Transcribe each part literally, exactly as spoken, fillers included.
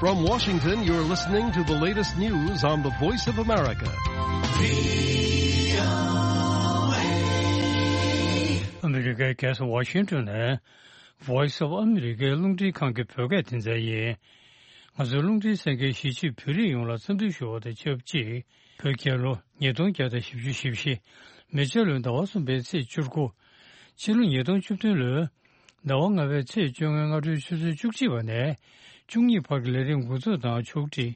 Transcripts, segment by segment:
From Washington, you're listening to the latest news on the Voice of America. ཨ་མི་རི་ཀའི་རྒྱལ་ས་ཝ་ཤིང་ཏོན་ནས་Voice of America རླུང་འཕྲིན་ཁང་གི་བོད་སྐད་སྡེ་ཚན་ཡིན། ང་ཚོའི་རླུང་འཕྲིན་གསན་མཁན་གཞིས་བྱེས་བོད་རིགས་ཡོངས་ལ་འཚམས་འདྲི་ཞུ་བ་དང་ཆབས་ཅིག་བོད་རྒྱལ་ལོ་ཉིས་སྟོང་བརྒྱ་དང་བཞི་བཅུ་ཞེ་བཞི། མེ་བྱ་ལོའི་ཟླ་བ་གསུམ་པའི་ཚེས་བཅུ་དགུ། ཕྱི་ལོ་ཉིས་སྟོང་བཅུ་བདུན་ལོའི་ཟླ་བ་ལྔ་པའི་ཚེས་བཅོ་ལྔའི་སྔ་དྲོའི་ཆུ་ཚོད་བཅུ་གཅིག་པ་ནས་བཅུ་གཉིས་བར་གྱི་ལས་རིམ་འགོ་འཛུགས་དང་ཕྱོགས་སྒྲིག་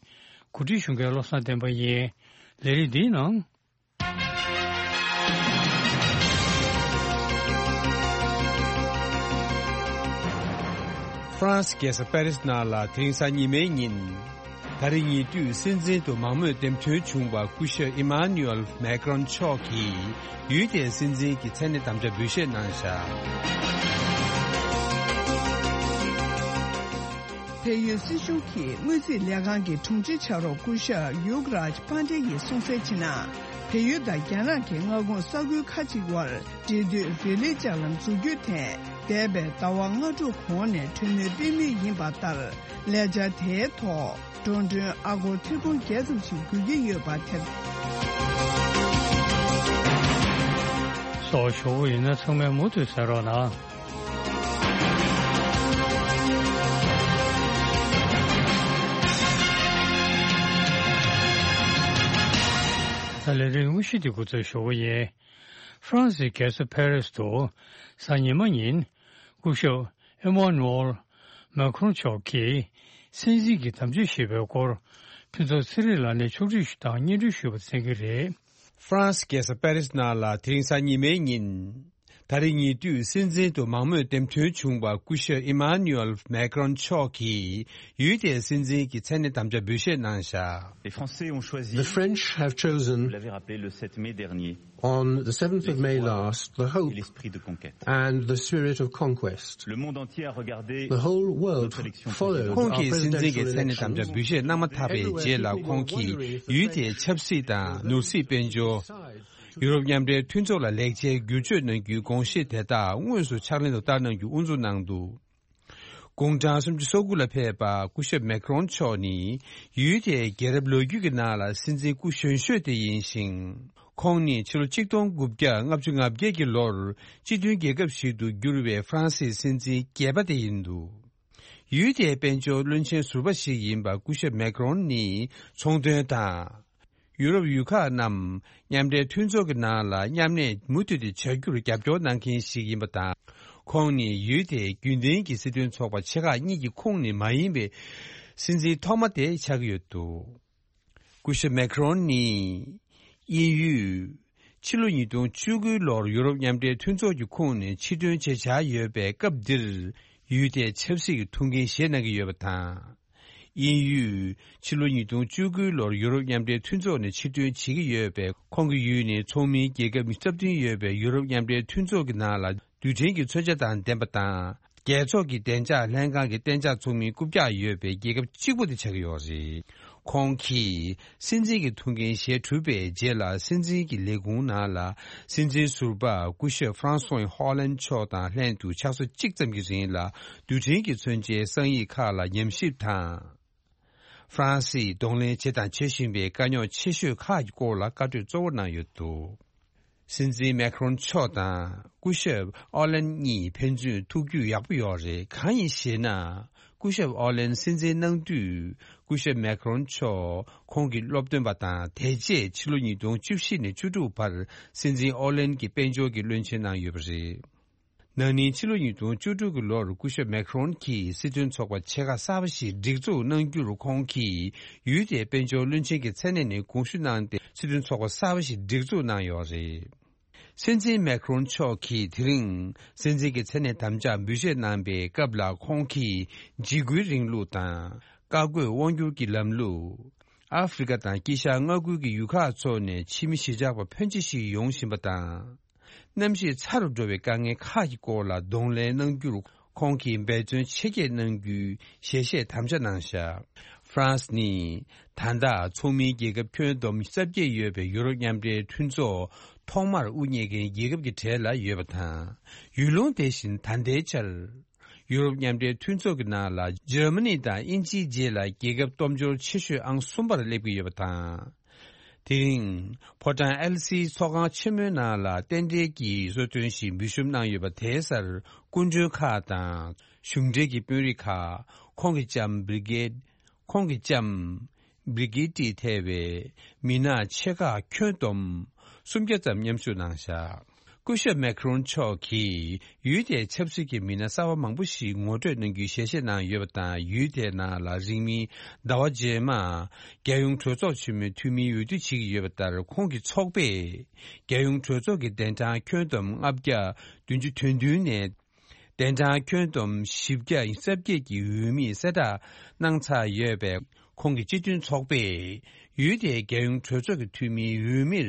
གོ་སྒྲིག་ཞུ་མཁན་བློ་བཟང་བསྟན་པ་ཡིན། ལས་རིམ་འདིའི་ནང་། ཧྥ་རན་སི་རྒྱལ་ས་པེ་རི་སི་ནང་ལ་དེ་རིང་གཟའ་ཉི་མའི་ཉིན། ད་རེས་ཉེ་དུས་སྲིད་འཛིན་དུ་མང་མོས་འདེམས་ཐོན་བྱུང་བ་སྐུ་ཞབས་ཨི་མ་ནུ་ཨེལ་མེག་རོན་མཆོག་གིས་ཡུལ་དེའི་སྲིད་འཛིན་གྱི་མཚན་གནས་དམ་བཅའ་འབུལ་བཞེས་གནང་བཞག་བལ་ཡུལ་སྲིད་གཞུང་གི་དངུལ་རྩིས་ལས་ཁང་གི་དྲུང་ཆེ་ཕྱག་རོགས་སྐུ་ཞབས་ཡུག་རཱཇ་པཱན་ཌེ་ཡིས་གསུངས་གསལ་བྱས་ན། བལ་ཡུལ་དང་རྒྱ་ནག་གི་མངའ་ཁོངས་ས་ཁུལ་ཁག་ཅིག་དབར་འབྲེལ་མཐུད་རི་ལི་ལྕགས་ལམ་འཛུགས་རྒྱུའི་ཐད། འདས་པའི་ཟླ་བ་ལྔ་དྲུག་གོང་ནས་གྲོས་མོལ་སྤེལ་མུས་ཡིན་པ་ལྟར། ལས་འཆར་དེའི་ཐོག་འགྲོ་གྲོན་ཨ་སྒོར་ཐེར་འབུམ་བརྒྱད་ཙམ་ཞིག་དགོས་ཀྱི་ཡོད་པ་དེར། སོགས་ཞུ་བ་ཡིན་ན་ཚང་མས་མུ་མཐུད་གསན་རོགས་གནང་། ད་ལས་རིམ་དངོས་གཞི་འདི་འགོ་འཛུགས་ཞུ་བ་ཡིན། ཧྥ་རན་སིའི་རྒྱལ་ས་ཕ་རི་སི་དུ་གཟའ་ཉི་མ་ཉིན་སྐུ་ཞབས་ཨེ་མ་ནུ་ཨེལ་མེ་ཁོན་མཆོག་གིས་སྲིད་འཛིན་གྱི་དམ་བཅའ་བཞེས་པའི་སྐོར་ཕུན་ཚོགས་ཚེ་རིང་ལགས་ནས་ཕྱོགས་སྒྲིག་ཞུ་དང་སྙན་སྒྲོན་ཞུས་པ་གསན་གྱི་རེད། ཧྥ་རན་སི་རྒྱལ་ས་པེ་རི་སི་ནང་ལ་དེ་རིང་གཟའ་ཉི་མའི་ཉིན། ད་རེས་ཉེ་དུས་སྲིད་འཛིན་དུ་མང་མོས་འདེམས་ཐོན་བྱུང་བ་སྐུ་ཞབས་ཨི་མ་ནུ་ཨེལ་མེག་རོན་མཆོག་གིས་ཡུལ་དེའི་སྲིད་འཛིན་གྱི་མཚན་གནས་དམ་བཅའ་འབུལ་བཞེས་གནང་བཞག Les Français ont choisi, The French have chosen, vous l'avez rappelé, le sept mai dernier, on the seventh of May last, the et hope l'esprit de conquête. And the spirit of conquest. Le monde entier a regardé, The whole world, notre élection followed présidentielle. Our presidential election. ཁོང་གིས་སྲིད་འཛིན་གྱི་མཚན་གནས་དམ་བཅའ་འབུལ་བཞེས་གནང་མ་ཐག་པའི་རྗེས་ལ། ཁོང་གིས་ཡུལ་དེའི་ཆབ་སྲིད་དང་ནོར་སྲིད་དཔལ་འབྱོར། ཡུ་རོབ་མཉམ་འབྲེལ་མཐུན་ཚོགས་ལ་ལེགས་ཆའི་བསྒྱུར་བཅོས་གནང་རྒྱུའི་དགོངས་བཞེས་དེ་དག་དངོས་སུ་ཕྱག་ལེན་དུ་བསྟར་གནང་རྒྱུ་དབུ་འཛུགས་གནང་འདུག་དགུང་གྲངས་སུམ་ཅུ་སོ་དགུ་ལ་ཕེབས་པ་སྐུ་ཞབས་མེག་རོན་མཆོག་ནི་ཡུལ་དེའི་རྒྱལ་རབས་ལོ་རྒྱུས་ཀྱི་ནང་ལ་སྲིད་འཛིན་སྐུ་གཞོན་ཤོས་དེ་ཡིན་ཞིང་། ཁོང་ནི་ཕྱི་ལོ་ཆིག་སྟོང་དགུ་བརྒྱ་ལྔ་བཅུ་ང་བརྒྱད་ཀྱི་ལོར་སྤྱི་མཐུན་རྒྱལ་ཁབ་ཞིག་ཏུ་གྱུར་བའི་ཧྥ་རན་སིའི་སྲིད་འཛིན་བརྒྱད་པ་དེ་ཡིན་འདུག་ཡུལ་དེའི་དཔལ་འབྱོར་བློན་ཆེན་ཟུར་པ་ཞིག་ཡིན་པ་སྐུ་ཞབས་མེག་རོན་ནི་ཚོང་དོན་དང་། ཡུ་རོབ་ཡུལ་ཁག་རྣམས་མཉམ་འབྲེལ་མཐུན་ཚོགས་ཀྱི་ནང་ལ་མཉམ་གནས་མུ་མཐུད་དེ་བྱ་རྒྱུར་རྒྱབ་སྐྱོར་གནང་མཁན་ཞིག་ཡིན་པ་དང་། ཁོང་ནི་ཡུལ་དེའི་རྒྱུན་ལྡན་གྱི་སྲིད་དོན་ཚོགས་པ་ཆེ་ཁག་གཉིས་ཀྱི་ཁོངས་ནས་མ་ཡིན་པའི་སྲིད་འཛིན་ཐོག་མ་དེ་ཆགས་ཀྱི་ཡོད་འདུག་སྐུ་ཞབས་མེག་རོན་ནི་དབྱིན་ཡུལ། ཕྱི་ལོ་ཉིས་སྟོང་བཅུ་དགུའི་ལོར་ཡུ་རོབ་མཉམ་འབྲེལ་མཐུན་ཚོགས་ཀྱི་ཁོངས་ནས་ཕྱིར་ཐོན་བྱེད་འཆར་ཡོད་པའི་སྐབས་འདིར། ཡུལ་དེའི་ཆབ་སྲིད་ཀྱི་ཐུགས་འགན་བཞེས་གནང་གི་ཡོད་པ་དང་། དབྱིན་ཡུལ། ཕྱི་ལོ་ཉིས་སྟོང་བཅུ་དགུའི་ལོར་ཡུ་རོབ་མཉམ་འབྲེལ་མཐུན་ཚོགས་ནས་ཕྱིར་ཐོན་བྱེད་ཀྱི་ཡོད་པས། ཁོང་གི་ཡུལ་ནི་ཚོགས་མིའི་རྒྱལ་ཁབ་རྩ་བདུན་ཡོད་པའི་ཡུ་རོབ་མཉམ་འབྲེལ་མཐུན་ཚོགས་ཀྱི་ནང་ལ་རྡུལ་ཕྲན་གྱི་མཚོན་ཆ་དང་ལྡན་པ་དང་། རྒྱལ་ཚོགས་ཀྱི་བདེ་འཇགས་ལྷན་ཁང་གི་གཏན་འཇགས་ཚོགས་མིའི་རྐུབ་བཀྱག་ཡོད་པའི་རྒྱལ་ཁབ་གཅིག་པུ་དེ་ཆགས་ཀྱི་ཡོད་རེད། ཁོང་གིས་སྲིད་འཛིན་གྱི་ཐུགས་འགན་བཞེས་གྲུབ་པའི་རྗེས་ལ། སྲིད་འཛིན་གྱི་ལས་ཁུངས་ནང་ལ་སྲིད་འཛིན་ཟུར་པ་སྐུ་ཞབས་ཧྥ་རན་སོ་ཧོ་ལན་མཆོག་དང་ལྷན་དུ་ཆུ་ཚོད་གཅིག་ཙམ་གྱི་རིང་ལ་རྡུལ་ཕྲན་གྱི་མཚོན་ཆའི་གསང་ཡིག་ཁག་ལ་ཉམས་ཞིབ་དང་། ཧྥ་རན་སིས་གདོང་ལེན་བྱས་དང་བྱེད་བཞིན་པའི་དཀའ་རྙོག་ཆེ་ཤོས་ཁག་གི་སྐོར་ལ་བཀའ་གྲོས་གཙོ་བོར་གནང་ཡོད་འདུག་སྲིད་འཛིན་མེག་རོན་མཆོག་དང་སྐུ་ཞབས་ཨོ་ལན་གཉིས་ཕན་ཚུན་ཐུག་རྒྱུ་ཡག་པོ་ཡོད་རེད། གང་ཡིན་ཞེ་ན། སྐུ་ཞབས་ཨོ་ལན་སྲིད་འཛིན་གནང་དུས། སྐུ་ཞབས་མེག་རོན་མཆོག་ཁོང་གི་སློབ་སྟོན་པ་དང་། དེ་རྗེས་ཕྱི་ལོ་ཉིས་སྟོང་བཅུ་བཞི་ནས་བཅུ་དྲུག་བར་སྲིད་འཛིན་ཨོ་ལན་གྱི་དཔལ་འབྱོར་གྱི་བློན་ཆེན་གནང་ཡོད་པ་རེད། ན་ནིང་ཕྱི་ལོ་ཉིས་སྟོང་བཅུ་དྲུག་གི་ལོར་སྐུ་ཞབས་མེག་རོན་གྱིས་སྲིད་དོན་ཚོགས་པ་ཆེ་ཁག་གསར་པ་ཞིག་སྒྲིག་འཛུགས་གནང་རྒྱུར། ཁོང་གིས་ཡུལ་དེའི་དཔལ་འབྱོར་བློན་ཆེན་གྱི་མཚན་གནས་ནས་དགོངས་ཞུ་གནང་སྟེ། སྲིད་དོན་ཚོགས་པ་གསར་པ་ཞིག་སྒྲིག་འཛུགས་གནང་ཡོད་རེད། སྲིད་འཛིན་མེག་རོན་མཆོག་གིས་དེ་རིང་སྲིད་འཛིན་གྱི་མཚན་གནས་དམ་བཅའ་འབུལ་བཞེས་གནང་པའི་སྐབས་ལ། ཁོང་གིས་འཇིགས་སྐུལ་རིང་ལུགས་དང་། བཀའ་བཀོད་དབང་སྒྱུར་གྱི་ལམ་ལུགས། ཨ་ཧྥེ་རི་ཀ་དང་དཀྱིལ་ཤར་མངའ་ཁུལ་གྱི་ཡུལ་ཁག་ཚོ་ནས་ཕྱི་མི་གཞིས་ཆགས་པ་ཕོན་ཆེ་ཞིག་ཡོང་བཞིན་པ་དང་། གནམ་གཤིས་ཚ་རུ་འགྲོ་བའི་དཀའ་ངལ་ཁག་གི་སྐོར་ལ་གདོང་ལེན་གནང་རྒྱུར། ཁོང་གིས་འབད་བརྩོན་ཆེ་བསྐྱེད་གནང་རྒྱུའི་ཞལ་བཞེས་དམ་བཅའ་གནང་བཞག་ཧྥ་རན་སི་ནི་ད་ལྟ་ཚོགས་མིའི་རྒྱལ་ཁབ་ཁྱོན་བསྡོམས་རྩ་བརྒྱད་ཡོད་པའི་ཡུ་རོབ་མཉམ་འབྲེལ་མཐུན་ཚོགས་ཐོག་མར་དབུ་བརྙེས་མཁན་རྒྱལ་ཁབ་ཀྱི་གྲས་ལ་ཡོད་པ་དང་། ཡུལ་ལུང་དེ་བཞིན་ད་ལྟའི་ཆར། ཡུ་རོབ་མཉམ་འབྲེལ་མཐུན་ཚོགས་ཀྱི་ནང་ལ་འཇར་མ་ནི་དང་དབྱིན་ཇིའི་རྗེས་ལ་རྒྱལ་ཁབ་སྟོབས་འབྱོར་ཆེ་ཤོས་ཨང་གསུམ་པར་སླེབས་ཀྱི་ཡོད་པ་དང་། དེ་རིང་ཕོ་བྲང་ཨེལ་སིའི་ཚོགས་ཁང་ཆེན་མོའི་ནང་ལ་རྟེན་འབྲེལ་གྱི་གསོལ་སྟོན་ཞིག་འབུལ་ཞུ་གནང་ཡོད་པ་དེའི་སར་སྐུ་མགྲོན་ཁག་དང་གཞུང་འབྲེལ་གྱི་དཔོན་རིགས་ཁག་ཁོང་གི་ལྕམ་བི་རི་གེད། ཁོང་གི་ལྕམ། བི་རི་གི་ཏི་ཐེ་བའི་མི་སྣ་ཆེ་ཁག་ཁྱོན་བསྡོམས་སུམ་བརྒྱ་ཙམ་མཉམ་ཞུགས་གནང་བཞག་སྐུ་ཞབས་མེ་ཁི་རོན་མཆོག་གིས་ཡུལ་དེའི་ཆབ་སྲིད་ཀྱི་མི་སྣ་གསར་བ་མང་པོ་ཞིག་ངོ་སྤྲོད་གནང་རྒྱུའི་ཞལ་བཞེས་གནང་ཡོད་པ་དང་། ཡུལ་དེའི་ནང་ལ་རིང་མིན་ཟླ་བ་རྗེས་མ་རྒྱལ་ཡོངས་གྲོས་ཚོགས་ཆེན་མོའི་འཐུས་མིའི་འོས་བསྡུ་བྱེད་ཀྱི་ཡོད་པ་ལྟར། ཁོང་གི་ཚོགས་པས་རྒྱལ་ཡོངས་གྲོས་ཚོགས་ཀྱི་གདན་གྲངས་ཁྱོན་བསྡོམས་ལྔ་བརྒྱ་བདུན་ཅུ་དོན་བདུན་ནས། གདན་གྲངས་ཁྱོན་བསྡོམས་བཞི་བརྒྱ་རྩ་བརྒྱད་ཀྱི་འོས་མིར་གསལ་བསྒྲགས་གནང་ཚར་ཡོད་པས། ཁོང་གི་སྤྱི་མཐུན་ཚོགས་པས་ཡུལ་དེའི་རྒྱལ་ཡོངས་གྲོས་ཚོགས་ཀྱི་འཐུས་མིའི་འོས་མིར་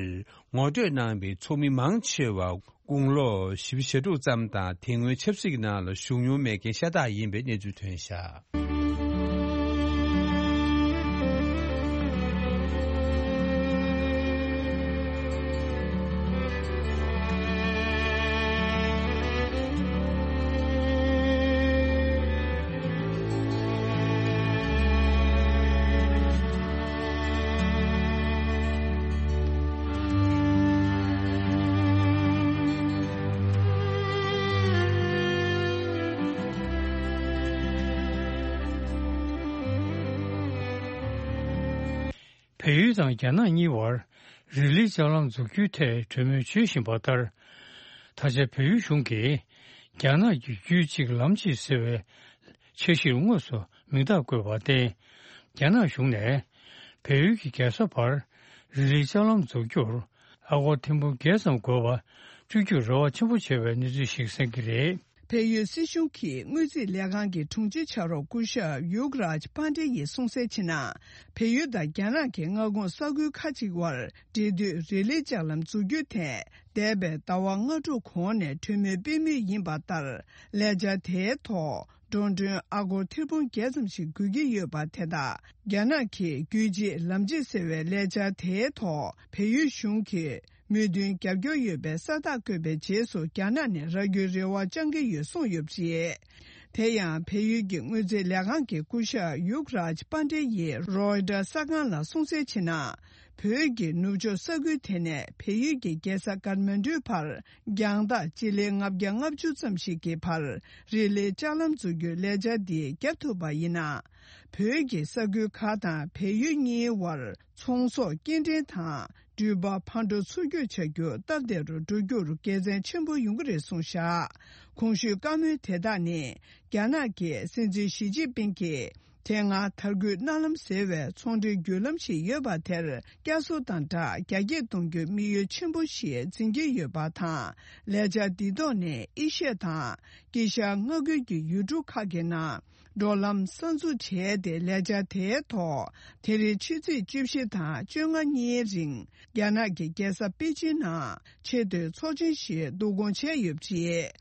ངོ་སྤྲོད་གནང་བའི་ཚོགས་མི་མང་ཆེ་བ་དགུང་ལོ་བཞི་བཅུ་ཞེ་དྲུག་ཙམ་དང་། དེ་སྔོན་ཆབ་སྲིད་ཀྱི་ནང་ལ་ཞུགས་མྱོང་མེད་མཁན་ཤ་སྟག་ཡིན་པའི་གནས་ཚུལ་ཐོན་བཞག་བལ་ཡུལ་དང་རྒྱ་ནག་གཉིས་བར་རི་ལི་ལྕགས་ལམ་འཛུགས་རྒྱུའི་ཐད་གྲོས་མོལ་བྱེད་བཞིན་པ་ལྟར། ད་ཆ་བལ་ཡུལ་གཞུང་གིས་རྒྱ་ནག་གི་རྒྱུད་གཅིག་ལམ་གཅིག་ཟེར་བའི་འཆར་གཞིར་དངོས་སུ་མིང་རྟགས་བཀོད་པར་བརྟེན། རྒྱ་ནག་གཞུང་ནས་བལ་ཡུལ་གྱི་རྒྱལ་ས་བར་རི་ལི་ལྕགས་ལམ་འཛུགས་རྒྱུར་ཨ་སྒོར་ཐེར་འབུམ་བརྒྱད་ཙམ་དགོས་པ་སྤྲོད་རྒྱུར་རེ་བ་ཆེན་པོ་བྱས་པའི་གནས་ཚུལ་ཞིག་གསན་གྱི་རེད། བལ་ཡུལ་སྲིད་གཞུང་གི་དངུལ་རྩིས་ལས་ཁང་གི་དྲུང་ཆེ་ཕྱག་རོགས་སྐུ་ཞབས་ཡུག་རཱཇ་པཱན་ཌེ་ཡིས་གསུངས་གསལ་བྱས་ན། བལ་ཡུལ་དང་རྒྱ་ནག་གི་མངའ་ཁོངས་ས་ཁུལ་ཁག་ཅིག་དབར་འབྲེལ་མཐུད་རི་ལི་ལྕགས་ལམ་འཛུགས་རྒྱུ་དེ་འདས་པའི་ཟླ་བ་ལྔ་དྲུག་གོང་ནས་གྲོས་མོལ་སྤེལ་མུས་ཡིན་པ་ལྟར། ལས་འཆར་དེའི་ཐོག་འགྲོ་གྲོན་ཨ་སྒོར་ཐེར་འབུམ་བརྒྱད་ཙམ་ཞིག་དགོས་ཀྱི་ཡོད་པ་དེ་དག་རྒྱ་ནག་གིས་རྒྱུད་གཅིག་ལམ་གཅིག་ཟེར་བའི་ལས་འཆར་དེའི་ཐོག་བལ་ཡུལ་གཞུང་གིས་མོས་མཐུན་རྒྱབ་སྐྱོར་ཡོད་པའི་ས་རྟགས་བཀོད་པའི་རྗེས་སུ། རྒྱ་ནག་ནས་རག་རྒྱུའི་རེ་བ་བཅང་གི་ཡོད་གསུངས་ཡོད་པ་རེད། དེ་ཡང་བལ་ཡུལ་གྱི་དངུལ་རྩིས་ལས་ཁང་གི་སྐུ་ཞབས་ཡུག་རཱཇ་པཱན་ཌེ་ཡིས་རོའི་ཊར་གསར་ཁང་ལ་གསུངས་གསལ་བྱས་ན། བོད་ཀྱི་ནུབ་ཕྱོགས་ས་ཁུལ་དེ་ནས་བལ་ཡུལ་གྱི་རྒྱལ་ས་ཀཏ་མན་ཌུའི་བར་རྒྱང་ཐག་སྤྱི་ལེ་ལྔ་བརྒྱ་ལྔ་བཅུ་ཙམ་ཞིག་གི་བར་རི་ལི་ལྕགས་ལམ་འཛུགས་རྒྱུའི་ལས་འཆར་འདི་བརྒྱབ་ཐུབ་པ་ཡིན་ན། བོད་ཀྱི་ས་ཁུལ་ཁག་དང་བལ་ཡུལ་གཉིས་བར་ཚོང་ཟོག་སྐྱེལ་འདྲེན་དང་འགྲུལ་པ་ཕར་འགྲོ་ཚུར་སྐྱོད་བྱ་རྒྱུ་སྟབས་བདེ་རུ་འགྲོ་རྒྱུར་དགེ་མཚན་ཆེན་པོ་ཡོང་གི་རེད་གསུངས་བཞག་གོང་ཞུས་བཀའ་མོལ་དེ་དག་ནི། རྒྱ་ནག་གི་སྲིད་འཛིན་ཞི་ཅིན་ཕིང་གིས་དེ་སྔ་དར་རྒུད་གནའ་ལམ་ཟེར་བའི་ཚོང་འབྲེལ་བརྒྱུད་ལམ་ཞིག་ཡོད་པ་དེར་བསྐྱར་གསོ་དང་སྦྲགས་རྒྱ་སྐྱེད་གཏོང་རྒྱུའི་དམིགས་ཡུལ་ཆེན་པོ་ཞིག་འཛིན་གྱི་ཡོད་པ་དང་། ལས་འཆར་འདི་ཐོག་ནས་ཨེ་ཤི་ཡ་དང་དཀྱིལ་ཤར་མངའ་ཁུལ་གྱི་ཡུལ་གྲུ་ཁག་གི་ནང་འགྲོ་ལམ་གསར་འཛུགས་བྱས་ཏེ། ལས་འཆར་དེའི་ཐོག་དེ་རིང་ཕྱི་ཚེས་བཅུ་བཞི་དང་བཅོ་ལྔ་གཉིས་རིང་རྒྱ་ནག་གི་རྒྱལ་ས་པེ་ཅིན་ནང་ཆེས་མཐོའི་ཚོགས་ཆེན་ཞིག་བསྡུ་སྐོང་བྱས་ཡོད་པ་རེད།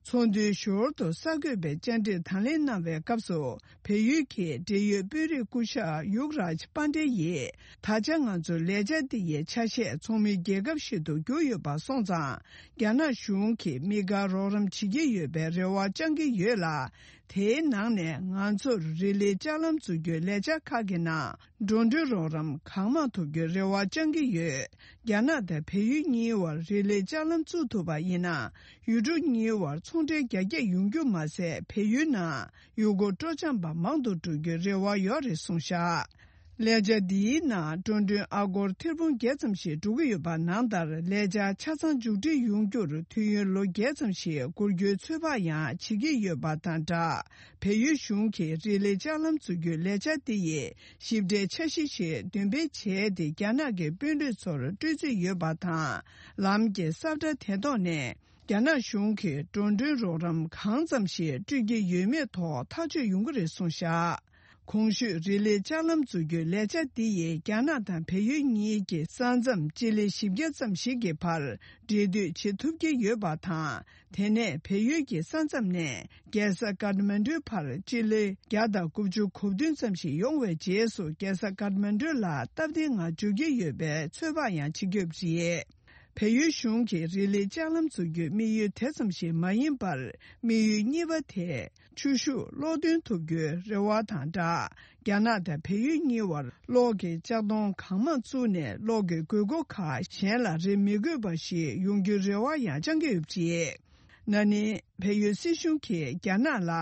ཚོགས་འདུའི་ཞོར་དུ་གསར་འགོད་པས་བཅར་འདྲིར་དང་ལེན་གནང་བའི་སྐབས་སུ། བལ་ཡུལ་གྱི་འབྲེལ་ཡོད་དཔོན་རིགས་སྐུ་ཞབས་ཡུག་རཱཇ་པཱན་ཌེ་ཡིས། ད་ཆ་ང་ཚོའི་ལས་འཆར་འདི་ཡི་ཆ་ཤས་ཚོགས་མིའི་རྒྱལ་ཁབ་ཞིག་ཏུ་གྱུར་ཡོད་པ་སོང་ཙང་། རྒྱ་ནག་གཞུང་གིས་དམིགས་བཀར་རོགས་རམ་བྱེད་ཀྱི་ཡོད་པའི་རེ་བ་བཅང་གི་ཡོད་ལ། དེའི་ནང་ནས་ང་ཚོར་རི་ལི་ལྕགས་ལམ་འཛུགས་རྒྱུའི་ལས་འཆར་ཁག་གི་ནང་འགྲོ་གྲོན་རོགས་རམ་གང་མང་ཐོབ་རྒྱུའི་རེ་བ་བཅང་གི་ཡོད། རྒྱ་ནག་དང་བལ་ཡུལ་གཉིས་བར་རི་ལི་ལྕགས་ལམ་བཙུགས་ཐུབ་པ་ཡིན་ན། ཡུལ་གྲུ་གཉིས་བར་ཚོང་འབྲེལ་རྒྱ་སྐྱེད་ཡོང་རྒྱུ་མ་ཟད། བལ་ཡུལ་ནང་ཡུལ་སྐོར་སྤྲོ་འཆམ་པ་མང་དུ་འགྲོ་རྒྱུའི་རེ་བ་ཡོད་རེད་གསུངས་བཞག་ལས་འཆར་འདིའི་ནང་འགྲོ་གྲོན་ཨ་སྒོར་ཐེར་འབུམ་བརྒྱད་ཙམ་ཞིག་འགྲོ་གི་ཡོད་པ་ནང་ལྟར། ལས་འཆར་ཆ་ཚང་མཇུག་སྒྲིལ་ཡོང་རྒྱུར་དུས་ཡུན་ལོ་བརྒྱད་ཙམ་ཞིག་འགོར་རྒྱུའི་ཚོད་དཔག་ཡང་བྱེད་ཀྱི་ཡོད་པ་དང་སྦྲགས། བལ་ཡུལ་གཞུང་གིས་རི་ལི་ལྕགས་ལམ་འཛུགས་རྒྱུའི་ལས་འཆར་འདི་ཡི་ཞིབ་ཕྲའི་འཆར་གཞི་ཞིག་འདོན་སྤེལ་བྱས་ཏེ། རྒྱ་ནག་གི་དཔོན་རིགས་ཚོར་སྤྲོད་རྩིས་ཡོད་པ་དང་། ལམ་གྱི་ས་བཀྲ་དེ་ཐོག་ནས་རྒྱ་ནག་གཞུང་གིས་འགྲོ་གྲོན་རོགས་རམ་གང་ཙམ་ཞིག་སྤྲོད་ཀྱི་ཡོད་མེད་ཐོག་ཐག་གཅོད་ཡོང་གི་རེད་གསུངས་བཞག་གོང་ཞུས་རི་ལི་ལྕགས་ལམ་འཛུགས་རྒྱུའི་ལས་འཆར་འདི་ཡིས་རྒྱ་ནག་དང་བལ་ཡུལ་གཉིས་ཀྱི་ས་མཚམས་སྤྱི་ལེ་བཞི་བརྒྱ་ཙམ་ཞིག་གི་བར་འབྲེལ་མཐུད་བྱེད་ཐུབ་ཀྱི་ཡོད་པ་དང་། དེ་ནས་བལ་ཡུལ་གྱི་ས་མཚམས་ནས་རྒྱལ་ས་ཀཏ་མན་ཌུའི་བར་སྤྱི་ལེ་བརྒྱ་དང་དགུ་བཅུ་གོ་བདུན་ཙམ་ཞིག་ཡོང་བའི་རྗེས་སུ། རྒྱལ་ས་ཀཏ་མན་ཌུ་ལ་སྟབས་བདེ་ངང་འབྱོར་གྱི་ཡོད་པའི་ཚོད་དཔག་ཡང་བྱེད་ཀྱི་ཡོད་པ་རེད། བལ་ཡུལ་གཞུང་གིས་རི་ལི་ལྕགས་ལམ་བཙུགས་རྒྱུའི་དམིགས་ཡུལ་དེ་ཙམ་ཞིག་མ་ཡིན་པར། དམིགས་ཡུལ་གཉིས་པ་དེ་ཆུ་ཤུགས་གློག་འདོན་ཐུབ་རྒྱུའི་རེ་བ་དང་སྦྲགས། རྒྱ་ནག་དང་བལ་ཡུལ་གཉིས་བར་གློག་གི་ལྕགས་དོང་གང་མང་བཙུགས་ནས། གློག་གི་དགོས་མཁོ་ཁག་གཞན་ལ་རེ་མི་དགོས་པ་ཞིག་ཡོང་རྒྱུའི་རེ་བ་ཡང་བཅང་གི་ཡོད་པ་རེད། ན་ནིང་བལ་ཡུལ་སྲིད་གཞུང་གིས་རྒྱ་ནག་ལ།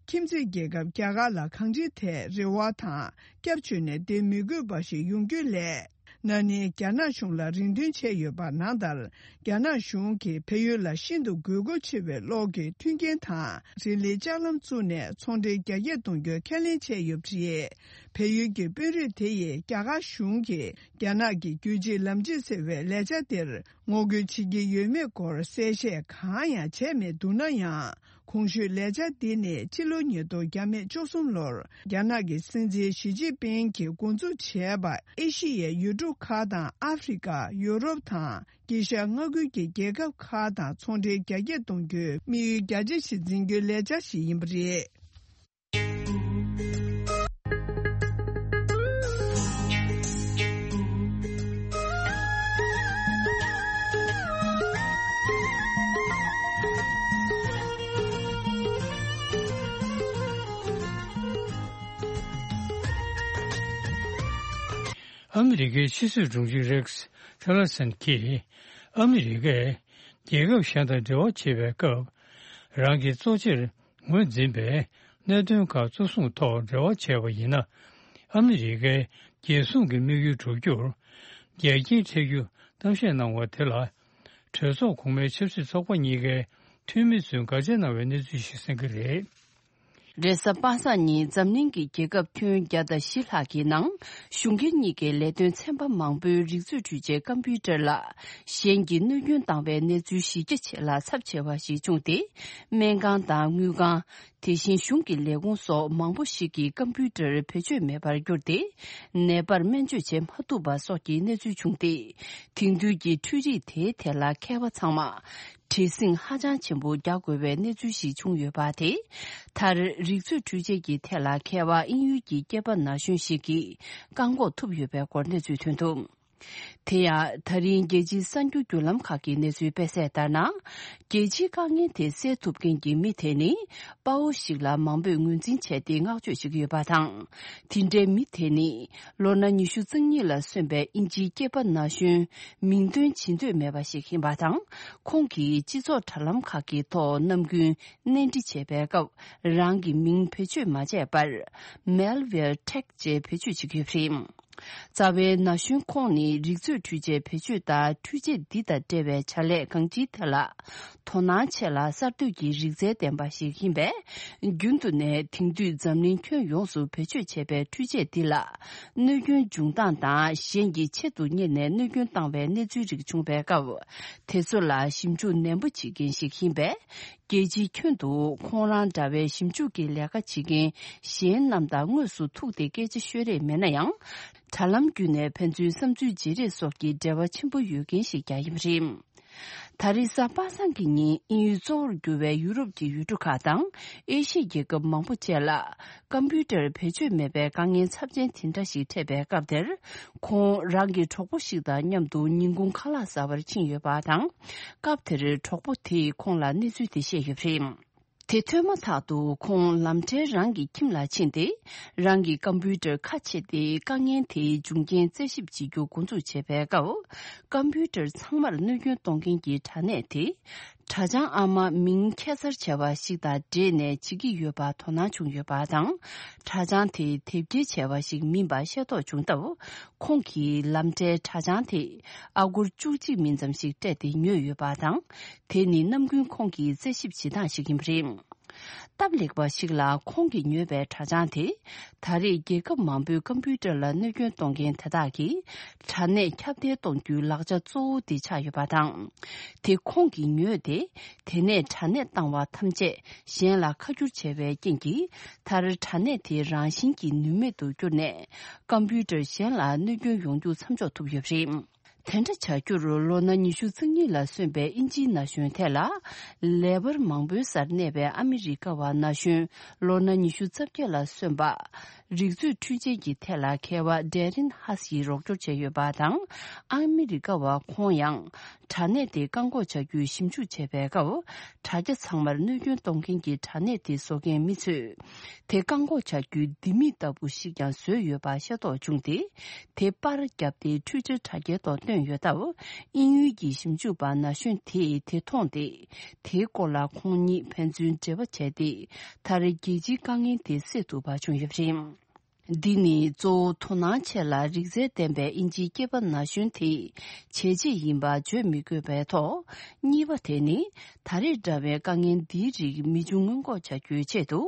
ཁྱིམ་མཚེས་རྒྱལ་ཁབ་རྒྱ་གར་ལ་གང་ཅིའི་ཐད་རེ་བ་དང་སྐྱབས་བཅོལ་ནས་བསྡད་མི་དགོས་པ་ཞིག་ཡོང་རྒྱུ་ལས། ན་ནིང་རྒྱ་ནག་གཞུང་ལ་རེ་འདུན་བྱས་ཡོད་པ་ནང་ལྟར། རྒྱ་ནག་གཞུང་གིས་བལ་ཡུལ་ལ་ཤིན་ཏུ་དགོས་མཁོ་ཆེ་བའི་གློག་གི་མཐུན་རྐྱེན་དང་། རི་ལི་ལྕགས་ལམ་བཙུགས་ནས་ཚོང་འབྲེལ་རྒྱ་སྐྱེད་གཏོང་རྒྱུའི་ཁས་ལེན་བྱས་ཡོད་པ་རེད། བལ་ཡུལ་གྱི་དཔོན་རིགས་དེ་ཡིས་རྒྱ་གར་གཞུང་གིས་རྒྱ་ནག་གི་རྒྱུད་གཅིག་ལམ་གཅིག་ཟེར་བའི་ལས་འཆར་དེར་ངོ་རྒོལ་བྱེད་ཀྱི་ཡོད་མེད་སྐོར་གསལ་བཤད་གང་ཡང་བྱས་མེད་འདུག་ན་ཡང་། གོང་ཞུས་ལས་འཆར་འདི་ནི་ཕྱི་ལོ་ཉིས་སྟོང་བརྒྱ་མེད་བཅུ་གསུམ་ལོར་རྒྱ་ནག་གི་སྲིད་འཛིན་ཞི་ཅིན་ཕིང་གིས་འགོ་འཛུགས་བྱས་པ། ཨེ་ཤི་ཡའི་ཡུལ་གྲུ་ཁག་དང་ཨ་ཧྥེ་རི་ཀ། ཡུ་རོབ་དང་དཀྱིལ་ཤར་མངའ་ཁུལ་གྱི་རྒྱལ་ཁབ་ཁག་དང་ཚོང་འབྲེལ་རྒྱ་སྐྱེད་གཏོང་རྒྱུའི་དམིགས་ཡུལ་རྒྱ་ཆེ་ཞིག་འཛིན་རྒྱུའི་ལས་འཆར་ཞིག་ཡིན་པ་རེད། ཨ་མི་རི་ཀའི་ཕྱི་སྲིད་དྲུང་ཆེ་རེག་སི་ཊི་ལར་སན་གྱིས། ཨ་མི་རི་ཀས་རྒྱལ་ཁབ་གཞན་དང་འབྲེལ་བ་བྱེད་པའི་སྐབས། རང་གི་གཙོ་ཆེར་ངོས་འཛིན་པའི་གནད་དོན་ཁག་གཙོ་བཟུང་ཐོག་འབྲེལ་བ་བྱས་པ་ཡིན་ན། ཨ་མི་རི་ཀའི་རྒྱལ་སྲུང་གི་དམིགས་ཡུལ་འགྲུབ་རྒྱུར་རྒྱལ་རྐྱེན་འཕྲད་རྒྱུ་གཏམ་བཤད་གནང་བ་དེ་ལ། གྲོས་ཚོགས་གོང་མའི་ཆབ་སྲིད་ཚོགས་པ་གཉིས་ཀའི་འཐུས་མི་ཚོས་དགག་བྱ་གནང་བའི་གནས་ཚུལ་ཞིག་གསན་གྱི་རེད། རེས་གཟའ་པ་སངས་ཉིན་འཛམ་གླིང་གི་རྒྱལ་ཁབ་ཁྱོན་བརྒྱ་དང་བཞི་ལྷག་གི་ནང་། གཞུང་སྒེར་གཉིས་ཀའི་ལས་དོན་ཚན་པ་མང་པོའི་རིག་མཛོད་འཕྲུལ་ཆས་ཀམ་པུའུ་ཊར་ལ། གཞན་གྱིས་གནོད་སྐྱོན་བཏང་བའི་གནས་ཚུལ་གཞི་རྒྱ་ཆེ་ལ་ཚབས་ཆེ་བ་ཞིག་བྱུང་སྟེ། སྨན་ཁང་དང་དངུལ་ཁང་། དེ་བཞིན་གཞུང་གི་ལས་ཁུངས་སོགས་མང་པོ་ཞིག་གིས་ཀམ་པུའུ་ཊར་བེད་སྤྱོད་མེད་པར་གྱུར་ཏེ། ནད་པར་སྨན་བཅོས་བྱེད་མ་ཐུབ་པ་སོགས་ཀྱི་གནས་ཚུལ་བྱུང་སྟེ། དེང་དུས་ཀྱི་འཕྲུལ་རིག་དེའི་ཐད་ལ་མཁས་པ་ཚང་མ། བྲེལ་ཟིང་ཧ་ཅང་ཆེན་པོ་རྒྱག་དགོས་པའི་གནས་ཚུལ་ཞིག་བྱུང་ཡོད་པ་དེས། མཐར་རིག་མཛོད་འཕྲུལ་ཆས་ཀྱི་ཐད་ལ་མཁས་པ་དབྱིན་ཡུལ་གྱི་སྐྱེས་པ་ན་གཞོན་ཞིག་གིས་བཀག་འགོག་ཐུབ་ཡོད་པའི་སྐོར་གནས་ཚུལ་ཐོན་འདུག་དེ་ཡང་། ད་རིང་རྒྱལ་སྤྱིའི་གསར་འགྱུར་བརྒྱུད་ལམ་ཁག་གི་གནས་ཚུལ་སྤེལ་གསལ་ལྟར་ན། རྒྱལ་སྤྱིའི་དཀའ་ངལ་དེ་སེལ་ཐུབ་མཁན་གྱི་མི་དེ་ནི། དཔའ་བོ་ཞིག་ལ་མང་པོས་ངོས་འཛིན་བྱས་ཏེ་བསྔགས་བརྗོད་བྱེད་ཀྱི་ཡོད་པ་དང་། དེ་འདྲའི་མི་དེ་ནི། ལོ་ན་ཉི་ཤུ་རྩ་གཉིས་ལ་སོན་པའི་དབྱིན་ཇིའི་སྐྱེས་པ་ན་གཞོན། མིང་འདོན་བྱེད་འདོད་མེད་པ་ཞིག་ཡིན་པ་དང་། ཁོང་གིས་སྤྱི་ཚོགས་དྲ་ལམ་ཁག་གི་ཐོག་ནམ་རྒྱུན་གནས་འདྲི་བྱེད་པའི་སྐབས། རང་གི་མིང་བེད་སྤྱོད་མ་བྱས་པར། Malware Tech ཅེས་བེད་སྤྱོད་བྱེད་ཀྱི་ཡོད་པ་རེད། རྩ་བའི་ན་གཞོན་ཁོང་ནི་རིག་མཛོད་འཕྲུལ་ཆས་བེད་སྤྱོད་དང་འཕྲུལ་ཆས་འདི་དང་འབྲེལ་བའི་བྱ་ལས་གང་ཅིའི་ཐད་ལ་དོ་སྣང་ཆེ་ལ་གསར་གཏོད་ཀྱི་རིག་རྩལ་ལྡན་པ་ཞིག་ཡིན་པས། རྒྱུན་དུ་ནས་དེང་དུས་འཛམ་གླིང་ཁྱོན་ཡོངས་སུ་བེད་སྤྱོད་བྱས་པའི་འཕྲུལ་ཆས་འདི་ལ་གནོད་སྐྱོན་འབྱུང་སྟངས་དང་། གཞན་གྱིས་ཆེད་དུ་གཉེར་ནས་གནོད་སྐྱོན་བཏང་བའི་གནས་ཚུལ་རིགས་བྱུང་བའི་སྐབས། དེ་ཚོ་ལ་ཞིབ་འཇུག་ནན་པོ་བྱེད་མཁན་ཞིག་ཡིན་པས། རྒྱལ་སྤྱིའི་ཁྱོན་དུ་ཁོང་རང་འདྲ་བའི་ཞིབ་འཇུག་གི་ལས་ཀ་བྱེད་མཁན་གཞན་རྣམས་དང་དངོས་སུ་ཐུག་སྟེ་སྐད་ཆ་ཤོད་རེས་མེད་ན་ཡང་། དྲ་ལམ་བརྒྱུད་ནས་ཕན་ཚུན་བསམ་ཚུལ་བརྗེ་རེས་སོགས་ཀྱི་འབྲེལ་བ་ཆེན་པོ་ཡོད་མཁན་ཞིག་ཀྱང་ཡིན་པ་རེད། ད་རེས་གཟའ་པ་སངས་ཀྱི་ཉིན་དབྱིན་ཡུལ་གཙོ་བོར་གྱུར་བའི་ཡུ་རོབ་ཀྱི་ཡུལ་གྲུ་ཁག་དང་ཨེ་ཤི་ཡའི་རྒྱལ་ཁབ་མང་པོ་བཅས་ལ། ཀམ་པུའུ་ཊར་བེད་སྤྱོད་མེད་པའི་དཀའ་ངལ་ཚབས་ཆེན་དེ་འདྲ་ཞིག་འཕྲད་པའི་སྐབས་དེར། ཁོང་རང་གི་གྲོགས་པོ་ཞིག་དང་མཉམ་དུ་ཉིན་གུང་ཁ་ལག་ཟ་བར་ཕྱིན་ཡོད་པ་དང་། སྐབས་དེར་གྲོགས་པོ་དེས་ཁོང་ལ་གནས་ཚུལ་དེ་བཤད་ཡོད་པ་རེད། དེ་ཐོས་མ་ཐག་ཏུ་ཁོང་ལམ་འཕྲལ་རང་གི་ཁྱིམ་ལ་ཕྱིན་ཏེ། རང་གི་ཀམ་པུའུ་ཊར་ཁ་ཕྱེ་སྟེ་དཀའ་ངལ་དེའི་འབྱུང་རྐྱེན་རྩད་ཞིབ་བྱེད་རྒྱུ་འགོ་འཛུགས་བྱས་པའི་སྐབས། ཀམ་པུའུ་ཊར་ཚང་མར་གནོད་སྐྱོན་གཏོང་མཁན་གྱི་དྲ་གནས་དེ། དྲ་བྱང་ཨ་མ་མིང་ཁྱད་མཚར་ཆེ་བ་ཞིག་དང་འབྲེལ་ནས་བྱེད་ཀྱི་ཡོད་པ་དོ་སྣང་བྱུང་ཡོད་པ་དང་། དྲ་བྱང་དེ་དེབ་སྐྱེལ་བྱས་པ་ཞིག་མིན་པ་ཤེས་རྟོགས་བྱུང་སྟབས། ཁོང་གིས་ལམ་འཕྲལ་དྲ་བྱང་དེ་ཨ་སྒོར་བཅུ་གཅིག་མིན་ཙམ་ཞིག་སྤྲད་དེ་ཉོས་ཡོད་པ་དང་། དེ་ནི་ནམ་རྒྱུན་ཁོང་གི་རྩད་ཞིབ་བྱེད་སྟངས་ཤིག་ཡིན་པ་རེད། སྟབས་ལེགས་པ་ཞིག་ལ་ཁོང་གིས་ཉོས་པའི་དྲ་བྱང་དེ། ད་རེས་རྒྱལ་ཁབ་མང་པོའི་ཀམ་པུའུ་ཊར་ལ་གནོད་སྐྱོན་གཏོང་མཁན་དེ་དག་གིས། དྲ་གནས་ཁྱབ་གདལ་གཏོང་རྒྱུའི་ལག་ཆ་གཙོ་བོ་དེ་ཆགས་ཡོད་པ་དང་། དེ་ཁོང་གིས་ཉོས་ཏེ། དེ་ནས་དྲ་གནས་བཏང་བ་ཐམས་ཅད་གཞན་ལ་ཁ་བསྒྱུར་བྱས་པའི་རྐྱེན་གྱིས། མཐར་དྲ་གནས་དེ་རང་བཞིན་གྱིས་ནུས་མེད་དུ་གྱུར་ནས། ཀམ་པུའུ་ཊར་གཞན་ལ་གནོད་སྐྱོན་ཡོང་རྒྱུ་མཚམས་འཇོག་ཐུབ་ཡོད་པ་རེད། དེ་འདྲ་བྱ་རྒྱུར་ལོ་ན་ཉི་ཤུ་རྩ་གཉིས་ལ་སོན་པའི་དབྱིན་ཇིའི་ན་གཞོན་དེ་ལ། ལས་འཕར་མང་པོའི་སར་གནས་པའི་ཨ་མི་རི་ཀ་བ་ན་གཞོན་ལོ་ན་ཉི་ཤུ་རྩ་བརྒྱད་ལ་སོན་པ། རིག་མཛོད་འཕྲུལ་ཆས་ཀྱི་ཐད་ལ་མཁས་པ་ཌེ་རིན་ཧ་སི་ཡིས་རོགས་སྐྱོར་བྱས་ཡོད་པ་དང་། ཨ་མི་རི་ཀ་བ་ཁོང་ཡང་། དྲ་གནས་དེ་བཀག་འགོག་བྱ་རྒྱུའི་ཞིབ་འཇུག་བྱེད་པའི་སྐབས། དྲ་རྒྱ་ཚང་མར་གནོད་སྐྱོན་གཏོང་མཁན་གྱི་དྲ་གནས་དེ་བཟོ་མཁན་མི་ཚོས། དེ་བཀག་འགོག་བྱ་རྒྱུའི་ལྡེ་མིག་ལྟ་བུ་ཞིག་ཀྱང་བཟོས་ཡོད་པ་ཤེས་རྟོགས་བྱུང་སྟེ། དེ་པར་བརྒྱབ་སྟེ་ཊུའི་ཊར་དྲ་རྒྱའི་ཐོག་བཏོན་ཡོད་སྟབས། དབྱིན་ཡུལ་གྱི་ཞིབ་འཇུག་པ་ན་གཞོན་དེས་དེ་མཐོང་སྟེ། དེའི་སྐོར་ལ་ཁོང་གཉིས་ཕན་ཚུན་འབྲེལ་བ་བྱས་ཏེ། མཐར་རྒྱལ་སྤྱིའི་དཀའ་ངལ་དེ་སེལ་ཐུབ་པ་བྱུང་ཡོད་པ་རེད། འདི་ནི་གཙོ་བོ་དོ་སྣང་ཆེ་ལ་རིག་རྩལ་ལྡན་པའི་དབྱིན་ཇིའི་སྐྱེས་པ་ན་གཞོན་དེའི་བྱས་རྗེས་ཡིན་པ་བརྗོད་མི་དགོས་པའི་ཐོག་གཉིས་པ་དེ་ནི་ད་རེས་འདྲ་བའི་དཀའ་ངལ་འདིའི་རིགས་མི་འབྱུང་སྔོན་འགོག་བྱ་རྒྱུའི་ཆེད་དུ་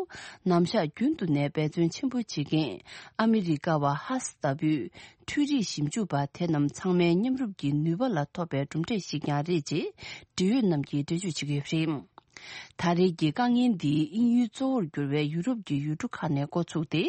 ནམ་ཞག་རྒྱུན་དུ་ནས་འབད་བརྩོན་ཆེན་པོ་བྱེད་མཁན་ཨ་མི་རི་ཀ་བ་ཧ་སི་ལྟ་བུའི་འཕྲུལ་རིག་ཞིབ་འཇུག་པ་དེ་རྣམས་ཚང་མའི་མཉམ་རུབ་ཀྱི་ནུས་པ་ལ་ཐོབ་པའི་གྲུབ་འབྲས་ཤིག་ཀྱང་རེད་ཅེས་འབྲེལ་ཡོད་རྣམས་ཀྱིས་འགྲེལ་བརྗོད་བྱེད་ཀྱི་ཡོད་པ་རེད། ད་རེས་ཀྱི་དཀའ་ངལ་འདི་དབྱིན་ཡུལ་གཙོ་བོར་གྱུར་བའི་ཡུ་རོབ་ཀྱི་ཡུལ་གྲུ་ཁག་ནས་འགོ་ཚུགས་ཏེ།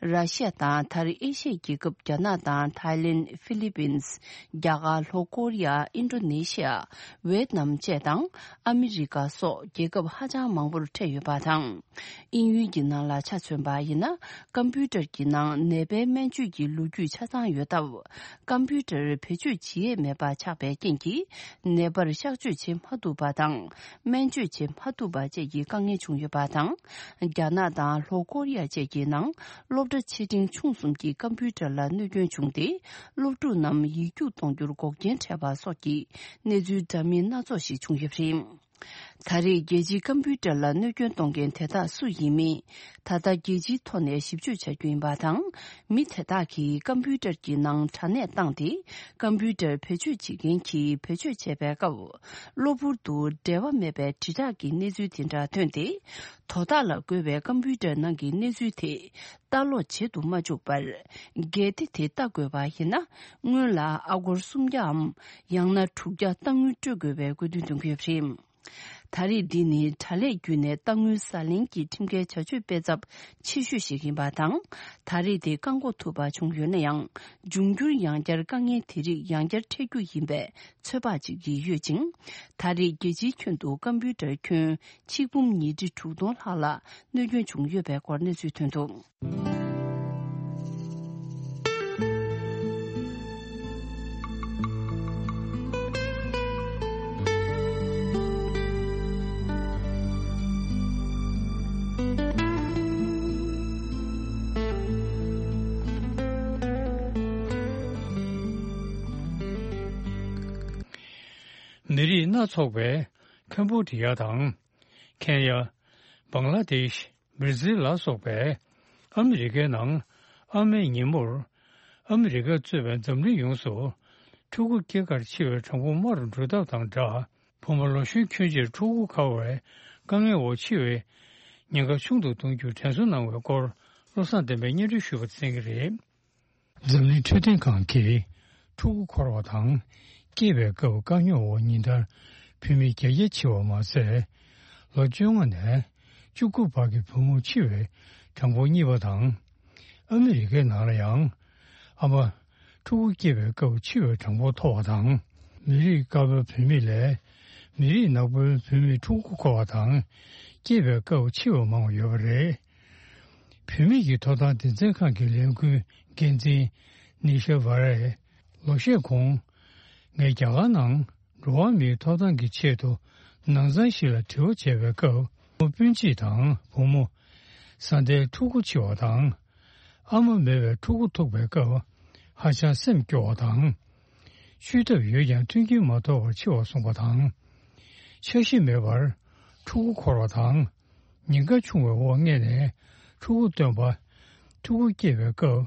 ར་ཤི་ཡ་དང་མཐར་ཨེ་ཤི་ཡའི་རྒྱལ་ཁབ་རྒྱ་ནག་དང་ཐའི་ལེན། ཧྥི་ལི་པིན། རྒྱ་གར། ལྷོ་ཀོ་རི་ཡ། ཨིན་ཌོ་ནེ་ཤི་ཡ། ཝེ་ཏི་ནམ་བཅས་དང་ཨ་མི་རི་ཀ་སོགས་རྒྱལ་ཁབ་ཧ་ཅང་མང་པོར་འཕྲད་ཡོད་པ་དང་། དབྱིན་ཡུལ་གྱི་ནང་ལ་ཆ་མཚོན་པ་ཡིན་ན། ཀམ་པུ་ཊར་གྱི་ནང་ནད་པའི་སྨན་བཅོས་ཀྱི་ལོ་རྒྱུས་ཆ་ཚང་ཡོད་སྟབས། ཀམ་པུ་ཊར་བེད་སྤྱོད་བྱེད་ཡས་མེད་པ་ཆགས་པའི་རྐྱེན་གྱིས། ནད་པར་གཤགས་བཅོས་བྱེད་མ་ཐུབ་པ་དང་། སྨན་བཅོས་བྱེད་མ་ཐུབ་པ་བཅས་ཀྱི་དཀའ་ངལ་བྱུང་ཡོད་པ་དང་། རྒྱ་ནག་དང་ལྷོ་ཀོ་རི་ཡ་བཅས་ཀྱི་ནང་སློབ་གྲྭ་ཆེ་འབྲིང་ཆུང་གསུམ་གྱི་ཀམ་པུ་ཊར་ལ་གནོད་སྐྱོན་བྱུང་སྟེ། སློབ་ཕྲུག་རྣམས་ཡིག་རྒྱུགས་གཏོང་རྒྱུར་འགོག་རྐྱེན་འཕྲད་པ་སོགས་ཀྱི་གནས་ཚུལ་འདྲ་མིན་སྣ་ཚོགས་ཤིག་བྱུང་ཡོད་པ་རེད། ད་རེས་རྒྱལ་སྤྱིའི་ཀམ་པུ་ཊར་ལ་གནོད་སྐྱོན་གཏོང་མཁན་དེ་དག་སུ་ཡིན་མིན། ད་ལྟ་རྒྱལ་སྤྱིའི་ཐོག་ནས་ཞིབ་དཔྱོད་བྱ་རྒྱུ་ཡིན་པ་དང་། མི་དེ་དག་གིས་ཀམ་པུ་ཊར་གྱི་ནང་དྲ་གནས་བཏང་སྟེ། ཀམ་པུ་ཊར་བེད་སྤྱོད་བྱེད་མཁན་གྱིས་བེད་སྤྱོད་བྱས་པའི་སྐབས། གློ་བུར་དུ་འབྲེལ་བ་མེད་པའི་དྲིལ་བསྒྲགས་ཀྱི་གནས་ཚུལ་དེ་འདྲ་ཐོན་ཏེ། དོ་བདག་ལ་བཀོད་པའི་ཀམ་པུ་ཊར་ནང་གི་གནས་ཚུལ་དེ། ལྟ་ཀློག་བྱེད་དུ་མ་བཅུག་པར། གལ་ཏེ་དེ་ལྟ་དགོས་པ་ཡིན་ན། སྔོན་ལ་ཨ་སྒོར་སུམ་བརྒྱའམ། ཡང་ན་དྲུག་བརྒྱ་གཏང་དངུལ་སྤྲོད་དགོས་པའི་དགོས་འདུན་འདོན་གྱི་ཡོད་པ་རེད། ད་རེས་འདི་ནི་དྲ་ལས་བརྒྱུད་ནས་གཏང་དངུལ་ཟ་ལེན་གྱི་ཁྲིམས་འགལ་བྱ་སྤྱོད་སྤེལ་ཚབས་ཆེ་ཤོས་ཤིག་ཡིན་པ་དང་། ད་རེས་དེ་བཀག་འགོག་ཐུབ་པ་བྱུང་ཡོད་ན་ཡང་། འབྱུང་འགྱུར་ཡང་བསྐྱར་དཀའ་ངལ་དེ་རིགས་ཡང་བསྐྱར་འཕྲད་རྒྱུ་ཡིན་པའི་ཚོད་དཔག་ཅིག་ཡོད་ཅིང་། ད་རེས་རྒྱལ་སྤྱིའི་ཁྱོན་དུ་ཀམ་པུ་ཊར་ཁྱོན་ཆིག་འབུམ་ཉིས་ཁྲི་དྲུག་སྟོང་ལྷག་ལ་གནོད་སྐྱོན་བྱུང་ཡོད་པའི་སྐོར་གནས་ཚུལ་ཐོན་འདུག། མི་རིགས་སྣ་ཚོགས་པའི་ཁམ་བྷོ་ཌི་ཡ་དང་། ཁེན་ཡ། བང་ལ་དེཤ། བྷར་ཛིལ་ལ་སོགས་པའི་ཨ་མི་རི་ཀའི་ནང་ཨ་མའི་ཉིན་མོར་ཨ་མི་རི་ཀ་གཙོས་པའི་འཛམ་གླིང་ཡོངས་སུ་ཕྲུ་གུ་སྐྱེ་ཁར་འཆི་བའི་གྲངས་འབོར་དམའ་རུ་འགྲོ་སྟབས་དང་སྦྲགས། བུ་མོ་ལོ་གཞོན་ཁྱོན་ཆེར་ཕྲུ་གུ་འཁོར་བའི་དཀའ་ངལ་འོག་འཆི་བའི་ཉེན་ཁ་ཆུང་དུ་གཏོང་རྒྱུར་དྲན་གསོ་གནང་བའི་སྐོར་བློ་བཟང་བསྟན་པས་སྙན་སྒྲོན་ཞུས་པ་གསན་གྱི་རེད། འཛམ་གླིང་འཕྲོད་བསྟེན་ཁང་གིས་ཕྲུ་གུ་འཁོར་བ་དང་སྐྱེས་པའི་སྐབས་དཀའ་རྙོག་འོག་ཉིན་ལྟར་བུད་མེད་བརྒྱད་བརྒྱ་འཆི་བ་མ་ཟད། ལོ་བཅོ་ལྔ་ནས་བཅུ་དགུ་བར་གྱི་བུ་མོ་འཆི་བའི་གྲངས་འབོར་གཉིས་པ་དང་། ཨ་མི་རི་ཀའི་ནང་ལ་ཡང་ཨ་མ་ཕྲུ་གུ་སྐྱེས་པའི་སྐབས་འཆི་བའི་གྲངས་འབོར་མཐོ་བ་དང་། མི་རིགས་དཀར་པོའི་བུད་མེད་ལས་མི་རིགས་ནག་པོའི་བུད་མེད་ཕྲུ་གུ་འཁོར་བ་དང་སྐྱེས་པའི་སྐབས་འཆི་བ་མང་བ་ཡོད་པ་རེད། བུད་མེད་ཀྱི་ཐོབ་ཐང་སྡེ་ཚན་ཁང་གི་ལས་འགུལ་འགན་འཛིན་ནི་ཤ་ཝ་རས་ལོ་ཤས་གོང་ངས་རྒྱ་གར་ནང་འགྲོ་བ་མིའི་ཐོབ་ཐང་གི་ཆེད་དུ་ནང་ཚང་ཞིག་ལ་དྲི་བ་བྱས་པའི་སྐབས། བུ་མོ་སྤུན་མཆེད་དང་བུ་མོ་བཟའ་ཟླའི་ཕྲུ་གུ་འཆི་བ་དང་། ཨ་མ་མེད་པའི་ཕྲུ་གུ་ཐུག་པའི་སྐབས་ཧ་ཅང་སེམས་སྐྱོ་བ་དང་། བཅོས་ཐབས་ཡོད་ཀྱང་མཐུན་རྐྱེན་མ་ཐོབ་པར་འཆི་བ་སོང་བ་དང་། འཆར་གཞི་མེད་པར་ཕྲུ་གུ་འཁོར་བ་དང་། ཉེན་ཁ་ཆུང་བའི་འོག་མངལ་ནས་ཕྲུ་གུ་བཏོན་པ། ཕྲུ་གུ་སྐྱེས་པའི་སྐབས་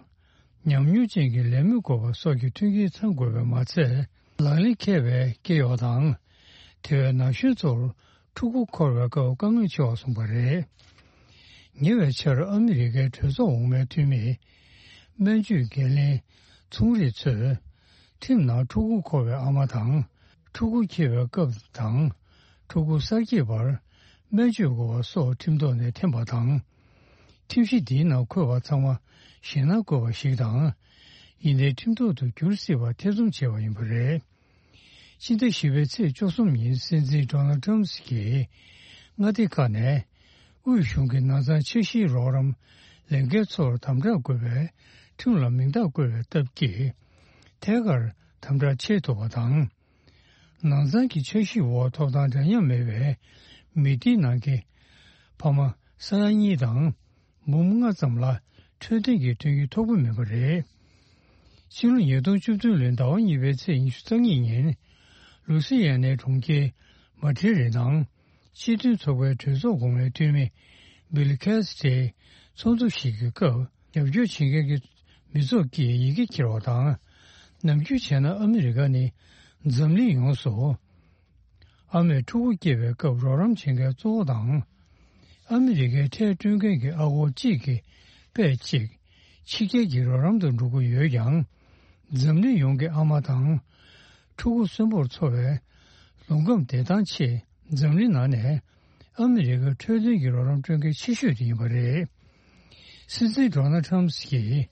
ཉམས་མྱོང་ཅན་གྱི་ལས་མི་དགོས་པ་སོགས་ཀྱི་མཐུན་རྐྱེན་ཚང་དགོས་པས་མ་ཚད། ལག་ལེན་འཁེལ་བའི་སྐྱེ་གཡོག་དང་། དེ་བས་ན་གཞོན་ཚོར་ཕྲུ་གུ་འཁོར་བའི་སྐབས་དཀའ་ངལ་ཆེ་བ་གསུངས་པ་རེད། ཉེ་བའི་ཆར་ཨ་མི་རི་ཀའི་གྲོས་ཚོགས་འོག་མའི་འཐུས་མིས་སྨན་བཅོས་འགན་ལེན་ཚོང་རིགས་ཚོས་ཁྲིམས་ནང་ཕྲུ་གུ་འཁོར་བའི་ཨ་མ་དང་། ཕྲུ་གུ་སྐྱེས་པའི་སྐབས་དང་། ཕྲུ་གུ་གསར་སྐྱེས་བར་སྨན་བཅོས་དགོས་པ་སོགས་ཁྲིམས་ཐོག་ནས་འཐེན་པ་དང་། ཁྲིམས་གཞི་འདིའི་ནང་འཁོད་པ་ཚང་མ་ཞེད་སྣང་དགོས་པ་ཞིག་དང་། ཡིན་ནའི་ཁྲིམས་ཐོག་ཏུ་འགྱུར་སྲིད་པ་ཐེ་ཚོམ་བྱས་པ་ཡིན་པ་རེད། སྤྱི་ཟླ་བཞི་པའི་ཚེས་བཅུ་གསུམ་ཉིན་སྲིད་འཛིན་ཌོ་ནལ་ཊམ་གྱིས་མངའ་སྡེ་ཁག་ནས་དབུས་གཞུང་གི་ནང་ཚང་འཆར་གཞིའི་རོགས་རམ་ལས་འགན་ཚོར་དམ་དྲག་དགོས་པའི་ཁྲིམས་ལ་མིང་རྟགས་བཀོད་པའི་སྟབས་ཀྱིས་ཐད་ཀར་དམ་དྲག་བྱེད་ཐུབ་པ་དང་། ནང་ཚང་གི་འཆར་གཞིའི་འོག་ཐོབ་ཐང་འདྲ་མཉམ་མེད་པའི་མི་སྡེའི་ནང་གི་ཕ་མ་ས་ཡ་གཉིས་དང་། འབུམ་ལྔ་ཙམ་ལ་འཕྲོད་བསྟེན་གྱི་མཐུན་རྐྱེན་ཐོབ་ཀྱི་མེད་པ་རེད། ཕྱི་ལོ་ཉིས་སྟོང་བཅུ་བདུན་ལོའི་ཟླ་བ་གཉིས་པའི་ཚེས་ཉི་ཤུ་རྩ་གཉིས་ཉིན། ལུའུ་སི་ཡ་ནའི་གྲོང་ཁྱེར་མ་ཏྲི་རི་ནང་སྤྱི་མཐུན་ཚོགས་པའི་གྲོས་ཚོགས་གོང་མའི་འཐུས་མི་བྷིལ་ཁེ་སི་ཏྲིས་ཚོགས་འདུ་ཞིག་གི་སྐབས། རྒྱབ་སྐྱོར་བྱེད་མཁན་གྱི་མི་ཚོགས་ཀྱིས་ཡི་གེ་འཁྱེར་བ་དང་། ནམ་རྒྱུན་བྱས་ན་ཨ་མི་རི་ཀ་ནི་འཛམ་གླིང་ཡོངས་སུ། ཨ་མས་ཕྲུ་གུ་སྐྱེས་པའི་སྐབས་རོགས་རམ་བྱེད་མཁན་གཙོ་བོ་དང་། ཨ་མི་རི་ཀའི་ཁྲལ་སྤྲོད་མཁན་གྱི་ཨ་སྒོར་གཅིག་གི་པད་གཅིག་ཕྱི་རྒྱལ་གྱི་རོགས་རམ་དུ་འགྲོ་གི་ཡོད་ཀྱང་། འཛམ་གླིང་ཡོངས་ཀྱི་ཨ་མ་དང་། ཕྲུ་གུ་གསོན་པོར་འཚོ་བའི་ལུང་ཁམས་བདེ་ཐང་ཆེད་འཛམ་གླིང་ནང་ནས་ཨ་མི་རི་ཀའི་འཕྲོད་བསྟེན་གྱི་རོགས་རམ་སྤྲོད་མཁན་ཆེ་ཤོས་དེ་ཡིན་པ་རེད། སྲིད་འཛིན་ཌོ་ནལ་ཊམ་གྱིས་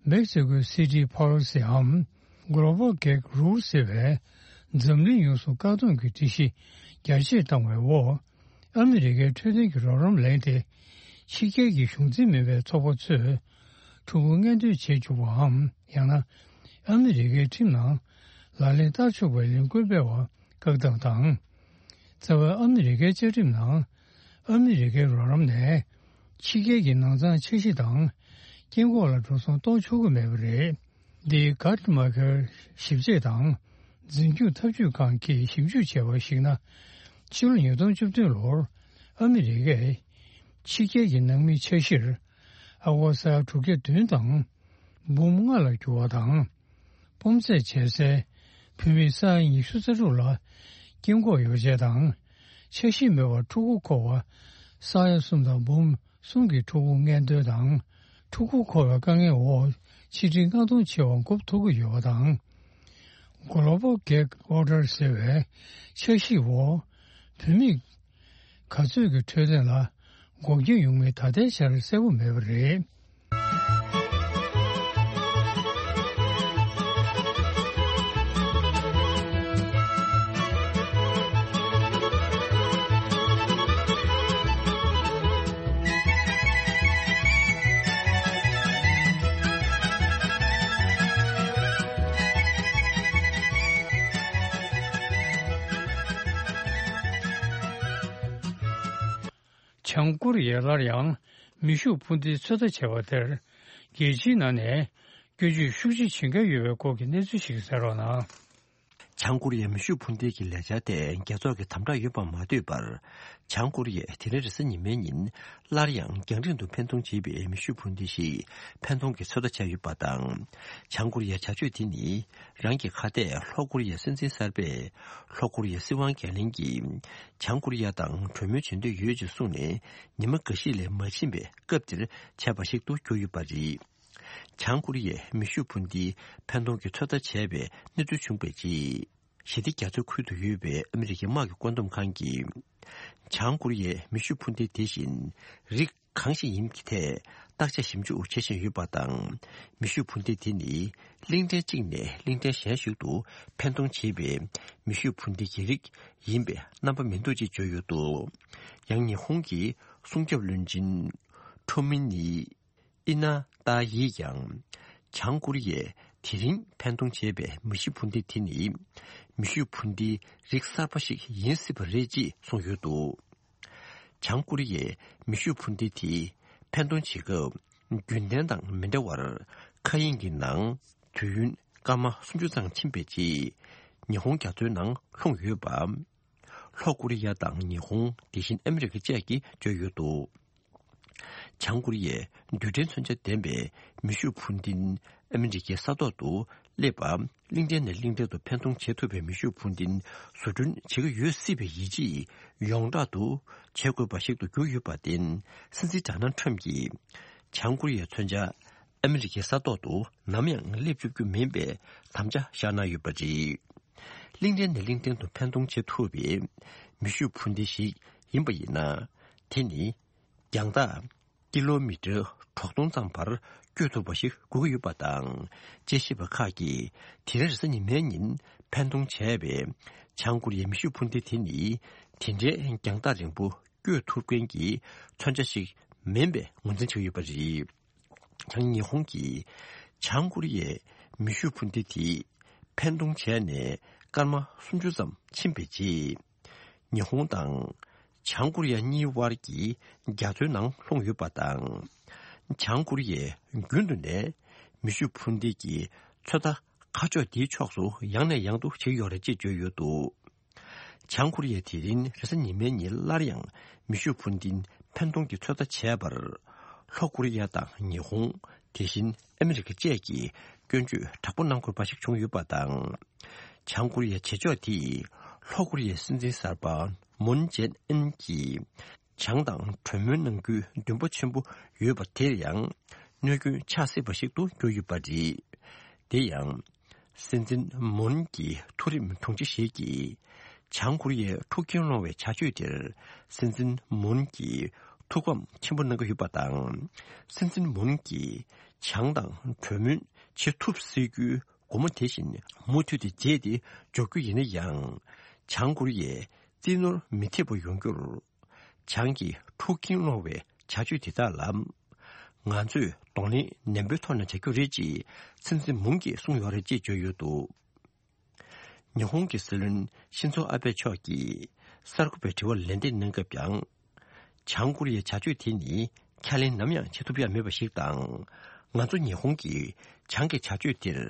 མེག་སི་ཀོའི་སི་ཊི་ཕོ་ལི་སི་འམ་Global Gag Rule ཟེར་བའི་འཛམ་གླིང་ཡོངས་སུ་བཀག་སྡོམ་གྱི་སྒྲིག་གཞི་རྒྱ་ཆེར་བཏང་བའི་འོག་ཨ་མི་རི་ཀའི་འཕྲོད་བསྟེན་གྱི་རོགས་རམ་ལེན་ཏེ། ཕྱི་རྒྱལ་གྱི་གཞུང་འཛིན་མིན་པའི་ཚོགས་པ་ཚོས་ཕྲུ་གུ་མངལ་འདོན་བྱེད་བཅུག་པའམ། ཡང་ན་ཨ་མི་རི་ཀའི་ཁྲིམས་ནང་ལག་ལེན་བསྟར་ཆོག་པའི་ལས་འགུལ་སྤེལ་བར་བཀག་སྡོམ་དང་། རྩ་བའི་ཨ་མི་རི་ཀའི་བཅའ་ཁྲིམས་ནང་ཨ་མི་རི་ཀའི་རོགས་རམ་ནས་ཕྱི་རྒྱལ་གྱི་ནང་ཚང་འཆར་གཞི་དང་སྐྱེ་འགོག་ལ་འགྲོ་སོང་གཏོང་ཆོག་གི་མེད་པ་རེད། འདི་གྷ་ཊི་མ་ཁེར་ཞིབ་དཔྱད་དང་འཛིན་སྐྱོང་ཐབས་ཇུས་ཁང་གིས་ཞིབ་འཇུག་བྱས་པར་གཞིགས་ན། ཕྱི་ལོ་ཉིས་སྟོང་བཅུ་བདུན་ལོར་ཨ་མི་རི་ཀས་ཕྱི་རྒྱལ་གྱི་ནང་མིའི་འཆར་གཞིར་ཨ་སྒོར་ས་ཡ་དྲུག་བརྒྱ་བདུན་དང་འབུམ་ལྔ་ལ་བསྒྱུར་བ་དང་། སྤོམ་རྩེད་བྱེད་སའི་བུད་མེད་ས་ཡ་ཉི་ཤུ་རྩ་དྲུག་ལ་སྐྱེ་འགོག་ཡོ་བྱད་དང་འཆར་གཞི་མེད་པར་ཕྲུ་གུ་འཁོར་བ་ས་ཡ་གསུམ་དང་འབུམ་གསུམ་གྱི་ཕྲུ་གུ་མངལ་འདོན་དང་། ཕྲུ་གུ་འཁོར་བའི་དཀའ་ངལ་འོག་ཆིག་ཁྲི་ལྔ་སྟོང་བྱེ་བ་འགོག་ཐུབ་ཀྱི་ཡོད་པ་དང་། Global Gag Order ཟེར་བའི་འཆར་གཞིའི་འོག་བུད་མེད་ག་ཚོད་ཀྱི་འཕྲོད་བསྟེན་ལ་འགོག་རྐྱེན་ཡོང་མིན་ད་ལྟའི་ཆར་གསལ་པོ་མེད་པ་རེད། བྱང་ཀོ་རི་ཡས་སླར་ཡང་མེ་ཤུགས་འཕུར་མདེལ་ཚོད་ལྟ་བྱས་པ་དེར་རྒྱལ་སྤྱིའི་ནང་ནས་སྐྱོན་བརྗོད་ཤུགས་ཆེ་བྱེད་འགན་ཡོད་པའི་སྐོར་གྱི་གནས་ཚུལ་ཞིག་གསན་རོགས་གནང་། བྱང་ཀོ་རི་ཡའི་མེ་ཤུགས་འཕུར་མདེལ་གྱི་ལས་འཆར་དེ་རྒྱལ་ཚོགས་ཀྱི་དམ་དྲག་ཡོད་པ་མ་ཐོས་པར། བྱང་ཀོ་རི་ཡས་དེ་རིང་རེས་གཟའ་ཉི་མའི་ཉིན་སླར་ཡང་རྒྱང་རིང་དུ་འཕེན་གཏོང་བྱེད་པའི་མེ་ཤུགས་འཕུར་མདེལ་ཞིག་འཕེན་གཏོང་གི་ཚོད་ལྟ་བྱས་ཡོད་པ་དང་། བྱང་ཀོ་རི་ཡའི་བྱ་སྤྱོད་དེ་ནི་རང་གི་ཁ་གཏད་ལྷོ་ཀོ་རི་ཡའི་སྲིད་འཛིན་གསར་པས་ལྷོ་ཀོ་རི་ཡའི་སྲིད་དབང་འགན་ལེན་གྱིས་བྱང་ཀོ་རི་ཡ་དང་གྲོས་མོལ་བྱེད་འདོད་ཡོད་ཅེས་གསུངས་ནས་ཉི་མ་འགའ་ཤས་ལས་མ་ཕྱིན་པའི་སྐབས་དེར་བྱས་པ་ཞིག་ཏུ་གྱུར་ཡོད་པ་རེད། བྱང་ཀོ་རི་ཡས་མེ་ཤུགས་འཕུར་མདེལ་འཕེན་གཏོང་གི་ཚོད་ལྟ་བྱས་པའི་གནས་ཚུལ་བྱུང་བའི་རྗེས། ཞི་བདེ་རྒྱ་མཚོའི་ཁུལ་དུ་ཡོད་པའི་ཨ་མི་རི་ཀའི་དམག་གི་བཀོད་འདོམས་ཁང་གིས། བྱང་ཀོ་རི་ཡའི་མེ་ཤུགས་འཕུར་མདེལ་དེ་བཞིན་རིགས་གང་ཞིག་ཡིན་གྱི་ཐད་བརྟག་དཔྱད་ཞིབ་འཇུག་བྱེད་བཞིན་ཡོད་པ་དང་། མེ་ཤུགས་འཕུར་མདེལ་དེ་ནི་གླིང་ཕྲན་གཅིག་ནས་གླིང་ཕྲན་གཞན་ཞིག་ཏུ་འཕེན་གཏོང་བྱེད་པའི་མེ་ཤུགས་འཕུར་མདེལ་གྱི་རིགས་ཡིན་པའི་རྣམ་པ་མི་འདུག་ཅེས་བརྗོད་ཡོད་འདུག་ཡང་ཉི་ཧོང་གི་སྲུང་སྐྱོབ་བློན་ཆེན་ཁྲོ་མི་ནི། ཨི་ན་ཏཱ་ཡིས་ཀྱང་། བྱང་ཀོ་རི་ཡས་དེ་རིང་འཕེན་གཏོང་བྱས་པའི་མེ་ཤུགས་འཕུར་མདེལ་དེ་ནི། མེ་ཤུགས་འཕུར་མདེལ་རིགས་གསར་པ་ཞིག་ཡིན་སྲིད་པ་རེད་ཅེས་གསུངས་ཡོད་འདུག་བྱང་ཀོ་རི་ཡས་མེ་ཤུགས་འཕུར་མདེལ་དེ་འཕེན་གཏོང་བྱེད་སྐབས། རྒྱུན་ལྡན་དང་མི་འདྲ་བར། མཁའ་དབྱིངས་ཀྱི་ནང་དུས་ཡུན་སྐར་མ་སུམ་ཅུ་ཙམ་ཕྱིན་པའི་རྗེས། ཉི་ཧོང་རྒྱ་མཚོའི་ནང་ལྷུང་ཡོད་པ། ལྷོ་ཀོ་རི་ཡ་དང་ཉི་ཧོང་། དེ་བཞིན་ཨ་མི་རི་ཀ་བཅས་ཀྱིས་བརྗོད་ཡོད་འདུག་བྱང་ཀོ་རི་ཡས་རྡུལ་ཕྲན་མཚོན་ཆ་ལྡན་པའི་མེ་ཤུགས་འཕུར་མདེལ་ཨ་མི་རི་ཀའི་ས་ཐོག་ཏུ་སླེབས་པ། གླིང་ཕྲན་ནས་གླིང་ཕྲན་དུ་འཕེན་གཏོང་བྱེད་ཐུབ་པའི་མེ་ཤུགས་འཕུར་མདེལ་བཟོ་སྐྲུན་བྱེད་ཀྱི་ཡོད་སྲིད་པའི་ཡིད་ཆེས་ཡོངས་གྲགས་སུ་བྱེད་དགོས་པ་ཞིག་ཏུ་གྱུར་ཡོད་པར་བརྟེན། སྲིད་འཛིན་ཌོ་ནལ་ཊམ་གྱིས་བྱང་ཀོ་རི་ཡའི་མཚོན་ཆ་ཨ་མི་རི་ཀའི་ས་ཐོག་ཏུ་ནམ་ཡང་སླེབས་བཅུག་རྒྱུ་མིན་པའི་དམ་བཅའ་བཞག་གནང་ཡོད་པ་རེད། གླིང་ཕྲན་ནས་གླིང་ཕྲན་དུ་འཕེན་གཏོང་བྱེད་ཐུབ་པའི་མེ་ཤུགས་འཕུར་མདེལ་ཞིག་ཡིན་པ་ཡིན་ན། དེ་ནི་རྒྱང་ཐག་ཀི་ལོ་མི་ཊར་དྲུག་སྟོང་ཙམ་བར་བསྐྱོད་ཐུབ་པ་ཞིག་དགོས་ཀྱི་ཡོད་པ་དང་། དཔྱད་ཞིབ་པ་ཁག་གིས་དེ་རིང་རེས་གཟའ་ཉི་མའི་ཉིན་ འཕེན་གཏོང་བྱས་པའི་བྱང་ཀོ་རི་ཡའི་མེ་ཤུགས་འཕུར་མདེལ་དེ་ནི་དེ་འདྲའི་རྒྱང་ཐག་རིང་པོ་བསྐྱོད་ཐུབ་མཁན་གྱི་མཚོན་ཆ་ཞིག་མིན་པའི་ངོས་འཛིན་བྱས་ཡོད་པ་རེད། ཡང་ཉི་ཧོང་གིས་བྱང་ཀོ་རི་ཡའི་མེ་ཤུགས་འཕུར་མདེལ་དེ་འཕེན་གཏོང་བྱས་ནས་སྐར་མ་སུམ་ཅུ་ཙམ་ཕྱིན་པའི་རྗེས། ཉི་ཧོང་དང་བྱང་ཀོ་རི་ཡ་གཉིས་དབར་གྱི་རྒྱ་མཚོའི་ནང་ལྷུང་ཡོད་པ་དང་། བྱང་ཀོ་རི་ཡས་རྒྱུན་དུ་ནས་མེ་ཤུགས་འཕུར་མདེལ་གྱི་ཚོད་ལྟ་ཁ་ཕྱོགས་དེའི་ཕྱོགས་སུ་ཡང་ནས་ཡང་དུ་བྱེད་ཀྱི་ཡོད་རེད་ཅེས་བརྗོད་ཡོད་འདུག། བྱང་ཀོ་རི་ཡས་དེ་རིང་རེས་གཟའ་ཉི་མའི་ཉིན་སླར་ཡང་མེ་ཤུགས་འཕུར་མདེལ་འཕེན་གཏོང་གི་ཚོད་ལྟ་བྱས་པར། ལྷོ་ཀོ་རི་ཡ་དང་ཉི་ཧོང་། དེ་བཞིན་ཨ་མི་རི་ཀ་བཅས་ཀྱིས་སྐྱོན་བརྗོད་དྲག་པོ་གནང་དགོས་པ་ཞིག་བྱུང་ཡོད་པ་དང་། བྱང་ཀོ་རི་ཡའི་བྱེད་ཕྱོགས་དེས་ལྷོ་ཀོ་རི་ཡའི་སྲིད་འཛིན་གསར་པ་མུན་ཇེ་ཨིན་གྱིས་བྱང་དང་གྲོས་མོལ་གནང་རྒྱུའི་འདུན་པ་ཆེན་པོ་ཡོད་པ་དེར་ཡང་གནོད་སྐྱོན་ཆགས་སྲིད་པ་ཞིག་ཏུ་གྱུར་ཡོད་པ་རེད། དེ་ཡང་། སྲིད་འཛིན་མུན་གྱི་མཐོ་རིམ་དྲུང་ཆེ་ཞིག་གིས་བྱང་ཀོ་རི་ཡའི་འཁྲུག་རྐྱེན་སློང་བའི་བྱ་སྤྱོད་དེར་སྲིད་འཛིན་མུན་གྱིས་ཐུགས་ཕམ་ཆེན་པོ་གནང་གི་ཡོད་པ་དང་། སྲིད་འཛིན་མུན་གྱིས་བྱང་དང་གྲོས་མོལ་བྱེད་ཐུབ་སྲིད་རྒྱུའི་སྒོ་མོ་དེ་བཞིན་མུ་མཐུད་དེ་འབྱེད་དེ་འཇོག་རྒྱུ་ཡིན་ན་ཡང་། བྱང་ཀོ་རི་ཡས་རྩིས་ནོར་མི་ཐེབས་པ་ཡོང་རྒྱུར། བྱང་གི་འཁྲུག་རྐྱེན་སློང་བའི་བྱ་སྤྱོད་དེ་དག་ལ། ང་ཚོས་གདོང་ལེན་ནན་པོའི་ཐོག་ནས་བྱ་རྒྱུ་རེད་ཅེས་སྲིད་འཛིན་མུན་གྱིས་གསུངས་ཡོད་རེད་ཅེས་བརྗོད་ཡོད་འདུག། ཉི་ཧོང་གི་སྲིད་བློན་ཤིན་ཛོ་ཨ་བྷེ་མཆོག་གིས་གསར་འགོད་པའི་དྲི་བར་ལན་འདེབས་གནང་སྐབས་ཀྱང་། བྱང་ཀོ་རི་ཡའི་བྱ་སྤྱོད་དེ་ནི་ཁས་ལེན་ནམ་ཡང་བྱེད་ཐུབ་ཡ་མེད་པ་ཞིག་དང་། ང་ཚོ་ཉི་ཧོང་གིས་བྱང་གི་བྱ་སྤྱོད་དེར་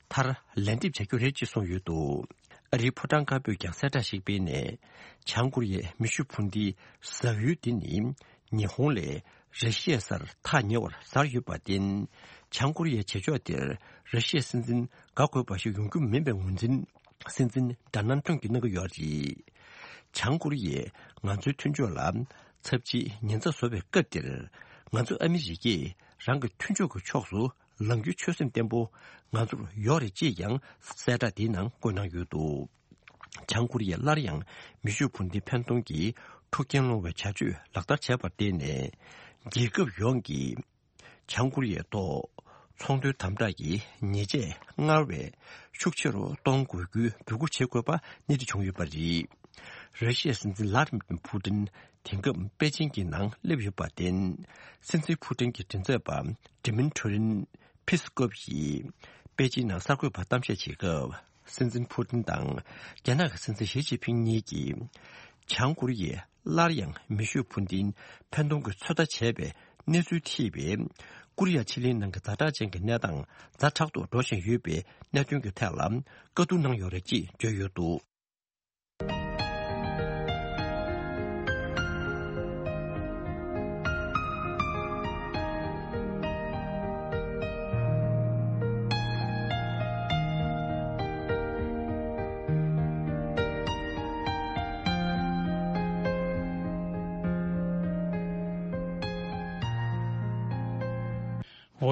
མཐར་ལན་འདེབས་བྱ་རྒྱུ་རེད་ཅེས་གསུངས་ཡོད་འདུག། ཨ་རིའི་ཕོ་བྲང་དཀར་པོས་ཀྱང་གསལ་བསྒྲགས་ཤིག་སྤེལ་ནས། བྱང་ཀོ་རི་ཡས་མེ་ཤུགས་འཕུར་མདེལ་ཟ་ཡུལ་དེ་ནི་ཉི་ཧོང་ལས་ར་ཤི་ཡའི་སར་ཐག་ཉེ་བར་གཟར་ཡོད་པར་བརྟེན། བྱང་ཀོ་རི་ཡའི་བྱེད་ཕྱོགས་དེར་ར་ཤི་ཡའི་སྲིད་འཛིན་དགའ་དགོས་པ་ཞིག་ཡོང་རྒྱུ་མིན་པའི་ངོས་འཛིན་སྲིད་འཛིན་ཌོ་ནལ་ཊམ་གྱིས་གནང་གི་ཡོད་རེད། བྱང་ཀོ་རི་ཡས་ང་ཚོའི་མཐུན་ཕྱོགས་ལ་ཚབས་ཆེའི་ཉེན་ཚབས་བཟོ་བའི་སྐབས་དེར། ང་ཚོ་ཨ་མི་རི་ཀས་རང་གི་མཐུན་ཕྱོགས་ཀྱི་ཕྱོགས་སུ་ལངས་རྒྱུའི་ཆོད་སེམས་བརྟན་པོ་ང་ཚོར་ཡོད་རེད་ཅེས་ཀྱང་གསལ་བསྒྲགས་དེའི་ནང་བཀོད་གནང་ཡོད་འདུག། བྱང་ཀོ་རི་ཡས་སླར་ཡང་མེ་ཤུགས་འཕུར་མདེལ་འཕེན་གཏོང་གིས་འཁྲུག་རྐྱེན་སློང་བའི་བྱ་སྤྱོད་ལག་བསྟར་བྱས་པར་བརྟེན་ནས། རྒྱལ་ཁབ་ཡོངས་ཀྱིས་བྱང་ཀོ་རི་ཡའི་ཐོག་ཚོང་དོན་དམ་དྲག་གི་ཉེས་ཆད་སྔར་བས་ཤུགས་ཆེ་རུ་གཏོང་དགོས་རྒྱུའི་འབོད་སྐུལ་བྱེད་དགོས་པ་སྣེ་ཁྲིད་བྱུང་ཡོད་པ་རེད། ར་ཤི་ཡའི་སྲིད་འཛིན་ལྷ་ཨ་ལྡེ་མིར་ཕུ་ཏིན་དེང་སྐབས་པེ་ཅིང་གི་ནང་སླེབས་ཡོད་པར་བརྟེན། སྲིད་འཛིན་ཕུ་ཏིན་གྱི་མགྲིན་ཚབ་པ་ཌི་མིན་ཊི་རི་ཕི་སི་ཀོབ་ཡིས་པེ་ཅིང་ནང་གསར་འགོད་པར་གཏམ་བཤད་བྱེད་སྐབས། སྲིད་འཛིན་ཕུ་ཏིན་དང་རྒྱ་ནག་གི་སྲིད་འཛིན་ཞི་ཅིན་ཕིང་གཉིས་ཀྱིས། བྱང་ཀོ་རི་ཡས་སླར་ཡང་མེ་ཤུགས་འཕུར་མདེལ་འཕེན་གཏོང་གི་ཚོད་ལྟ་བྱས་པའི་གནས་ཚུལ་ཐེ་བའི་ཀོ་རི་ཡ་ཕྱེད་གླིང་ནང་གི་ཛ་དྲག་ཅན་གྱི་གནས་སྟངས་ཛ་དྲག་ཏུ་འགྲོ་བཞིན་ཡོད་པའི་གནད་དོན་གྱི་ཐད་ལ་བཀའ་བསྡུར་གནང་ཡོད་རེད་ཅེས་བརྗོད་ཡོད་འདུག།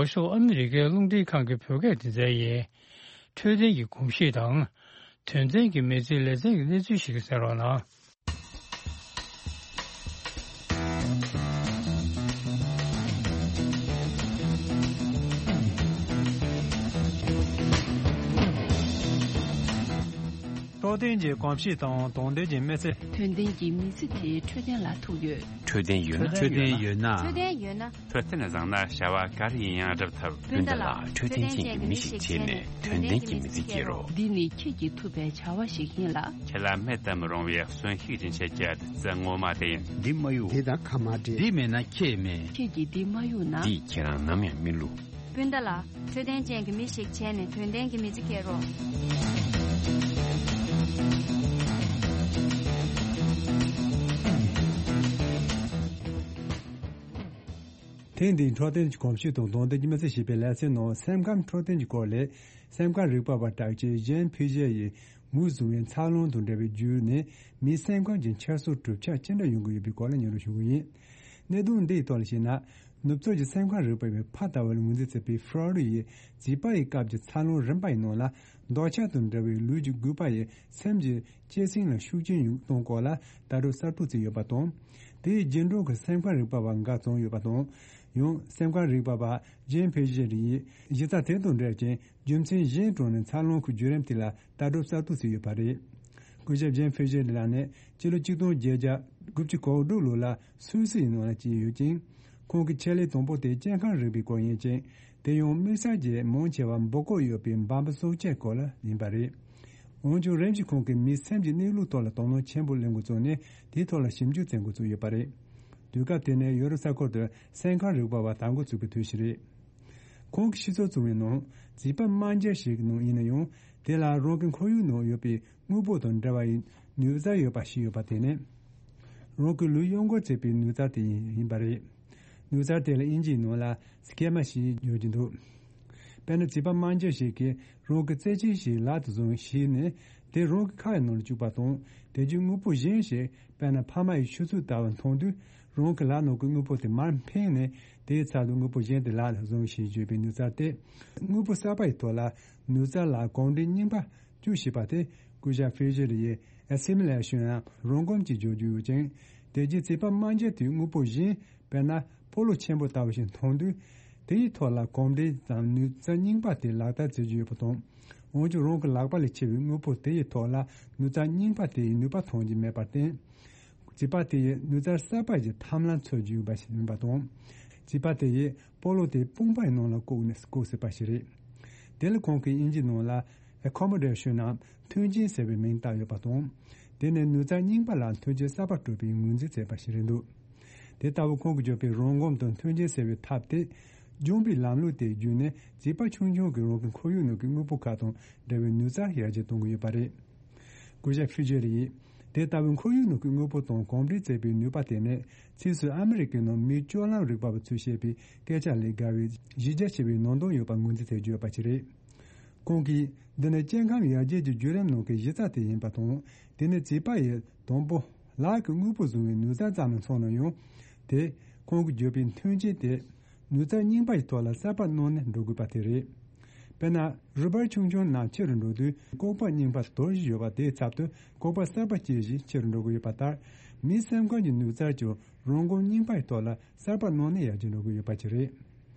འོག་ཤོག་ཨ་མི་རི་ཀའི་རླུང་འཕྲིན་ཁང་གི་བོད་སྐད་སྡེ་ཚན་ཡིན། འཕྲོད་བསྟེན་གྱི་གོམས་གཤིས་དང་། དོན་ཚན་གྱི་མི་ཚེའི་ལེ་ཚན་གྱི་གནས་ཚུལ་ཞིག་གསན་རོགས་གནང་། འཕྲོད་བསྟེན་གྱི་གོམས་གཤིས་དང་དོན་ལྡན་གྱི་མི་ཚེ། དོན་ལྡན་གྱི་མི་ཚེ་དེ་འཕྲོད་བསྟེན་ལ་ཐུག་ཡོད། འཕྲོད་བསྟེན་ཡོད་ན། འཕྲོད་བསྟེན་ཡོད་ན། འཕྲོད་བསྟེན་ཡོད་ན། འཕྲོད་བསྟེན་བཟང་ན་བྱ་བ་ག་རེ་ཡིན་ཡང་འགྲུབ་ཐུབ། སྤུན་ཟླ་ལགས། འཕྲོད་བསྟེན་ཅན་གྱི་མི་ཞིག་བྱས་ནས་དོན་ལྡན་གྱི་མི་ཚེ་སྐྱེལ་རོགས། འདི་ནི་ཁྱེད་ཀྱིས་ཐུབ་པའི་བྱ་བ་ཞིག་ཡིན་ལ། ཁྱེད་ལ་མེད་དུ་མི་རུང་བའི་གསོན་ཤུགས་སྦྱིན་བྱེད་ཀྱི་བདུད་རྩི་ངོ་མ་དེ་ཡིན། འདི་མ་གཡུག་འདི་དང་ཁ་མ་འབྲལ། འདི་མེད་ན་ཁྱེད་མེད། ཁྱེད་ཀྱིས་འདི་མ་གཡུག་ན། འདིས་ཁྱེད་རང་ནམ་ཡང་མི་བསླུ། སྤུན་ཟླ་ལགས། འཕྲོད་བསྟེན་ཅན་གྱི་མི་ཞིག་བྱས་ནས་དོན་ལྡན་གྱི་མི་ཚེ་སྐྱེལ་རོགས། ཐེངས་འདིའི་འཕྲོད་བསྟེན་གྱི་གོམས་གཤིས་དང་དོན་ལྡན་གྱི་མི་ཚེ་ཞེས་པའི་ལེ་ཚན་ནང་སེམས་ཁམས་འཕྲོད་བསྟེན་གྱི་སྐོར་ལས། སེམས་ཁམས་རིག་པ་བ་གྲགས་ཅན་ཇན་ཕི་ཞེ་ཡིས་མུ་བཟུང་བའི་འཚར་ལོངས་དང་འབྲེལ་བའི་བརྒྱུད་ནས་མིའི་སེམས་ཁམས་ཀྱི་འཆར་སོ་གྲུབ་ཆ་ཅི་འདྲ་ཡོང་གི་ཡོད་པའི་སྐོར་ལ་སྙན་སྒྲོན་ཞུ་གི་ཡིན། གནད་དོན་འདིའི་ཐོག་ལ་བཤད་ན། ནུབ་ཕྱོགས་ཀྱི་སེམས་ཁམས་རིག་པ་བས་ཕ་ལྟ་བུ་ལ་ངོས་འཛིན་བྱས་པའི་ཧྥ་རོ་ལི་ཡིས་བྱིས་པ་ཡི་སྐབས་ཀྱི་འཚར་ལོངས་རིམ་པ་ཡི་ནང་ལ། འདོད་ཆགས་དང་འབྲེལ་བའི་ལུས་ཀྱི་རྒུད་པ་ཡིས་སེམས་ཀྱི་གཅེས་སེམས་ལ་ཤུགས་རྐྱེན་ཡོང་གཏོང་སྐོར་ལ་ལྟ་གྲུབ་གསར་པ་བརྩིས་ཡོད་པ་དང་། དེའི་རྗེས་འགྲོ་གི་སེམས་ཁམས་རིག་པ་བ་འགའ་བྱུང་ཡོད་པ་དང་། ཡང་སེམས་ཁམས་རིག་པ་བ་ཇེམ་ཕི་ཤེར་ཡིས་གཞི་རྩ་དེ་དང་འབྲེལ་ཅིང་རྒྱུ་མཚན་གཞན་དྲངས་ནས་འཚར་ལོངས་ཀྱི་བརྒྱུད་རིམ་དེ་ལ་ལྟ་གྲུབ་གསར་གཏོད་བྱས་ཡོད་པ་རེད། སྐུ་ཞབས་ཇེམ་ཕི་ཤེར་ལགས་ནི་ཕྱི་ལོ་ཆིག་སྟོང་བརྒྱད་བརྒྱ་དགུ་བཅུ་གོ་དྲུག་ལོ་ལ་སུད་སི་ཡི་ནང་ལ་སྐྱེས་ཡོད་ཅིང་། ཁོང་གི་ཆེད་ལས་དང་པོ་དེ་སྐྱེ་ཁམས་རིག་པའི་སྐོར་ཡིན་ཅིང་། དེ་ཡང་དམིགས་བསལ་གྱིས་མང་ཆེ་བ་འབུ་སྐོགས་ཡོད་པའི་འབའ་འབུ་སྲོག་ཆགས་སྐོར་ལ་ཡིན་པ་རེད། འོན་ཀྱང་རིམ་བཞིན་ཁོང་གིས་མིའི་སེམས་ཀྱི་གནས་ལུགས་ཐོག་ལ་དོ་སྣང་ཆེན་པོ་སླེབས་འགོ་བཙུགས་ནས་དེའི་ཐོག་ལ་ཞིབ་འཇུག་བྱེད་འགོ་བཙུགས་ཡོད་པ་རེད། དུས་སྐབས་དེ་ནས་ཡོ་རོབ་ས་ཁུལ་དུ་སེམས་ཁམས་རིག་པ་བ་དར་འགོ་ཚུགས་པའི་དུས་ཤིག་རེད། ཁོང་གིས་ཤེས་ཚོད་བྱུང་བའི་ནང་། བྱིས་པ་དམར་འབྱར་ཞིག་གི་ནང་ཡིན་ན་ཡང་། དེ་ལ་རང་གི་ཁོར་ཡུག་ནང་ཡོད་པའི་དངོས་པོ་དང་འབྲེལ་བ་ཡི་ནུས་རྩལ་ཡོད་པ་ཞིག་ཡོད་པ་དེ་ནི། རང་གི་ལུས་གཡོ་འགུལ་བྱེད་པའི་ནུས་རྩལ་དེ་ཡིན་པ་རེད། ནུས་རྩལ་དེ་ལ་དབྱིན་ཇིའི་ནང་ལ་སི་ཀེ་མ་ཞེས་བརྗོད་ཀྱི་འདུག་དཔེར་ན་བྱིས་པ་དམར་འབྱར་ཞིག་གིས་རང་གི་རྩེད་ཆས་ཤིག་ལག་ཏུ་བཟུང་བྱས་ནས་དེ་རང་གི་ཁ་ཡི་ནང་ལ་བཅུག་པ་དང་། དེ་རྗེས་དངོས་པོ་གཞན་ཞིག་དཔེར་ན་ཕ་མ་ཡི་ཆུ་ཚོད་ལྟ་བུ་མཐོང་དུས། རང་གི་ལག་ནང་གི་དངོས་པོ་དེ་མར་འཕེན་ནས་དེའི་ཚབ་ཏུ་དངོས་པོ་གཞན་དེ་ལག་ལ་བཟུང་ཞེས་བརྗོད་པའི་ནུས་རྩལ་ཏེ། དངོས་པོ་གསར་པ་ཡི་ཐོག་ལ་ནུས་རྩལ་ལ་གོམས་འདྲིས་རྙིང་པ་བཅུག་ཤེས་པ་དེ་སྐུ་ཞབས་ཕི་ཤེར་ཡིས་ཨེ་སི་མི་ལེ་ཤོན་ཡང་རང་གོམས་ཀྱིས་བརྗོད་རྒྱུ་ཡོད་ཅིང་། དེ་རྗེས་བྱིས་པ་དམར་འབྱར་དེས་དངོས་པོ་གཞན། དཔེར་ན་སྤོ་ལོ་ཆེན་པོ་ལྟ་བུ་ཞིག་མཐོང་དུས། དེའི་ཐོག་ལ་གོམས་འདྲིས་དང་ནུས་རྩལ་རྙིང་པ་དེ་ལག་བསྟར་བྱེད་རྒྱུ་ཡོད་པ་དང་། འོན་ཀྱང་རང་གི་ལག་པ་ལས་ཆེ་བའི་དངོས་པོ་དེ་ཡི་ཐོག་ལ་ནུས་རྩལ་རྙིང་པ་དེ་ཡི་ནུས་པ་མཐོང་རྒྱུ་མེད་པར་བརྟེན། བྱིས་པ་དེ་ཡི་ནུས་རྩལ་གསར་པ་ཞིག་ཐབས་ལམ་འཚོལ་རྒྱུ་ཡིན་པ་ཞིག་ཡིན་པ་དང་། བྱིས་པ་དེ་ཡིས་སྤོ་ལོ་དེ་དཔུང་པའི་ནང་ལ་བཀོག་ནས་བཀོག་སྲིད་པ་ཞིག་རེད། དེ་ལ་ཁོང་གིས་དབྱིན་ཇིའི་ནང་ལ་ཨེ་ཁོ་མོ་ཌེ་ཤོན་ནམ་མཐུན་རྐྱེན་ཟེར་བའི་མིང་བཏགས་ཡོད་པ་དང་། དེ་ནི་ནུས་རྩལ་རྙིང་པ་ལ་མཐུན་རྐྱེན་གསར་པ་སྤྲོད་པའི་ངོས་འཛིན་བྱས་པ་ཞིག་རེད་འདུག་དེ་ལྟ་བུ་ཁོང་གིས་བརྗོད་པའི་རང་ངོམ་དང་མཐུན་རྐྱེན་ཟེར་བའི་ཐབས་དེ། སྦྱོང་བའི་ལམ་ལུགས་དེ་བརྒྱུད་ནས་བྱིས་པ་ཆུང་ཆུང་གིས་རང་གི་ཁོར་ཡུག་ནང་གི་དངོས་པོ་ཁག་དང་འབྲེལ་བའི་ནུས་རྩལ་ཡར་རྒྱས་གཏོང་གི་ཡོད་པ་རེད། སྐུ་ཞབས་ཕི་ཤེར་ཡིས། དེ་ལྟ་བུའི་ཁོར་ཡུག་ནང་གི་དངོས་པོ་དང་གོམས་འདྲིས་བྱེད་པའི་ནུས་པ་དེ་ནི། ཕྱིས་སུ་ཨ་མི་རི་ཀའི་ནང་མིའི་སྤྱོད་ལམ་རིག་པ་བ་ཚོས་བཤད་པའི་སྐད་ཆ་ལས་བརྒལ་བའི་གཞི་རྒྱ་ཆེ་བའི་ནང་དོན་ཡོད་པ་ངོས་འཛིན་བྱེད་རྒྱུ་ཡོད་པ་ཞིག་རེད། ཁོང་གིས། འདི་ནི་སྐྱེ་ཁམས་ཡར་རྒྱས་ཀྱི་བརྒྱུད་རིམ་ནང་གི་གཞི་རྩ་དེ་ཡིན་པ་དང་། དེ་ནི་བྱིས་པ་ཡི་དང་པོ་ལག་གི་དངོས་པོ་བཟུང་བའི་ནུས་རྩལ་ཙམ་ལ་མཚོན་ན་ཡང་། དེ་ཁོང་གིས་བརྗོད་པའི་མཐུན་རྐྱེན་དེ་ནུས་རྩལ་རྙིང་པ་ཡི་ཐོག་ལ་གསར་པ་གནང་ནས་འགྲོ་དགོས་པ་དེ་རེད། དཔེར་ན། རུས་སྦལ་ཆུང་ཆུང་རྣམས་ཆེ་རུ་འགྲོ་དུས་ལྐོག་པ་རྙིང་པ་དོར་བཞིན་ཡོད་པ་དེའི་ཚབ་ཏུ་ལྐོག་པ་གསར་པ་སྐྱེ་བཞིན་ཆེ་རུ་འགྲོ་གི་ཡོད་པ་ལྟར། མིའི་སེམས་ཁམས་ཀྱི་ནུས་རྩལ་ཀྱང་རང་གོམས་རྙིང་པ་ཡི་ཐོག་ལ་གསར་པ་གནང་ནས་ཡར་རྒྱས་འགྲོ་གི་ཡོད་པ་ཅིག་རེད།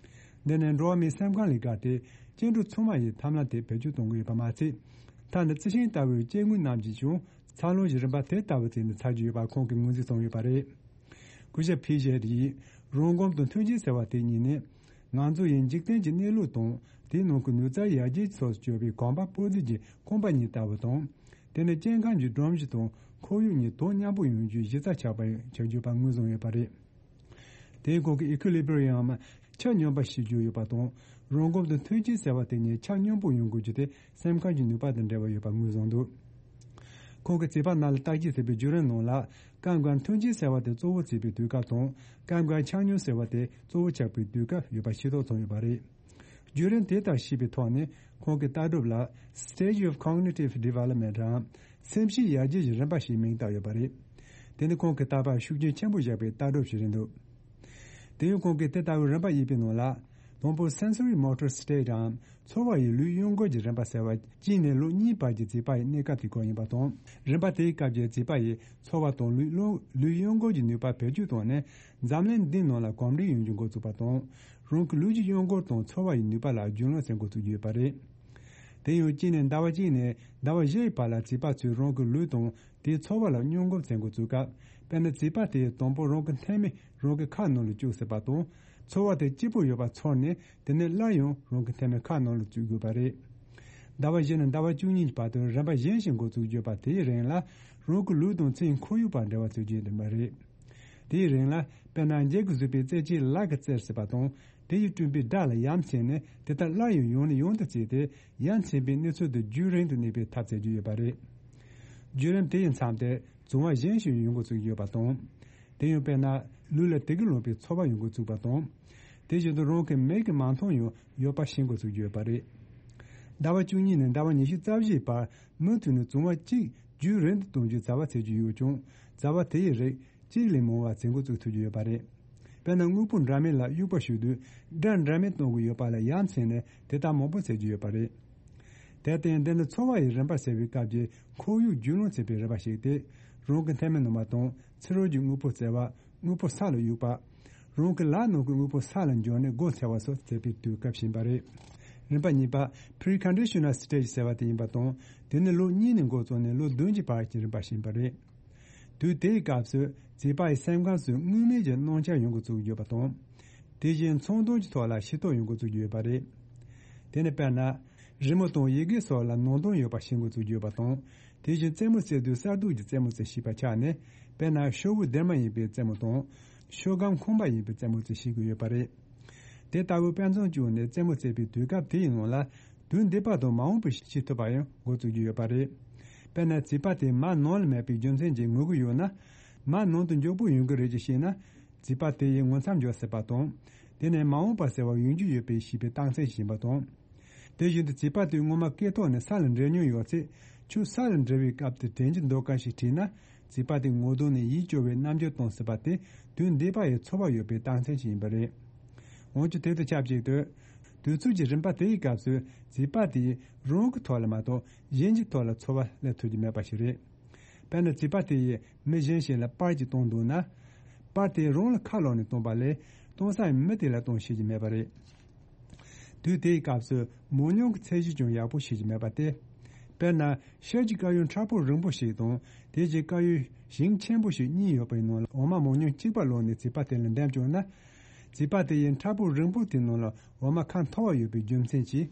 འདི་ནི་འགྲོ་བ་མིའི་སེམས་ཁམས་ལས་བརྒལ་ཏེ་སྐྱེ་འགྲོ་ཚང་མ་ཡི་ཐབས་ལམ་དེ་བེད་སྤྱོད་གཏོང་གི་ཡོད་པ་མ་ཚད། མཐའ་ན་རྩི་ཤིང་ལྟ་བུའི་སྐྱེ་དངོས་རྣམས་ཀྱིས་ཀྱང་འཚར་ལོངས་ཀྱི་རིམ་པ་དེ་ལྟ་བུ་བྱས་ནས་འཚར་གྱི་ཡོད་པ་ཁོང་གིས་ངོས་འཛིན་བྱུང་ཡོད་པ་རེད། སྐུ་ཞབས་ཕི་ཤེར་ཡིས་རང་གོམས་དང་མཐུན་རྐྱེན་ཟེར་བ་དེ་གཉིས་ནི། ང་ཚོ་ཡི་འཇིག་རྟེན་གྱི་གནས་ལུགས་དང་དེའི་ནང་གི་ནུས་རྩལ་ཡར་རྒྱས་སོགས་སུ་གྱུར་པའི་གོམ་པ་སྤོ་རྩལ་གྱི་རྐང་པ་གཉིས་ལྟ་བུ་དང་། དེ་ནི་སྐྱེ་ཁམས་ཀྱི་སྒྲོམ་གཞི་དང་ཁོར་ཡུག་གཉིས་དོ་མཉམ་པོ་ཡོང་རྒྱུའི་གཞི་རྩ་ཆགས་པ་ཆགས་རྒྱུ་པ་ངོས་བཟུང་ཡོད་པ་རེད། དེའི་སྐོར་གྱི་ཨི་ཁུ་ལི་བྷི་རི་ཡམ་ཆ་སྙོམས་པ་ཞེས་བརྗོད་ཡོད་པ་དང་། རང་གོམས་དང་མཐུན་རྐྱེན་ཟེར་བ་དེ་གཉིས་ཆ་སྙོམས་པོ་ཡོང་དགོས་རྒྱུ་དེ་སེམས་ཁམས་ཀྱི་ནུས་པ་དང་འབྲེལ་བ་ཡོད་པ་ངོས་བཟུང་འདུག་ཁོང་གིས་བྱིས་པ་རྣམས་ལ་བརྟག་དཔྱད་བྱེད་པའི་བརྒྱུད་རིམ་ནང་ལ། སྐབས་འགར་མཐུན་རྐྱེན་ཟེར་བ་དེ་གཙོ་བོ་བྱེད་པའི་དུས་སྐབས་དང་། སྐབས་འགར་ཆ་སྙོམས་ཟེར་བ་དེ་གཙོ་བོ་ཆགས་པའི་དུས་སྐབས་ཡོད་པ་ཤེས་རྟོགས་བྱུང་ཡོད་པ་རེད། བརྒྱུད་རིམ་དེ་ལྟར་ཤེས་པའི་ཐོག་ནས་ཁོང་གི་ལྟ་གྲུབ་ལ་Stage of Cognitive Development རམ་སེམས་བསྐྱེད་ཡར་རྒྱས་ཀྱི་རིམ་པ་ཞེས་མིང་བཏགས་ཡོད་པ་རེད། དེ་ནི་ཁོང་གི་ལྟ་བར་ཤུགས་རྐྱེན་ཆེན་པོ་བཞག་པའི་ལྟ་གྲུབ་ཞིག་རེད་འདུག་དེ་ཡང་ཁོང་གིས་དེ་ལྟ་བུའི་རིམ་པ་དབྱེ་བའི་ནང་ལ། དང་པོ་Sensory Motor State རམ་ཚོར་བ་ཡི་ལུས་གཡོ་འགུལ་གྱི་རིམ་པ་ཟེར་བ་གཅིག་ནས་ལོ་གཉིས་བར་གྱི་བྱིས་པ་ཡི་གནས་སྐབས་དེ་སྐོར་ཡིན་པ་དང་། རིམ་པ་དེའི་སྐབས་ཀྱི་བྱིས་པ་ཡི་ཚོར་བ་དང་ལུས་ལུས་གཡོ་འགུལ་གྱི་ནུས་པ་བེད་སྤྱོད་བཏང་ནས་འཛམ་གླིང་འདིའི་ནང་ལ་གོམས་འདྲིས་ཡོང་རྒྱུ་འགོ་ཚུགས་པ་དང་། རང་གི་ལུས་ཀྱི་གཡོ་འགུལ་དང་ཚོར་བ་ཡི་ནུས་པ་ལ་རྒྱུས་ལོན་བྱེད་འགོ་ཚུགས་ཀྱི་ཡོད་པ་རེད། དེ་ཡང་གཅིག་ནས་ཟླ་བ་གཅིག་ནས་ཟླ་བ་བཞི་ཡི་བར་ལ་བྱིས་པ་ཚོས་རང་གི་ལུས་དང་དེའི་ཚོར་བ་ལ་སྙོམས་འགོག་བྱེད་འགོ་ཚུགས་སྐབས། དཔེར་ན་བྱིས་པ་དེས་དང་པོ་རང་གི་མཐེ་མོ་རང་གི་ཁ་ནང་ལ་བཅུག་སྲིད་པ་དང་། ཚོར་བ་དེ་སྐྱིད་པོ་ཡོད་པ་ཚོར་ནས་དེ་ནས་སླར་ཡང་རང་གི་མཐེ་མོ་ཁ་ནང་ལ་བཅུག་དགོས་པ་རེད། ཟླ་བ་བཞི་ནས་ཟླ་བ་བཅུ་གཉིས་ཀྱི་བར་དུ་རིམ་པ་གཞན་ཞིག་འགོ་ཚུགས་ཡོད་པ་དེའི་རིང་ལ་རང་གི་ལུས་དང་ཚེའི་ཁོར་ཡུག་བར་འབྲེལ་བ་བྱེད་རྒྱུ་ཡིན་པ་རེད། དེའི་རིང་ལ་དཔེར་ན་འཇིགས་སུ་རུང་བའི་རྩེད་ཆས་ལག་གིས་བཙིར་སྲིད་པ་དང་དེ་ཡིས་བསྐྲུན་པའི་སྒྲ་ལ་ཡ་མཚན་ནས་དེ་ལྟར་སླར་ཡང་ཡང་ནས་ཡང་དུ་བྱས་ཏེ་ཡ་མཚན་པའི་གནས་ཚུལ་དེ་རྒྱུན་རིང་དུ་གནས་པའི་ཐབས་བྱེད་རྒྱུ་ཡོད་པ་རེད། བརྒྱུད་རིམ་དེ་ཡི་མཚམས་དེར་བྱུང་བ་གཞན་ཞིག་ཡོང་འགོ་ཚུགས་ཡོད་པ་དང་། དེ་ཡང་དཔེར་ན་ལུས་ལ་དེ་གི་ལོངས་པའི་ཚོར་བ་ཡོང་འགོ་ཚུགས་པ་དང་། དེ་བཞིན་དུ་རང་གི་མིག་གིས་མ་མཐོང་ཡང་ཡོད་པ་ཤེས་འགོ་ཚུགས་ཀྱི་ཡོད་པ་རེད། ཟླ་བ་བཅུ་གཉིས་ནས་ཟླ་བ་ཉི་ཤུ་རྩ་བཞིའི་བར་མུ་མཐུད་ནས་བྱུང་བ་གཅིག་རྒྱུན་རིང་དུ་གཏོང་རྒྱུའི་བྱ་བ་བྱེད་རྒྱུ་ཡོད་ཀྱང་བྱ་བ་དེ་ཡི་རིགས་གཅིག་ལས་མང་བ་བྱེད་འགོ་བཙུགས་ཐུབ་ཀྱི་ཡོད་པ་རེད། དཔེར་ན་དངོས་པོ་འདྲ་མིན་ལ་དབྱུག་པ་གཞུས་དུས་སྒྲ་འདྲ་མིན་གཏོང་གི་ཡོད་པ་ལ་ཡ་མཚན་ནས་དེ་ལྟར་མང་པོ་བྱེད་ཀྱི་ཡོད་པ་རེད། དེར་བརྟེན་འདི་ནི་ཚོར་བ་ཡི་རིམ་པ་ཟེར་བའི་སྐབས་ཀྱི་ཁོར་ཡུག་རྒྱུས་ལོན་བྱེད་པའི་རིམ་པ་ཞིག་སྟེ། རང་གི་མཐེ་མོ་ནུ་མ་དང་ཕྱི་རོལ་གྱི་དངོས་པོ་བཙལ་བ། དངོས་པོ་ས་ལ་གཡུག་པ། རང་གི་ལག་ནང་གི་དངོས་པོ་ས་ལ་འབྱོར་ནས་འགོ་ཚུགས་པ་སོགས་མཛད་པའི་དུས་སྐབས་ཤིག་ཡིན་པ་རེད། རིམ་པ་གཉིས་པ་Preconditional Stage ཟེར་བ་དེ་ཡིན་པ་དང་། དེ་ནི་ལོ་གཉིས་ནས་འགོ་བཙུགས་ནས་ལོ་བདུན་གྱི་བར་གྱི་རིམ་པ་ཞིག་ཡིན་པ་རེད། དུས་དེའི་སྐབས་སུ་བྱིས་པ་ཡི་སེམས་ཁམས་སུ་དངོས་མེད་ཀྱི་སྣང་ཆ་ཡོང་འགོ་བཙུགས་ཡོད་པ་དང་། དེ་བཞིན་ཚོར་སྣང་གི་ཐོག་ལ་ཤེས་རྟོགས་ཡོང་འགོ་བཙུགས་ཡོད་པ་རེད། དེ་ནི་དཔེར་ན། རི་མོ་དང་ཡི་གེ་སོགས་ལ་ནང་དོན་ཡོད་པ་ཤེས་འགོ་བཙུགས་ཡོད་པ་དང་། དེ་བཞིན་རྩེད་མོ་རྩེ་དུས་གསར་གཏོད་ཀྱི་རྩེད་མོ་རྩེ་ཤེས་པ་ཆགས་ནས། དཔེར་ན་ཤོག་བུ་སྡེར་མ་ཡིན་པའི་རྩེད་མོ་དང་། ཤོག་སྒམ་ཁང་པ་ཡིན་པའི་རྩེད་མོ་རྩེ་ཤེས་ཀྱི་ཡོད་པ་རེད། དེ་ལྟ་བུའི་དཔེ་མཚོན་བྱུང་ནས་རྩེད་མོ་རྩེ་བའི་དུས་སྐབས་དེའི་ནང་ལ། དུས་འདས་པ་དང་མ་འོངས་པ་ཤེས་ཐུབ་པ་ཡང་འགོ་བཙུགས་ཀྱི་ཡོད་པ་རེད། དཔེར་ན་བྱིས་པ་དེ་མར་ནང་ལ་མེད་པའི་རྒྱུ་མཚན་གྱིས་ངུ་གི་ཡོད་ན། མར་ནང་དུ་མགྱོགས་པོ་ཡོང་གི་རེད་ཅེས་བཤད་ན། བྱིས་པ་དེ་ཡིས་ངུ་མཚམས་འཇོག་སྲིད་པ་དང་། དེ་ནས་མ་འོངས་པ་ཟེར་བ་ཡོང་རྒྱུ་ཡོད་པའི་ཤེས་པའི་རྟགས་མཚན་ཞིག་ཡིན་པ་དང་། དེ་བཞིན་དུ་བྱིས་པ་དེས་སྔོན་མ་སྐེ་ཐོག་ནས་ས་ལ་འགྲིལ་མྱོང་ཡོད་ཚེ། ཁྱོད་ས་ལ་འགྲིལ་བའི་སྐབས་དེར་དྲན་གྱི་འདུག་གམ་ཞེས་དྲིས་ན། བྱིས་པ་དེས་ངོ་གདོང་ནས་ཡིད་སྐྱོ་བའི་རྣམ་འགྱུར་སྟོན་སྲིད་པ་དེ་དུས་འདས་པ་ཡི་ཚོར་བ་ཡོད་པའི་རྟགས་མཚན་ཞིག་ཡིན་པ་རེད། འོན་ཀྱང་དེ་དང་ཆབས་ཅིག་ཏུ། དུས་ཚོད་ཀྱི་རིམ་པ་དེའི་སྐབས་སུ་བྱིས་པ་དེས་རང་གི་ཐོག་ལ་མ་གཏོགས་གཞན་གྱི་ཐོག་ལ་ཚོར་བ་སླེབས་ཐུབ་ཀྱི་མེད་པ་ཞིག་རེད། དཔེར་ན་བྱིས་པ་དེ་ཡིས་མི་གཞན་ཞིག་ལ་པར་གཅིག་བཏང་འདུག་ན། པར་དེ་རང་ལ་ཁ་ལོག་ནས་བཏང་པ་ལས་གཏོང་ས་མི་དེ་ལ་གཏོང་ཤེས་ཀྱི་མེད་པ་རེད། དུས་དེའི་སྐབས་སུ་མོ་ཉུང་གི་ཚད་གཞི་ཀྱང་ཡག་པོ་ཤེས་ཀྱི་མེད་པ་སྟེ། དཔེར་ན་ཤར་གྱི་དཀར་ཡོལ་མཁྲེགས་པོ་རིང་པོ་ཞིག་དང་དེ་རྗེས་དཀར་ཡོལ་ཞིང་ཆེན་པོ་ཞིག་གཉིས་ཡོད་པའི་ནང་ལ་འོ་མ་མོ་ཉུང་གཅིག་པ་ལོག་ནས་བྱིས་པ་དེ་ལ་འདེམས་བྱུང་ན། བྱིས་པ་དེ་ཡིས་མཁྲེགས་པོ་རིང་པོ་དེའི་ནང་ལ་འོ་མ་ཁ་མཐོ་བ་ཡོད་པའི་རྒྱུ་མཚན་གྱིས།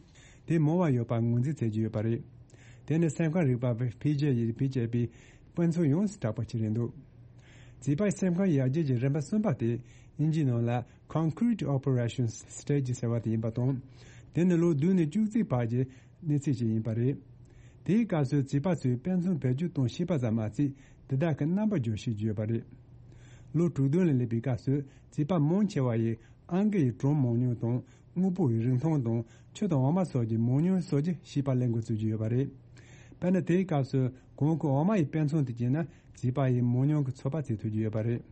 དེ་མང་བ་ཡོད་པར་ངོས་འཛིན་བྱེད་ཀྱི་ཡོད་པ་རེད། དེ་ནི་སེམས་ཁམས་རིག་པ་བའི་ཕི་ཇེ་ཡིས་བེད་སྤྱད་པའི་དཔེ་མཚོན་ཡོངས་སུ་གྲགས་པ་ཅིག་རེད་འདུག་བྱིས་པའི་སེམས་ཁམས་ཡར་རྒྱས་ཀྱི་རིམ་པ་གསུམ་པ་དེ་དབྱིན་ཇིའི་ནང་ལ་Concrete Operation Stage ཟེར་བ་དེ་ཡིན་པ་དང་། དེ་ནི་ལོ་བདུན་ནས་བཅུ་གཅིག་བར་གྱི་གནས་ཚུལ་ཞིག་ཡིན་པ་རེད། དེའི་སྐབས་སུ་བྱིས་པ་ཚོས་དཔེ་མཚོན་བེད་སྤྱོད་གཏོང་ཤེས་པ་ཙམ་མ་ཟད་དེ་དག་གི་རྣམ་པ་སྦྱོར་ཤེས་ཀྱི་ཡོད་པ་རེད། ལོ་དྲུག་བདུན་ལ་སླེབས་པའི་སྐབས་སུ་བྱིས་པ་མང་ཆེ་བ་ཡིས་ཨང་ཀི་ཡི་སྒྲོམ་མང་ཉུང་དང་དངོས་པོ་ཡི་རིང་ཐུང་དང་ཆུ་དང་འོ་མ་སོགས་ཀྱི་མང་ཉུང་སོགས་ཀྱི་ཤེས་པ་ལེན་འགོ་ཚུགས་ཀྱི་ཡོད་པ་རེད། དཔེར་ན་དེའི་སྐབས་སུ་གོང་གི་འོ་མ་ཡི་དཔེ་མཚོན་དུ་བྱས་ན་བྱིས་པ་ཡིས་མང་ཉུང་གི་ཚོད་དཔག་བྱེད་ཐུབ་ཀྱི་ཡོད་པ་རེད།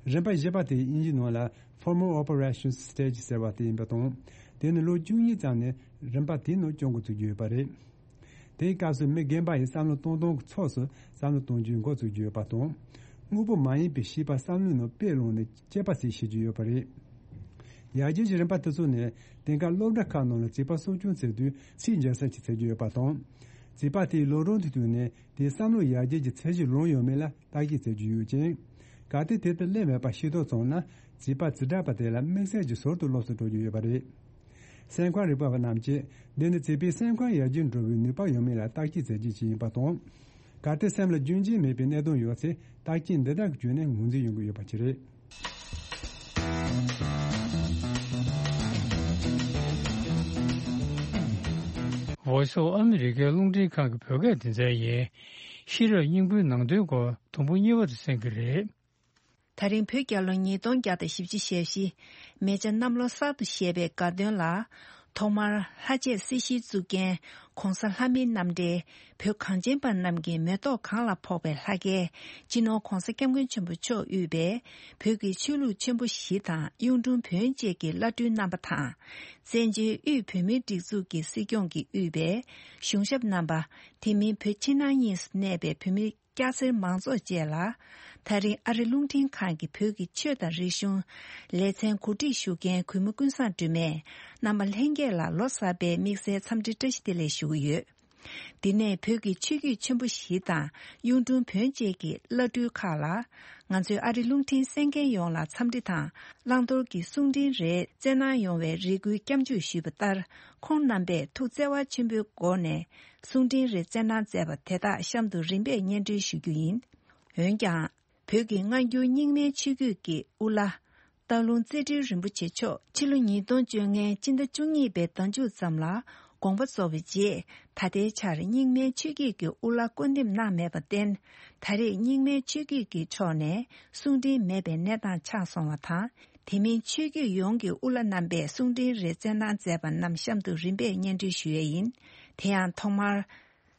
རིམ་པ་བཞི་པ་དེ་དབྱིན་ཇིའི་ནང་ལ་Formal Operation Stage ཟེར་བ་དེ་ཡིན་པ་དང་། དེ་ནི་ལོ་བཅུ་གཉིས་ཙམ་ནས་རིམ་པ་དེའི་ནང་སྐྱོད་འགོ་ཚུགས་ཀྱི་ཡོད་པ་རེད། དེའི་སྐབས་སུ་མི་རྒན་པ་ཡིས་བསམ་བློ་གཏོང་སྟངས་ཀྱི་ཕྱོགས་སུ་བསམ་བློ་གཏོང་རྒྱུའི་འགོ་ཚུགས་ཀྱི་ཡོད་པ་དང་། དངོས་པོ་མ་ཡིན་པའི་ཤེས་པ་བསམ་བློའི་ནང་དཔེ་བླངས་ནས་དཔྱད་པ་ཞིག་བྱེད་ཀྱི་ཡོད་པ་རེད། ཡར་རྒྱས་ཀྱི་རིམ་པ་དེ་ཚོ་ནི་དེང་སྐབས་སློབ་གྲྭ་ཁག་ནང་ལ་བྱིས་པ་གསོ་སྐྱོང་བྱེད་དུས་ཚད་འཇལ་ས་ཞིག་བྱེད་ཀྱི་ཡོད་པ་དང་། བྱིས་པ་དེའི་ལོ་རབས་དུ་བསྟུན་ནས་དེའི་བསམ་བློ་ཡར་རྒྱས་ཀྱི་ཚད་གཞི་ལོངས་ཡོད་མེད་ལ་བརྟག་ཞིབ་བྱེད་ཀྱི་ཡོད་ཅིང་། གལ་ཏེ་དེ་ལྟར་སླེབས་མེད་པ་ཤེས་རྟོགས་བྱུང་ན་བྱིས་པ་བྱེ་བྲག་པ་དེ་ལ་དམིགས་བསལ་གྱི་ཟུར་དུ་སློབ་གསོ་སྤྲོད་ཀྱི་ཡོད་པ་རེད། སེམས་ཁམས་རིག་པ་བ་རྣམས་ཀྱིས་འདི་ནི་བྱིས་པའི་སེམས་ཁམས་ཡར་རྒྱས་འགྲོ་བའི་ནུས་པ་ཡོད་མེད་ལ་བརྟག་དཔྱད་མཛད་རྒྱུ་ཞིག་ཡིན་པ་དང་། གལ་ཏེ་སེམས་ལ་རྒྱུན་ཆད་མེད་པའི་གནད་དོན་ཡོད་ཚེ་བརྟག་དཔྱད་འདི་དག་གི་བརྒྱུད་ནས་ངོས་འཛིན་ཡོང་གི་ཡོད་པ་ཅིག་རེད། Voice of America རླུང་འཕྲིན་ཁང་གི་བོད་སྐད་སྡེ་ཚན་ཡིན། ཤེས་རབ་སྙིང་པོའི་ནང་དོན་སྐོར་དུམ་བུ་གཉིས་པ་དུ་གསན་གྱི་རེད། ད་རིང་བོད་རྒྱལ་ལོ་ཉིས་སྟོང་བརྒྱ་དང་བཞི་བཅུ་ཞེ་བཞི། མེ་བྱ་གནམ་ལོ་གསར་དུ་བཞད་པའི་དགའ་སྟོན་ལ། ཐོག་མར་ལྷ་བཅས་སྲིད་ཞིའི་གཙུག་རྒྱན་༸གོང་ས་ལྷ་མིའི་རྣམ་འདྲེན། བོད་གངས་ཅན་པ་རྣམས་ཀྱི་མེ་ཏོག་གང་ལ་ཕོག་པའི་ལྷ་སྐལ་སྤྱི་ནོར་༸གོང་ས་༸སྐྱབས་མགོན་ཆེན་པོ་མཆོག་དབུས་པའི་བོད་ཀྱི་ཆོས་ལུགས་ཆེན་པོ་བཞི་དང་གཡུང་དྲུང་བོན་བཅས་ཀྱི་བླ་སྤྲུལ་རྣམ་པ་དང་། བཙན་བྱོལ་དབུས་བོད་མིའི་སྒྲིག་འཛུགས་ཀྱི་སྲིད་སྐྱོང་གིས་དབུས་པའི་གཞུང་ཞབས་རྣམ་པ། དེ་མིན་བོད་ཕྱི་ནང་གཉིས་སུ་གནས་པའི་བོད་མི་སྐྱ་སེར་མང་ཚོགས་བཅས་ལ། ད་རིང་ཨ་རི་རླུང་འཕྲིན་ཁང་གི་བོད་ཀྱི་ཆོས་དང་རིག་གཞུང་ལེ་ཚན་གོ་སྒྲིག་ཞུ་མཁན་གུས་མོ་ཀུན་བཟང་སྒྲོལ་མས་རྣམ་པ་ལྷན་རྒྱས་ལ་ལོ་གསར་པའི་དམིགས་བསལ་འཚམས་འདྲི་བཀྲ་ཤིས་བདེ་ལེགས་ཞུ་གི་ཡོད། འདི་ནས་བོད་ཀྱི་ཆོས་བརྒྱུད་ཆེན་པོ་བཞི་དང་གཡུང་དྲུང་བོན་བཅས་ཀྱི་བླ་སྤྲུལ་ཁག་ལ། ང་ཚོའི་ཨ་རི་རླུང་འཕྲིན་གསན་མཁན་ཡོངས་ལ་འཚམས་འདྲི་དང་བླང་དོར་གྱི་གསུང་འཕྲིན་རེ་བསྩལ་གནང་ཡོང་བའི་རེ་སྐུལ་སྐྱབས་འཇུག་ཞུས་པ་ལྟར། ཁོང་རྣམ་པས་ཐུགས་བརྩེ་བ་ཆེན་པོའི་སྒོ་ནས། གསུང་འཕྲིན་རེ་བསྩལ་གནང་མཛད་པ་དེ་དག་གཤམ་དུ་རིམ་པས་སྙན་སྒྲོན་ཞུ་རྒྱུ་ཡིན། འོན་ཀྱང་། བོད་ཀྱི་སྔ་འགྱུར་རྙིང་མའི་ཆོས་བརྒྱུད་ཀྱི་དབུ་བླ། སྟག་ལུང་རྩེ་སྤྲུལ་རིན་པོ་ཆེ་མཆོག་ཕྱི་ལོ་ཉིས་སྟོང་བཅོ་ལྔའི་སྤྱི་ཟླ་བཅུ་གཉིས་པའི་ཟླ་མཇུག་ཙམ་ལ་དགོངས་པ་རྫོགས་པའི་རྗེས། ད་ལྟའི་ཆར་རྙིང་མའི་ཆོས་བརྒྱུད་ཀྱི་དབུ་བླ་བསྐོ་འདེམས་གནང་མེད་པར་བརྟེན། ད་རེས་རྙིང་མའི་ཆོས་བརྒྱུད་ཀྱི་ཕྱོགས་ནས་གསུང་འཕྲིན་མེད་པའི་གནས་སྟངས་ཆགས་སོང་བ་དང་། དེ་མིན་ཆོས་བརྒྱུད་ཡོངས་ཀྱི་དབུ་བླ་རྣམ་པས་གསུང་འཕྲིན་རེ་བསྩལ་གནང་མཛད་པ་རྣམས་གཤམ་དུ་རིམ་པས་སྙན་སྒྲོན་ཞུ་ཡས་ཡིན། དེ་ཡང་ཐོག་མར།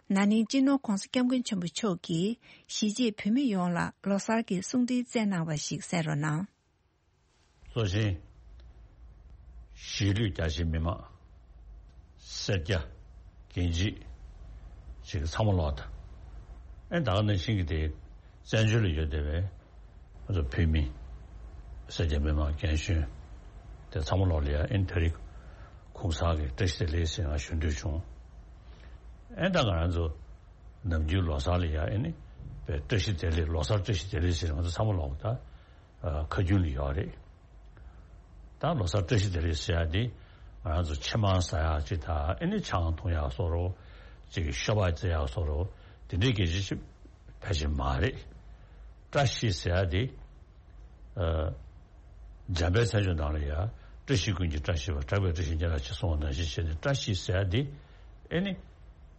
ན་ནིང་སྤྱི་ནོར་༸གོང་ས་༸སྐྱབས་མགོན་ཆེན་པོ་མཆོག་གིས་གཞིས་བྱེས་བོད་མི་ཡོངས་ལ་ལོ་གསར་གྱི་གསུང་འཕྲིན་བསྩལ་གནང་བ་ཞིག་གསན་རོགས་གནང་། གཙོ་ཆེན། གཞིས་ལུས་རྒྱ་ཆེའི་མི་མང་། སེར་སྐྱ། རྒན་བྱིས། ཅིག་ཚང་མ་ལོག་ད། ཨེ་ད་ག་ནང་བཞིན་གྱི་དེ་བཙན་བྱོལ་ལ་ཡོད་བསྡད་པའི་ང་ཚོ་བོད་མི། སེར་སྐྱ་མི་མང་རྒན་གཞོན་དེ་ཚང་མ་ལོག་ལ་ཡ་ཨེ་ནི་དེ་རིང་གུང་སེང་གི་བཀྲ་ཤིས་བདེ་ལེགས་ཟེར་ང་ཞུ་འདོད་བྱུང་། ཨེ་ད་ང་རང་ཚོ་ནམ་རྒྱུན་ལོ་གསར་ལ་ཡ་ཨེ་ནི་བཀྲ་ཤིས་བདེ་ལེགས་ལོ་གསར་བཀྲ་ཤིས་བདེ་ལེགས་ཟེར་ང་ཚོ་ཚང་མ་ལོག་ད་ཁ་རྒྱུན་ལ་ཡོད་རེད། ད་ལོ་གསར་བཀྲ་ཤིས་བདེ་ལེགས་ཟེར་ཡ་དེ་ང་རང་ཚོ་ཕྱེ་མར་ཟ་ཡག་ཅིག་དང་ཨེ་ནི་ཆང་འཐུང་ཡག་བཟོ་འདྲ་ཅིག་ཤོ་སྦག་རྩེ་ཡག་བཟོ་འདྲ་དེ་འདྲའི་སྐད་ཆ་ཅིག་ཕལ་ཆེར་མ་རེད། བཀྲ་ཤིས་ཟེར་ཡ་དེ་འཇམ་དཔལ་མཚན་བརྗོད་ནང་ལ་ཡ་བཀྲ་ཤིས་ཀུན་གྱི་བཀྲ་ཤིས་པ། གྲགས་པའི་བཀྲ་ཤིས་ཉེ་རབས་ཆེ་གསུངས་པ་ནང་བཞིན་བྱས་ནས་བཀྲ་ཤིས་ཟེར་ཡ་དེ་ཨེ་ནི་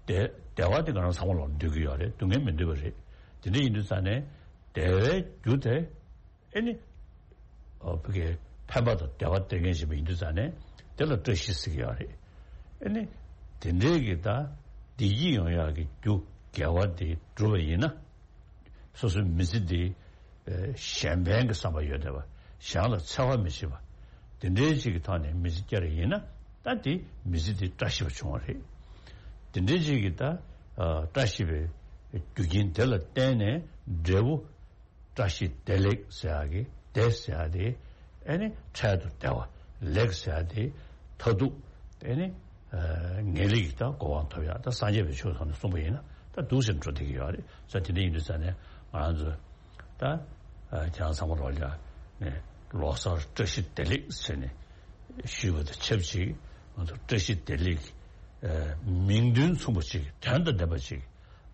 བདེ་བདེ་བ་དེ་ང་རང་ཚང་མ་ལོག་འདོད་ཀྱི་ཡོད་རེད། སྡུག་བསྔལ་མི་འདོད་པ་རེད། དེ་འདྲ་ཡིན་དུས་ཙང་ནས་བདེ་བའི་རྒྱུ་དེ་ཨེ་ནི། ཨོ་བོད་ཀྱི་ཕན་པ་དང་བདེ་བ་སྟེར་མཁན་ཞིག་ཡིན་དུས་ཙང་ནས་དེ་ལ་བཀྲ་ཤིས་ཟེར་གྱི་ཡོད་རེད། ཨེ་ནི། དེ་འདྲའི་གི་ད་བདེ་སྐྱིད་ཡོང་ཡག་གི་རྒྱུ་དགེ་བ་དེ་བསྒྲུབས་པ་ཡིན་ན། སོ་སོའི་མི་ཚེ་འདི་གཞན་ཕན་གྱི་བསམ་པ་ཡོད་བསྡད་པ། གཞན་ལ་འཚེ་བ་མི་བྱེད་པ། དེ་འདྲའི་ཅིག་གི་ཐོག་ནས་མི་ཚེ་བསྐྱལ་བ་ཡིན་ན་ད་དེ་མི་ཚེ་འདི་བཀྲ་ཤིས་པ་བྱུང་བ་རེད། དེ་འདྲའི་ཅིག་གི་ད་བཀྲ་ཤིས་པའི་རྒྱུ་རྐྱེན་དེ་ལ་བརྟེན་ནས་འབྲས་བུ། བཀྲ་ཤིས་བདེ་ལེགས་ཟེར་ཡག་གི་བདེ་ཟེར་ཡག་དེ་ཨེ་ནི་འཕྲལ་དུ་བདེ་བ། ལེགས་ཟེར་ཡག་དེ་མཐར་ཐུག་ཨེ་ནི་ངེས་ལེགས་ཀྱི་ད་གོ་འཕང་ཐོབ་ཡག་ད་སངས་རྒྱས་པའི་ཆོས་ཐོག་ནས་གསུངས་པ་ཡིན་ན་ད་འདུག་སེ་འགྲོ་བསྡད་ཀྱི་ཡོད་རེད། ས་དེ་འདྲ་ཡིན་དུས་ཙང་ནས་ང་རང་ཚོ་ད་ཁྱེད་རང་ཚང་མ་ལོག་ལ་ནས་ལོ་གསར་བཀྲ་ཤིས་བདེ་ལེགས་ཟེར་ནས་ཞུས་པ་དང་ཆབས་ཅིག་ང་ཚོ་བཀྲ་ཤིས་བདེ་ལེགས་མིང་དོན་མཚུངས་པ་ཅིག་དོན་དང་ལྡན་པ་ཅིག་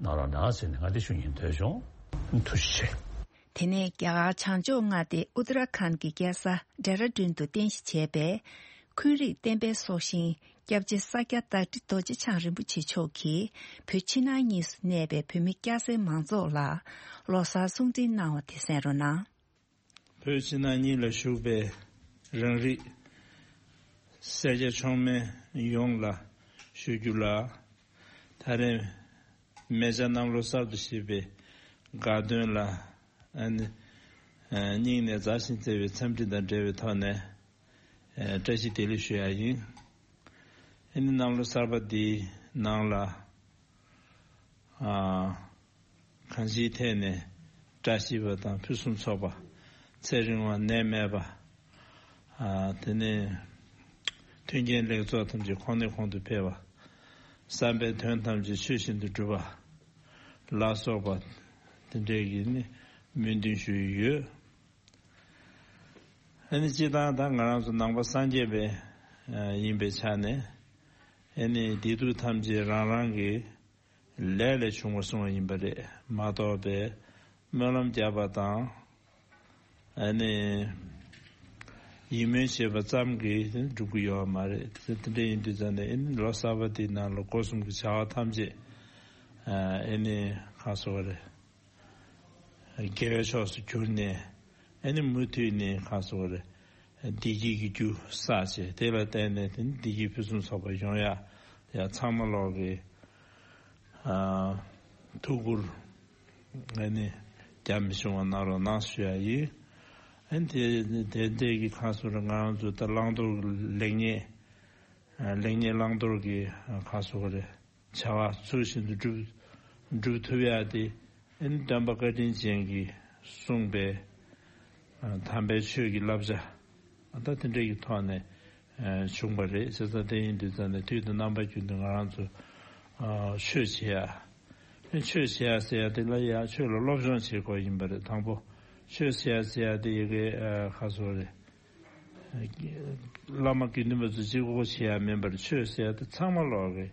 གནང་རོགས་གནང་ཟེར་ནས་ང་དེ་ཞུ་སྙིང་འདོད་བྱུང་། ཐུགས་རྗེ་ཆེ། དེ་ནས་རྒྱ་གར་བྱང་ཕྱོགས་མངའ་སྡེ་ཨུ་ཏར་ཁཱན་གྱི་རྒྱལ་ས་ཌེ་ར་ཌུན་དུ་རྟེན་གཞི་བྱས་པའི་འཁོན་རིགས་བསྟན་པའི་སྲོག་ཤིང་སྐྱབས་རྗེ་ས་སྐྱ་བདག་ཁྲི་རྡོ་རྗེ་འཆང་རིན་པོ་ཆེ་མཆོག་གིས་བོད་ཕྱི་ནང་གཉིས་སུ་གནས་པའི་བོད་མི་སྐྱ་སེར་མང་ཚོགས་ལ་ལོ་གསར་གསུང་འཕྲིན་གནང་བ་དེ་གསན་རོགས་གནང་། བོད་ཕྱི་ནང་གཉིས་ལ་བཞུགས་པའི་རང་རིགས་སེར་སྐྱ་མཆོག་དམན་ཡོངས་ལ་ཞུ་རྒྱུ་ལ། ད་རེས་མེ་བྱ་གནམ་ལོ་གསར་དུ་བཞད་པའི་དགའ་སྟོན་ལ་ཨ་ནི་སྙིང་ནས་མཛའ་ཞིང་བརྩེ་བའི་འཚམས་འདྲི་དང་འབྲེལ་བའི་ཐོག་ནས་བཀྲ་ཤིས་བདེ་ལེགས་ཞུ་ཡ་ཡིན། ཨ་ནི་གནམ་ལོ་གསར་པ་འདིའི་ནང་ལ་ཨ། གང་ཅིའི་ཐད་ནས་བཀྲ་ཤིས་པ་དང་ཕུན་སུམ་ཚོགས་པ། ཚེ་རིང་བ་ནད་མེད་པ། ཨ་དེ་ནས་མཐུན་རྐྱེན་ལེགས་ཚོགས་ཐམས་ཅད་གོང་ནས་གོང་དུ་འཕེལ་བ། བསམ་པའི་དོན་ཐམས་ཅད་ཆོས་བཞིན་དུ་འགྲུབ་པ་ལ་སོགས་པ་དེ་འདྲའི་གི་ནི་སྨོན་འདུན་ཞུ་ཡི་ཡོད། ཨ་ནི་སྤྱིར་བཏང་ད་ང་རང་ཚོ་ནང་པ་སངས་རྒྱས་པའི་ཨ་ཡིན་པའི་ཆ་ནས་ཨ་ནི་བདེ་སྡུག་ཐམས་ཅད་རང་རང་གི་ལས་ལས་བྱུང་བར་གསུངས་པ་ཡིན་པ་རེད་མ་གཏོགས་པའི་སྨོན་ལམ་བརྒྱབ་པ་དང་། ཨ་ནི། ཡིད་སྨོན་བྱེད་པ་ཙམ་གྱིས་འགྲུབ་ཀྱི་ཡོད་མ་རེད། དེ་འདྲ་ཡིན་དུས་ཙང་ནས་ཨ་ནི་ལོ་གསར་པ་དེའི་ནང་ལ་སྒོ་གསུམ་གྱི་བྱ་བ་ཐམས་ཅད་ཨ་ནི་གང་ཟེར་བ་རེད། དགེ་བའི་ཕྱོགས་སུ་གྱུར་ནས་ཨ་ནི་མུ་མཐུད་ནས་གང་ཟེར་བ་རེད། བདེ་སྐྱིད་ཀྱི་རྒྱུ་བསགས་བྱས་དེ་ལ་བརྟེན་ནས་དེ་ནི་བདེ་སྐྱིད་ཕུན་སུམ་ཚོགས་པ་ཡོང་ཡ་ཡ་ཚང་མ་ལོག་གི་ཨ་ཐུགས་ཁུར་ཨ་ནི་རྒྱ་མི་ཆུང་བ་གནང་རོགས་གནང་ཞུ་ཡ་ཡིན། ཨ་ནི་དེ་དེ་འདྲས་ཀྱི་ཁ་སོ་རེ་ང་རང་ཚོ་ད་བླང་དོར་ལེགས་ཉེས་ཨ་ལེགས་ཉེས་བླང་དོར་གྱི་ཁ་སོ་རེ་བྱ་བ་ཚུལ་བཞིན་དུ་སྒྲུབ་སྒྲུབ་ཐུབ་ཡ་དེ་ཨ་ནི་སྟོན་པ་བཀའ་དྲིན་ཅན་གྱིས་གསུངས་པའི་ཨ་དམ་པའི་ཆོས་ཀྱི་བསླབ་བྱ་ཨ་ད་དེ་འདྲས་ཀྱི་ཐོག་ནས། བྱུང་བ་རེད། བྱས་ཙང་དེ་ཡིན་དུས་ཙང་ནས་དུས་དང་རྣམ་པ་ཀུན་ཏུ་ང་རང་ཚོ་ཆོས་བྱེད་ཡ། ཆོས་བྱེད་ཡ་ཟེར་ཡ་དེ་ལ་ཡ་ཆོས་ལ་སློབ་སྦྱོང་བྱེད་དགོས་ཡིན་པ་རེད། དང་པོ་ཆོས་བྱེད་ཡ་ཟེར་ཡ་དེ་ཡི་གེ་ཁ་སོ་རེད། བླ་མ་དགེ་འདུན་པ་ཚོ་གཅིག་པོ་བྱེད་ཡ་མིན་པར་ཆོས་ཟེར་ཡ་དེ་ཚང་མ་ལོག་གི་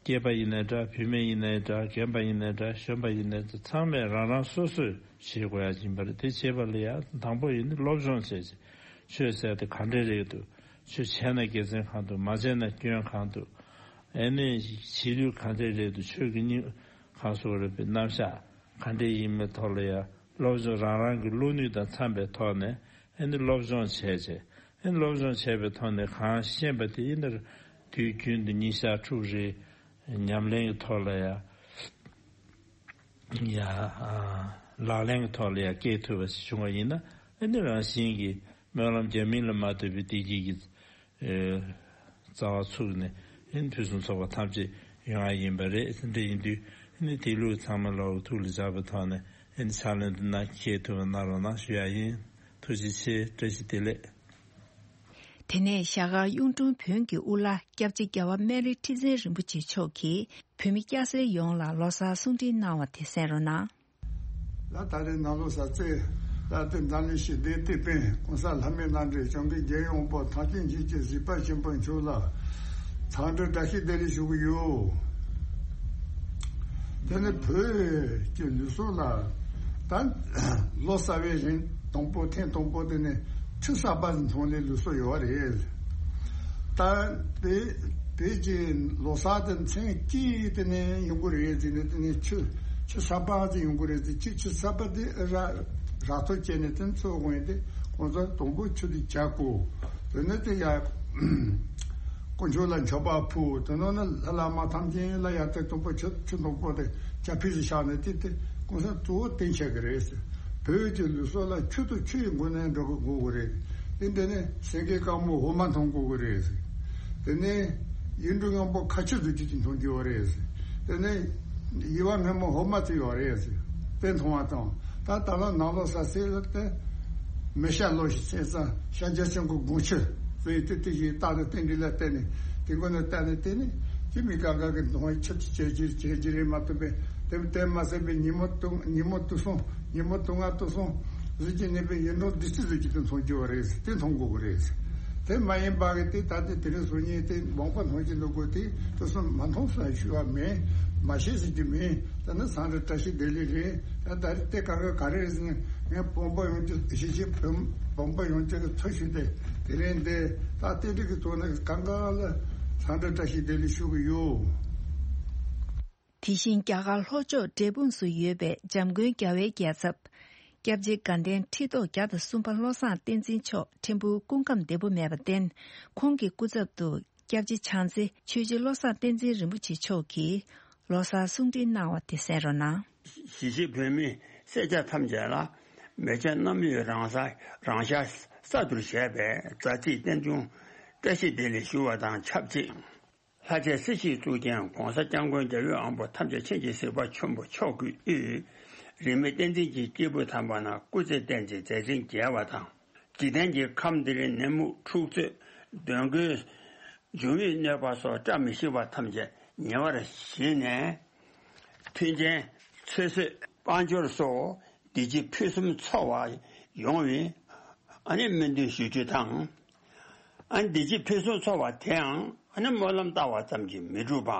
སྐྱེས་པ་ཡིན་ནའི་འདྲ། བུད་མེད་ཡིན་ནའི་འདྲ། རྒན་པ་ཡིན་ནའི་འདྲ། གཞོན་པ་ཡིན་ནའི་འདྲ། ཚང་མས་རང་རང་སོ་སོས་བྱེད་དགོས་ཡ་ཡིན་པ་རེད། དེ་བྱེད་པ་ལ་ཡ་དང་པོ་ཡིན་ནི་སློབ་སྦྱོང་བྱས་ཅིང་ཆོས་ཟེར་དེ་ག་འདྲས་རེད་འདུག་ཆོས་བྱས་ན་དགེ་མཚན་གང་འདུག་མ་བྱས་ན་སྐྱོན་གང་འདུག་ཨེ་ནས་བྱེད་ལུགས་ག་འདྲས་རེད་འདུག་ཆོས་ཀྱི་སྙིང་གང་སོགས་རེད་པའི་རྣམ་གཞག་ག་འདྲས་ཡིན་མིན་ཐོག་ལ་ཡ་སློབ་སྦྱོང་རང་རང་གི་བློ་ནུས་དང་འཚམ་པའི་ཐོག་ནས་ཨེ་ནི་སློབ་སྦྱོང་བྱས་བྱས། ཨེ་སློབ་སྦྱོང་བྱས་པའི་ཐོག་ནས་གང་ཤེས་པ་དེ་ཨེ་ནི་དུས་རྒྱུན་དུ་ཉིན་ཞག་ཕྲུགས་རེ་ཉམས་ལེན་གྱི་ཐོག་ལ་ཡ། ཡ། ལག་ལེན་གྱི་ཐོག་ལ་ཡ་སྐྱེལ་ཐུབ་པ་ཞིག་བྱུང་བ་ཡིན་ན་ཨེ་ནི་རང་བཞིན་གྱིས་སྨོན་ལམ་རྒྱ་མིན་ལ་མ་ལྟོས་པའི་བདེ་སྐྱིད་ཀྱི་རྩ་བ་ཚུགས་ནས་ཨེ་ནི་ཕུན་སུམ་ཚོགས་པ་ཐམས་ཅད་ཡོང་ཡ་ཡིན་པ་རེད། དེ་འདྲ་ཡིན་དུས་ཨེ་ནི་དེ་ལུགས་ཚང་མ་ལོག་ཐུགས་ལ་འཇགས་པའི་ཐོག་ནས། ཨེ་ནི་ཕྱག་ལེན་དུ་ན་འཁྱེར་ཐུབ་པ་གནང་རོགས་གནང་ཞུ་ཡ་ཡིན། ཐུགས་རྗེ་ཆེ། བཀྲ་ཤིས་བདེ་ལེགས། དེ་ནས་ཞྭ་སྒར་གཡུང་དྲུང་བོན་གྱི་དབུ་བླ་སྐྱབས་རྗེ་རྒྱལ་བ་སྨན་རི་ཁྲི་བཙན་རིན་པོ་ཆེ་མཆོག་གིས་བོད་མི་སྐྱ་སེར་ཡོངས་ལ་ལོ་གསར་གསུང་འཕྲིན་གནང་བ་དེ་གསན་རོགས་གནང་། ལ་ད་རེས་ནང་ལོ་གསར་ཚེས་ལ་དེ་འཛམ་གླིང་ཞི་བདེའི་དེད་དཔོན་གོང་ས་ལྷ་མིའི་བླ་སྤྲུལ་སྐྱབས་མགོན་རྒྱལ་བའི་དབང་པོ་ཐམས་ཅད་མཁྱེན་ཅིང་གཟིགས་པ་ཆེན་པོ་མཆོག་ལ་འཚམས་འདྲི་བཀྲ་ཤིས་བདེ་ལེགས་ཞུ་གི་ཡོད། དེ་ནི་བོད་ཀྱི་ལུས་སྲོག་ལ་ད་ལོ་གསར་བའི་རིང་དང་པོ་ཐེངས་དང་པོ་དེ་ནི་ཆུ་གསར་པ་འཐུང་ནས་ལུས་སྲོག་ཡོད་རེད། ད་བོད་བོད་ཀྱི་ལོ་གསར་དེ་མཚན་གཅིག་དེ་ནས་ཡོང་གི་རེད་ཟེར་ནས་དེ་ནས་ཆུ་ཆུ་གསར་པ་ཅིག་ཡོང་གི་རེད་ཟེར། ཆུ་ཆུ་གསར་པ་དེ་ར་རག་ཐབས་བྱས་ནས་དེ་འཚོལ་དགོས་ཡིན་ཏེ། ཁོང་ཚོ་དང་པོ་ཆུ་དེ་བྱ་དགོས། དེ་ནས་དེ་ཡ་དཀོན་མཆོག་ལ་མཆོད་པ་ཕུལ། དེ་ནང་ནས་ལྷ་བླ་མ་ཐམས་ཅད་ལ་ཡ་དེ་དང་པོ་ཆུ་ཆུ་དང་པོ་དེ་ཇ་ཕུད་ཅིག་བཞག་ནས་དེ་དེ་གོང་ས་གཙོ་བོ་བསྟེན་བྱ་གི་རེད་ཟེར། བོད་ཀྱི་ལུས་སྲོག་ལ་ཆུ་དང་ཆུ་ཡི་སྒོ་ནས་འགྲོ་དགོས་དགོས་ཀྱི་རེད། དེ་འདི་ནས་སེང་གེ་དཀར་མོ་འོ་མ་འཐུང་དགོས་ཀྱི་རེད་ཟེར། དེ་ནས་ཡིག་འབྲུ་སྔོན་པོ་ཁ་ཆུ་བཟོ་རྒྱུ་ཅིག་འཐུང་རྒྱུ་ཡོད་རེད་ཟེར། དེ་ནས་ཡིད་བ་སྨན་མོ་འོ་མ་དེ་ཡོད་རེད་ཟེར། དེ་འཐུང་བ་དང་། ད་ད་ལོ་ནང་ལོ་གསར་ཚེས་ལ་དེ་མི་ཤ་ལོ་ཞིག་ཚེས་ཙང་ཤ་རྒྱ་ཆེན་པོ་སྒོང་ཆུ་ཟེར་དེ་དེ་ཞིག་རྟག་ཏུ་རྟེན་འབྲེལ་ལ་བརྟེན་ནས་དེ་མགོ་ནས་བལྟས་ནས་བལྟས་ནས་ཅི་མི་དགའ་དགའ་གི་འཐུང་བའི་ཆུ་དེ་བྱེད་ཀྱི་བྱེད་ཀྱི་རེད་མ་གཏོགས་པས། དེ་དེ་མ་ཟད་པའི་ཉིན་མོ་དུ་ཉིན་མོ་དུ་སོང་། ཉིན་མོ་དུ་ང་དུ་སོང་། གཟུགས་ཀྱི་གནས་པའི་ཡུན་དུ་འདི་སྲིད་གཟུགས་ཀྱི་དུ་མཚོན་གྱི་བ་རེད། དེ་མཐོང་དགོས་ཀྱི་རེད། དེ་མ་ཡིན་པ་གི་དེ་ད་ལྟའི་དེ་རིང་གཟུགས་བརྙན་དེ་མང་པོ་མཐོང་གི་འདུག་གོ། དེ་དུ་སོང་མ་མཐོང་སོང་ཞུ་བ་མེད། མ་ཤེས་ཟེར་གྱི་མེད། ད་ནི་སང་རེ་བཀྲ་ཤིས་བདེ་ལེགས་རེད། ད་ད་རེས་དེ་ག་ག་ག་རེ་རེད་ཟེར་ན། ངས་བོན་པོ་ཡོངས་ཀྱི་གཞིས་བྱེས་བོན་བོན་པོ་ཡོངས་ཀྱི་གི་ཚོ་ཞུས་ཏེ་དེ་རིང་འདི་ད་རྟེན་འབྲེལ་གྱི་ཐོག་ནས་གང་ག་ལ་སང་རེ་བཀྲ་ཤིས་བདེ་ལེགས་ཞུ་གི་ཡོད། དེ་བཞིན་རྒྱ་གར་ལྷོ་ཕྱོགས་འབྲས་སྤུངས་སུ་ཡོད་པའི་འཇམ་མགོན་རྒྱལ་བའི་རྒྱལ་ཚབ། སྐྱབས་རྗེ་དགའ་ལྡན་ཁྲི་ཐོག་བརྒྱ་དང་གསུམ་པ་བློ་བཟང་བསྟན་འཛིན་མཆོག་ཕྲན་བུ་སྐུ་ཁམས་བདེ་པོ་མེད་པར་བརྟེན། ཁོང་གི་སྐུ་ཚབ་ཏུ་སྐྱབས་རྗེ་བྱང་རྩེ་ཆོས་རྗེ་བློ་བཟང་བསྟན་འཛིན་རིན་པོ་ཆེ་མཆོག་གིས་ལོ་གསར་གསུང་འཕྲིན་གནང་བ་དེ་གསན་རོགས་གནང་། གཞིས་བྱེས་བོད་མི་སེར་སྐྱ་ཐམས་ཅད་ལ་མེས་སྐྱབས་གནམ་ཡུལ་རང་ས་རང་ཤག་གསར་དུ་བཞད་པའི་མཛའ་བརྩེའི་རྟེན་འབྱུང་བཀྲ་ཤིས་བདེ་ལེགས་ཞུ་བ་དང་ཆབས་ཅིག། ལྷ་རྗེ་སྲིད་ཞིའི་གཙུག་རྒྱན་གོང་ས་སྐྱབས་མགོན་རྒྱལ་བའི་དབང་པོ་ཐམས་ཅད་མཁྱེན་ཅིང་གཟིགས་པ་ཆེན་པོ་མཆོག་གི་དབུས། རིས་མེད་བསྟན་འཛིན་གྱི་སྐྱེས་བུ་དམ་པ་རྣམས་སྐུ་ཚེ་བརྟན་ཅིང་མཛད་འཕྲིན་རྒྱས་པ་དང་། འཇིག་རྟེན་གྱི་ཁམས་འདིར་ནད་མུག་འཁྲུག་རྩོད་གདོན་བགེགས་འབྱུང་བའི་གནོད་པ་སོགས་བཀྲ་མི་ཤིས་པ་ཐམས་ཅད་ཉེ་བར་ཞི་ནས། མཐུན་རྐྱེན་ཚེ་བསོད་དཔལ་འབྱོར་སོགས་བདེ་སྐྱིད་ཕུན་སུམ་ཚོགས་པ་ཡོང་བའི་ཨ་ནི་སྨོན་འདུན་ཞུ་རྒྱུ་དང་། ཨ་ནི་བདེ་སྐྱིད་ཕུན་སུམ་ཚོགས་པ་དེའང་ཨ་ནི་སྨོན་ལམ་བཏབ་པ་ཙམ་གྱིས་མི་འགྲུབ་པ།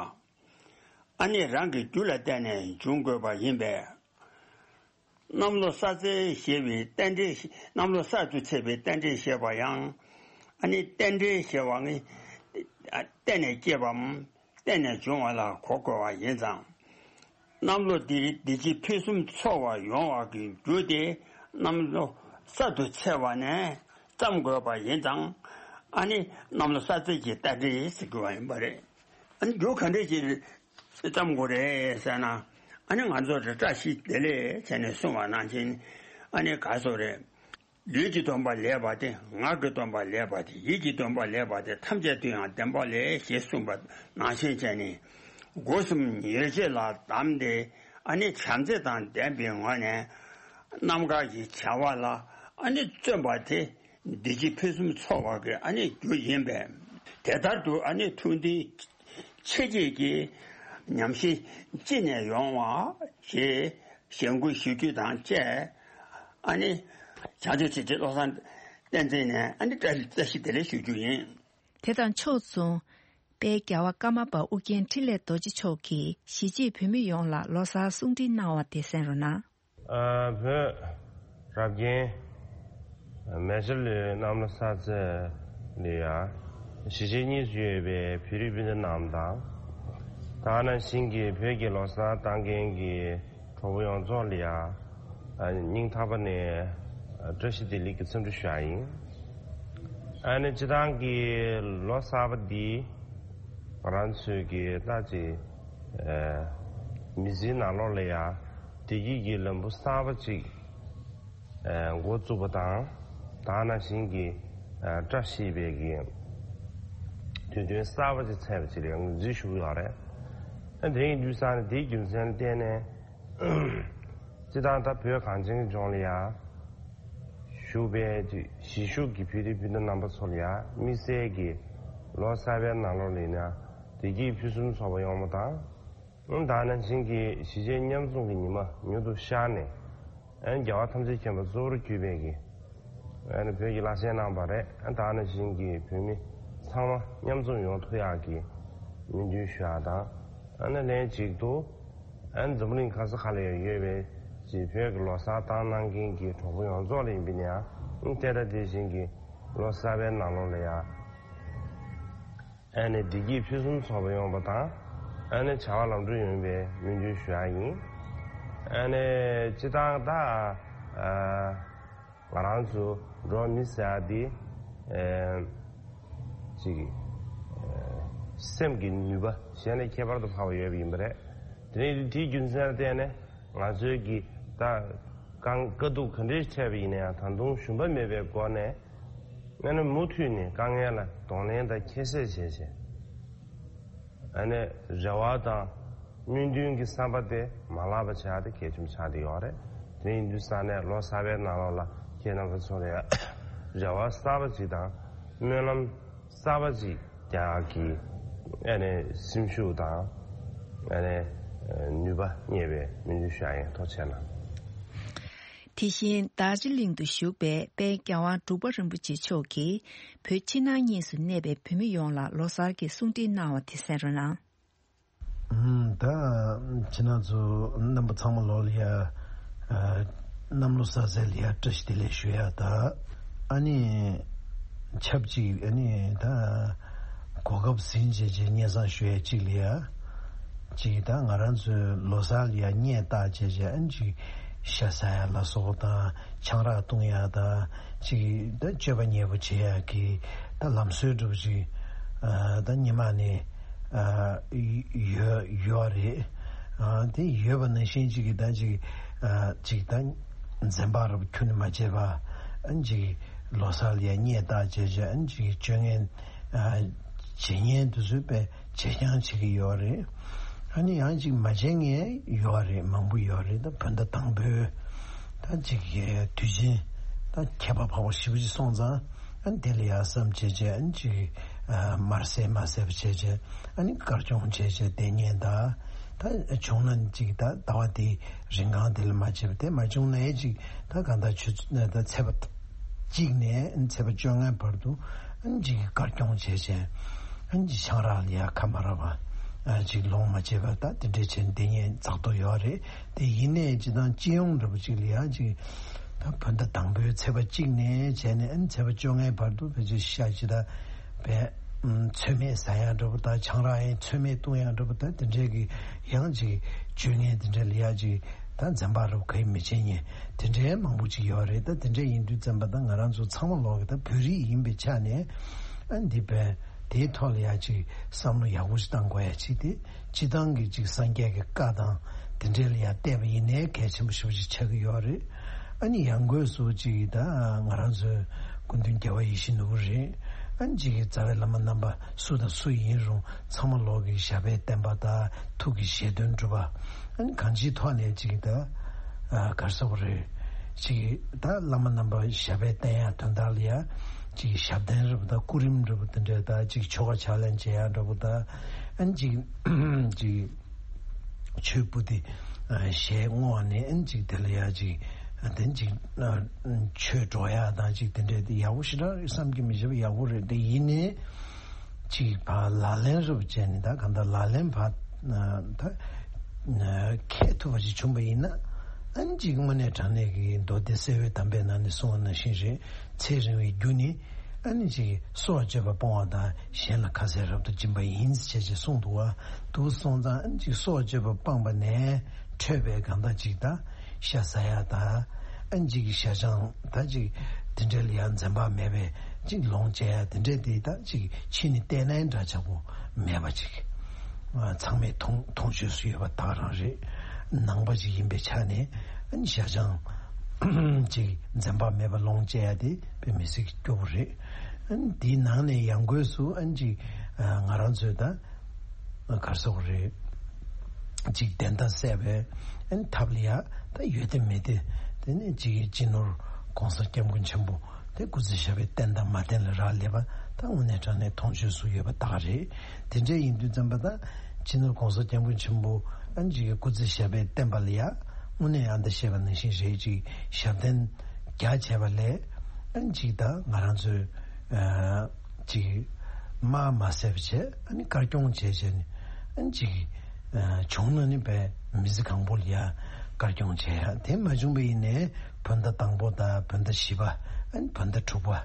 ཨ་ནི་རང་གི་རྒྱུ་ལ་བརྟེན་ནས་འབྱུང་དགོས་པ་ཡིན་པས། གནམ་ལོ་གསར་ཚེས་ཞེས་པའི་རྟེན་འབྲེལ། གནམ་ལོ་གསར་དུ་ཚེས་པའི་རྟེན་འབྲེལ་ཞེས་པ་ཡང་། ཨ་ནི་རྟེན་འབྲེལ་ཞེས་པ་ནི་བརྟེན་ནས་སྐྱེས་པའམ་བརྟེན་ནས་འབྱུང་བ་ལ་གོ་དགོས་པ་ཡིན་ཙང་། གནམ་ལོ་འདིར་བདེ་སྐྱིད་ཕུན་སུམ་ཚོགས་པ་ཡོང་བ་གི་རྒྱུ་དེ་གནམ་ལོ་གསར་དུ་ཚེས་པ་ནས་བརྩམ་དགོས་པ་ཡིན་ཙང་། ཨ་ནི་གནམ་ལོ་གསར་ཚེས་ཀྱི་རྟེན་འབྲེལ་ཟེར་དགོས་པ་ཡིན་པ་རེད། ཨ་ནི་རྒྱུ་ག་འདྲས་ཀྱིས་བརྩམ་དགོས་རེད་ཟེར་ན། ཨ་ནི་ང་ཚོ་རེ་བཀྲ་ཤིས་བདེ་ལེགས་བྱས་ནས་གསུངས་པ་ནང་བཞིན། ཨ་ནི་ག་སོ་རེད། ལུས་ཀྱི་སྡོམ་པ་ལེགས་པ་དེ། ངག་གི་སྡོམ་པ་ལེགས་པ་དེ། ཡིད་ཀྱི་སྡོམ་པ་ལེགས་པ་དེ། ཐམས་ཅད་དུ་ཡང་བདེན་པ་ལེགས་ཞེས་གསུངས་པ་ནང་བཞིན་བྱས་ནས། སྒོ་གསུམ་ཡིད་བྱེད་ལ་བསྡམས་ཏེ། ཨ་ནི་བྱམས་བརྩེ་དང་ལྡན་པའི་ངང་ནས་རྣམ་དཀར་གྱི་བྱ་བ་ལ་ཨ་ནི་བརྩོན་པ་དེ། བདེ་སྐྱིད་ཕུན་སུམ་ཚོགས་པ་གི་ཨ་ནི་རྒྱུ་ཡིན་པས། དེ་ལྟར་དུ་ཨ་ནི་ཐུགས་འདུན་ཆེ་བསྐྱེད་ཀྱི་ཉམས་ཞིབ་ཅི་ནས་ཡོང་བ་ཞེས་ཞལ་བཀོད་ཞུ་རྒྱུ་དང་བཅས། ཨ་ནི་བྱང་ཆུབ་ཆེ་ཆེ་བློ་བཟང་བསྟན་འཛིན་ནས་ཨ་ནི་བཀྲ་བཀྲ་ཤིས་བདེ་ལེགས་ཞུ་རྒྱུ་ཡིན། དེ་དང་ཕྱོགས་མཚུངས། དཔལ་རྒྱལ་བ་ཀརྨ་པ་ཨོ་རྒྱན་འཕྲིན་ལས་རྡོ་རྗེ་མཆོག་གིས་གཞིས་བྱེས་བོད་མི་ཡོངས་ལ་ལོ་གསར་གསུང་འཕྲིན་གནང་བ་དེ་གསན་རོགས་གནང་། ཨ། བོད་རབ་རྒྱན་མེ་སི་ལུའི་གནམ་ལོ་གསར་ཚེས་ལ་ཡ། གཞིས་བྱེས་གཉིས་སུ་ཡོད་པའི་བོད་རིགས་སྤུན་ཟླ་རྣམས་དང་། ད་ག་ནང་བཞིན་གྱི་བོད་ཀྱི་ལོ་གསར་གཏོང་མཁན་གྱི་གྲོགས་པོ་ཡོངས་རྫོགས་ལ་ཡ། ཨ། སྙིང་ཐག་པ་ནས་བཀྲ་ཤིས་བདེ་ལེགས་ཀྱི་འཚམས་འདྲི་ཞུ་ཡ་ཡིན། ཨ་ནི་སྤྱིར་བཏང་གི་ལོ་གསར་པ་འདི་ང་རང་ཚོའི་གི་ལྟ་ཅི། ཨ། མི་ཚེའི་ནང་ལོགས་ལ་ཡ་བདེ་སྐྱིད་ཀྱི་ལམ་བུ་གསར་པ་ཅིག་ཨ། འགོ་བཙུགས་པ་དང་། ད་ག་ནང་བཞིན་གྱི། ཨ། བཀྲ་ཤིས་པའི་གི་དུས་སྟོན་གསར་པ་ཅིག་ཚེས་པ་ཅིག་ལ་ངོས་འཛིན་ཞུ་གི་ཡོད་རེད། ཨ། དེ་ཡིན་དུས་ཙང་ནས་དེའི་རྒྱུ་མཚན་ལ་བརྟེན་ནས། སྤྱིར་བཏང་ད་བོད་གངས་ཅན་གྱི་ལྗོངས་ལ་ཡ་བཞུགས་པའི་གཞིས་བཞུགས་ཀྱི་བོད་རིགས་སྤུན་ཟླ་རྣམ་པ་ཚོ་ལ་ཡ་དམིགས་བསལ་གྱི་ལོ་གསར་པའི་ནང་ལོགས་ལ་ཡིན་ན་བདེ་སྐྱིད་ཕུན་སུམ་ཚོགས་པ་ཡོང་བ་དང་། ད་ནང་བཞིན་གྱི་གཞིས་བྱེས་མཉམ་འཛོམས་ཀྱི་ཉི་མ་མྱུར་དུ་ཤར་ནས། ཨ་ནི་རྒྱལ་བ་ཐམས་ཅད་མཁྱེན་པ་གཙོ་བོར་གྱུར་པའི་གི་ཨ་ནི་བོད་ཀྱི་བླ་ཆེན་རྣམ་པ་རེད། ཨ་ནི་ད་ནང་བཞིན་གྱི་བོད་མི་ཚང་མ་མཉམ་འཛོམས་ཡོང་ཐུབ་ཡག་གི་སྨོན་འདུན་ཞུ་ཡག་དང་། ཨ་ནི་ལན་གཅིག་ཏུ་ཨ་ནི་འཛམ་བུ་གླིང་ག་ས་ག་ལ་ཡང་ཡོད་པའི་གི་བོད་ཀྱི་ལོ་གསར་བཏང་གནང་མཁན་གྱི་གྲོགས་པོ་ཡོངས་རྫོགས་ལ་ཡིན་པ་ཡིན་ན་ཡང་། ཨ་ནི་དེ་ལྟ་དེ་བཞིན་གྱི་ལོ་གསར་པའི་ནང་ལོགས་ལ་ཡང་། ཨ་ནི་བདེ་སྐྱིད་ཕུན་སུམ་ཚོགས་པ་ཡོང་བ་དང་། ཨ་ནི་བྱ་བ་ལམ་འགྲོ་ཡོང་བའི་སྨོན་འདུན་ཞུ་ཡག་ཡིན། ཨ་ནི་སྤྱིར་བཏང་ད་ཨ་ང་རང་ཚོ་འགྲོ་བ་མི་ཟེར་ཡག་འདི་ཨ་ཅིག་ཨ་སེམས་ཀྱི་ནུས་པ་གཞན་ལས་ཁྱད་པར་དུ་འཕགས་པ་ཡོད་པ་ཡིན་པ་རེད། དེ་ནས་དེའི་རྒྱུ་མཚན་ལ་བརྟེན་ནས་ང་ཚོའི་གི་ད་གང་དཀའ་སྡུག་ག་འདྲས་འཕྲད་པ་ཡིན་ན་ཡང་ད་དུང་ཞུམ་པ་མེད་པའི་སྒོ་ནས། ཨ་ནི་མུ་མཐུད་ནས་དཀའ་ངལ་ལ་གདོང་ལེན་དང་ཁྱད་བསད་བྱས་བྱས། ཨ་ནི་རེ་བ་དང་སྨོན་འདུན་གྱི་བསམ་པ་དེ་མ་བརླག་པ་བྱ་ཡག་དེ་གལ་ཆེན་པོ་ཆགས་བསྡད་ཡོད་རེད། དེ་ཡིན་དུས་ཙང་ནས་ལོ་གསར་པའི་ནང་ལོགས་ལ་ཁྱེད་རྣམ་པ་ཚོ་ལ་ཡང་རེ་བ་གསར་པ་ཅིག་དང་སྨོན་ལམ་གསར་པ་ཅིག་རྒྱག་གི་ཨ་ནི་སེམས་ཤུགས་དང་ཨ་ནི་ནུས་པ་རྙེད་པའི་སྨོན་འདུན་ཞུ་ཡག་ཡིན། ཐུགས་རྗེ་གནང་། དེ་བཞིན་རྡོ་རྗེ་གླིང་དུ་བཞུགས་པའི་དཔལ་རྒྱལ་དབང་འབྲུག་པ་རིན་པོ་ཆེ་མཆོག་གིས་བོད་ཕྱི་ནང་གཉིས་སུ་གནས་པའི་བོད་མི་ཡོངས་ལ་ལོ་གསར་གྱི་གསུང་འཕྲིན་གནང་བ་དེ་གསན་རོགས་གནང་། ཨུམ། ད་ཁྱེད་རང་ཚོ་རྣམ་པ་ཚང་མ་ལོག་ལ་ཡ་ཨ་གནམ་ལོ་གསར་ཚེས་ལ་ཡ་བཀྲ་ཤིས་བདེ་ལེགས་ཞུ་ཡག་ད། ཨ་ནི་ཆབས་ཅིག་ཨ་ནི་ད་གོ་སྐབས་ཟིན་བྱས་བྱས་སྙན་སེང་ཞུ་ཡག་ཅིག་ལ་ཡ། ཅིག་ད་ང་རང་ཚོའི་ལོ་གསར་ལ་ཡ་སྙད་བཏགས་བྱས་བྱས་ཨ་ནི་ཅིག་ཤ་ཟ་ཡག་ལ་སོགས་དང་ཆང་རག་བཏུང་ཡག་དང་ཅིག་ད་སྤྱོད་པ་ཉེས་པོ་བྱེད་ཡག་གི་ད་ལམ་སྲོལ་འདྲ་པོ་ཅིག་ཨ་ད་སྔོན་མ་ནས་ཨ་ཡོད་ཡོད་རེད། ཨ་དེ་ཡོད་པ་ནང་བཞིན་ཅིག་གི་ད་ཅིག་ཨ་ཅིག་ད་འཛེམ་བག་རབ་ཁྱོན་ནས་མ་བྱས་པ། ཨ་ཅིག་ལོ་གསར་ལ་ཡ་སྙད་བཏགས་བྱས་བྱས་ཨ་ཅིག་སྤྱོད་ངན་ཨ་བྱེད་ཉེན་དུ་བཟོས་པའི་བྱེད་རྐྱང་བྱེད་ཀྱི་ཡོད་རེད། ཨ་ནི་ཡང་ཅིག་མ་བྱེད་མཁན་ཡོད་རེད། མང་པོ་ཡོད་རེད། ད་བོད་ཟླ་དང་པོའི་ད་ཅིག་དུས་ཆེན་ད་ཁྱད་པར་འཕགས་པ་ཞེ་པོ་ཅིག་སོང་ཙང་། ཨ་ནི་དེ་ལ་ཡ་བསམ་བྱས་བྱས་ཨ་ནི་ཅིག་ཨ་མར་བསད་མ་བསད་པ་བྱས་བྱས་ཨ་ནི་དཀར་སྐྱོང་བྱས་བྱས་བསྡད་ཉེན་ད། ད་བྱུང་ན་ཅིག་ད་ཟླ་བ་དེའི་རིང་གང་དེ་ལ་མ་བྱས་པ་དེ་མ་བྱུང་ན་ཡ་ཅིག་ད་གང་ལྟར་ཆུ་ཚོད་ད་ཚེས་པ་གཅིག་ནས་ཚེས་པ་བཅོ་ལྔའི་བར་དུ་ཨ་ནི་ཅིག་དཀར་སྐྱོང་བྱས་བྱས་ཨ་ནི་ཅིག་ཆང་རག་ལ་ཡ་ཁ་མ་རག་པ་ཨ་ཅིག་ལོངས་མ་སྤྱད་པ་ད་དེ་འདྲས་བྱས་བསྡད་ཉེན་ཛག་འདུག་ཡོད་རེད། དེ་ཡིན་ནའི་སྤྱིར་བཏང་སྤྱི་ཡོངས་འདྲ་པོ་ཅིག་ལ་ཡ་ཅིག་ད་བོད་ཟླ་དང་པོའི་ཚེས་པ་གཅིག་ནས་བྱས་ནས་ཨ་ནི་ཚེས་པ་བཅོ་ལྔའི་བར་དུ་ཕལ་ཆེར་ཤ་ཅིག་ད་བས་ཚོད་མེད་ཟ་ཡག་འདྲ་པོ་དང་ཆང་རག་ཡང་ཚོད་མེད་བཏུང་ཡག་འདྲ་པོ་ད་དེ་འདྲས་ཀྱི་ཡང་ཅིག་སྤྱོད་ངན་དེ་འདྲས་ལ་ཡ་ཅིག་ད་འཛེམ་བག་རབ་ག་ཡེ་མི་བྱེད་ཉེན་དེ་འདྲའི་མང་པོ་ཅིག་ཡོད་རེད། ད་དེ་འདྲ་ཡིན་དུས་ཙམ་པ་ད་ང་རང་ཚོ་ཚང་མ་ལོག་གི་ད་བོད་རིགས་ཡིན་པའི་ཆ་ནས་ཨ་འདི་བས་དེའི་ཐོག་ལ་ཡ་ཅིག་བསམ་བློ་ཡག་པོ་ཞིག་བཏང་དགོས་ཡ་ཅིག་དེ་སྤྱི་བཏང་གི་ཅིག་སངས་རྒྱས་ཀྱི་བཀའ་དང་དེ་འདྲའི་ལ་ཡ་བལྟས་པ་ཡིན་ནའི་གལ་ཆེན་པོ་ཞེ་པོ་ཅིག་ཆགས་ཀྱི་ཡོད་རེད། ཨ་ནི་ཡང་སྒོས་སུ་ཅིག་ད་ང་རང་ཚོའི་སྐུ་མདུན་རྒྱལ་བ་ཡིད་བཞིན་ནོར་བུ་རེད། ཨ་ནི་ཅིག་གི་རྩ་བའི་བླ་མ་རྣམ་པ་སུ་དང་སུ་ཡིན་རུང་ཚང་མ་ལོག་གི་ཞབས་པད་བརྟན་པ་དང་ཐུགས་ཀྱི་བཞེད་དོན་འགྲུབ་པ། ཨ་ནི་གང་ཅིའི་ཐོག་ནས་ཅིག་ད་ཨ་ག་རེ་ཟེར་དགོས་རེད། ཅིག་ད་བླ་མ་རྣམ་པ་ཞབས་པད་བརྟན་ཡག་དོན་དག་ལ་ཡ་ཅིག་ཞབས་བརྟན་འདྲ་པོ་དང་སྐུ་རིམ་འདྲ་པོ་དེ་འདྲ་དང་ཅིག་ཆོ་ག་ཕྱག་ལེན་བྱེད་ཡག་འདྲ་པོ་དང་ཨ་ནི་ཅིག་ཅིག་ཆོས་པོ་ཏི་ཞལ་བསྔོ་བ་ནས་ཨ་ནི་ཅིག་དེ་ལ་ཡ་ཅིག་དེ་ཅིག་ཆོས་སྒྲོག་ཡག་དང་ཅིག་དེ་འདྲ་དེ་ཡག་པོ་ཞེ་དྲག་རེད། བསམ་གྱིས་མི་ཁྱབ་པ་ཡག་པོ་རེད། དེ་ཡིན་ནའི་ཅིག་ཕར་ལག་ལེན་རུབ་བྱས་ནས་ད་གང་ལྟར་ལག་ལེན་ཕར་ད་འཁེལ་ཐུབ་པ་ཞིག་བྱུང་པ་ཡིན་ན་ཨ་ནི་ཅིག་དངོས་གནས་དྲང་གནས་ཀྱི་མདོ་སྡེ་གསལ་བའི་གདམས་པའི་ནང་ནས་གསུངས་པ་ནང་བཞིན་རེད། ཚེ་རིང་བའི་རྒྱུ་ནི་ཨ་ནི་ཅིག་སྲོག་གཅོད་པ་སྤོང་བ་དང་གཞན་ལ་ཁ་ཟས་རབ་ཏུ་སྦྱིན་པ་ཡིན་ཞེས་ཅིག་གསུངས་འདུག་བ། འདུག་སོང་ཙང་ཨ་ནི་ཅིག་སྲོག་གཅོད་པ་སྤངས་པ་ནས་འཕྲོས་པའི་གང་ལྟར་ཅིག་ད་ཤ་ཟ་ཡ་ད་ཨ་ནི་ཅིག་ཤ་ཆང་ད་ཅིག་དེ་འདྲ་ལ་ཡང་འཛེམ་བག་མེད་པའི་ཅིག་ལོངས་སྤྱད་ཡ་དེ་འདྲ་དེ་ད་ཅིག་ཕྱི་ནས་བལྟས་ན་འདྲ་ཆགས་པོ་མེད་པ་ཅིག་ཚང་མས་མཐོང་མཐོང་ཆོས་སུ་ཡོད་པ་དག་རང་རེད། ནང་པ་ཅིག་ཡིན་པའི་ཆ་ནས་ཨ་ནི་ཤ་ཆང་ཅིག་འཛེམ་བག་མེད་པ་ལོངས་སྤྱད་ཡ་དེ་དཔེ་མི་སྲིད་ཀྱི་སྐྱོ་པོ་རེད། ཨ་ནི་དེའི་ནང་ནས་ཡང་སྒོས་སུ་ཨ་ནི་ཅིག་ང་རང་ཚོའི་ད་ག་རེ་ཟེར་དགོས་རེད། ཅིག་བདེན་མཐའ་གསལ་བའི་ཨན་ཐབས་ལ་ཡ་ད་ཡོད་དེ་མེད་དེ། དེ་ནས་ཅིག་སྤྱི་ནོར་༸གོང་ས་༸སྐྱབས་མགོན་ཆེན་པོ་དེ་སྐུ་ཚེ་ཞབས་པད་བརྟན་དང་མ་བརྟན་ལ་རག་ལས་པ་ད་དངོས་གནས་དྲང་གནས་མཐོང་ཆོས་སུ་ཡོད་པ་ད་ག་རེད། དེ་འདྲ་ཡིན་དུས་ཙམ་པ་ད་སྤྱི་ནོར་༸གོང་ས་༸སྐྱབས་མགོན་ཆེན་པོ་ཨན་ཅིག་གི་སྐུ་ཚེ་ཞབས་པད་བརྟན་པ་ལ་ཡ་དངོས་གནས་ཨ་ད་བཤད་པ་ནང་བཞིན་རེད། ཅིག་ཞབས་བརྟན་རྒྱ་ཆེ་བ་ལས་ཨན་ཅིག་ད་ང་རང་ཚོའི་ཨ་ཅིག་དམག་མ་བསད་པ་བྱས། ཨ་ནི་དཀར་སྐྱོང་བྱས་བྱས་ནས་ཨ་ནི་ཅིག་ཨ་བྱུང་ན་ནི་བས་མི་ཚེ་གང་པོ་ལ་ཡ་དཀར་སྐྱོང་བྱས་ཡ། དེ་མ་བྱུང་བ་ཡིན་ནའི་བོད་ཟླ་དང་པོ་དང་བོད་ཟླ་བཞི་པ། ཨ་ནི་བོད་ཟླ་དྲུག་པ།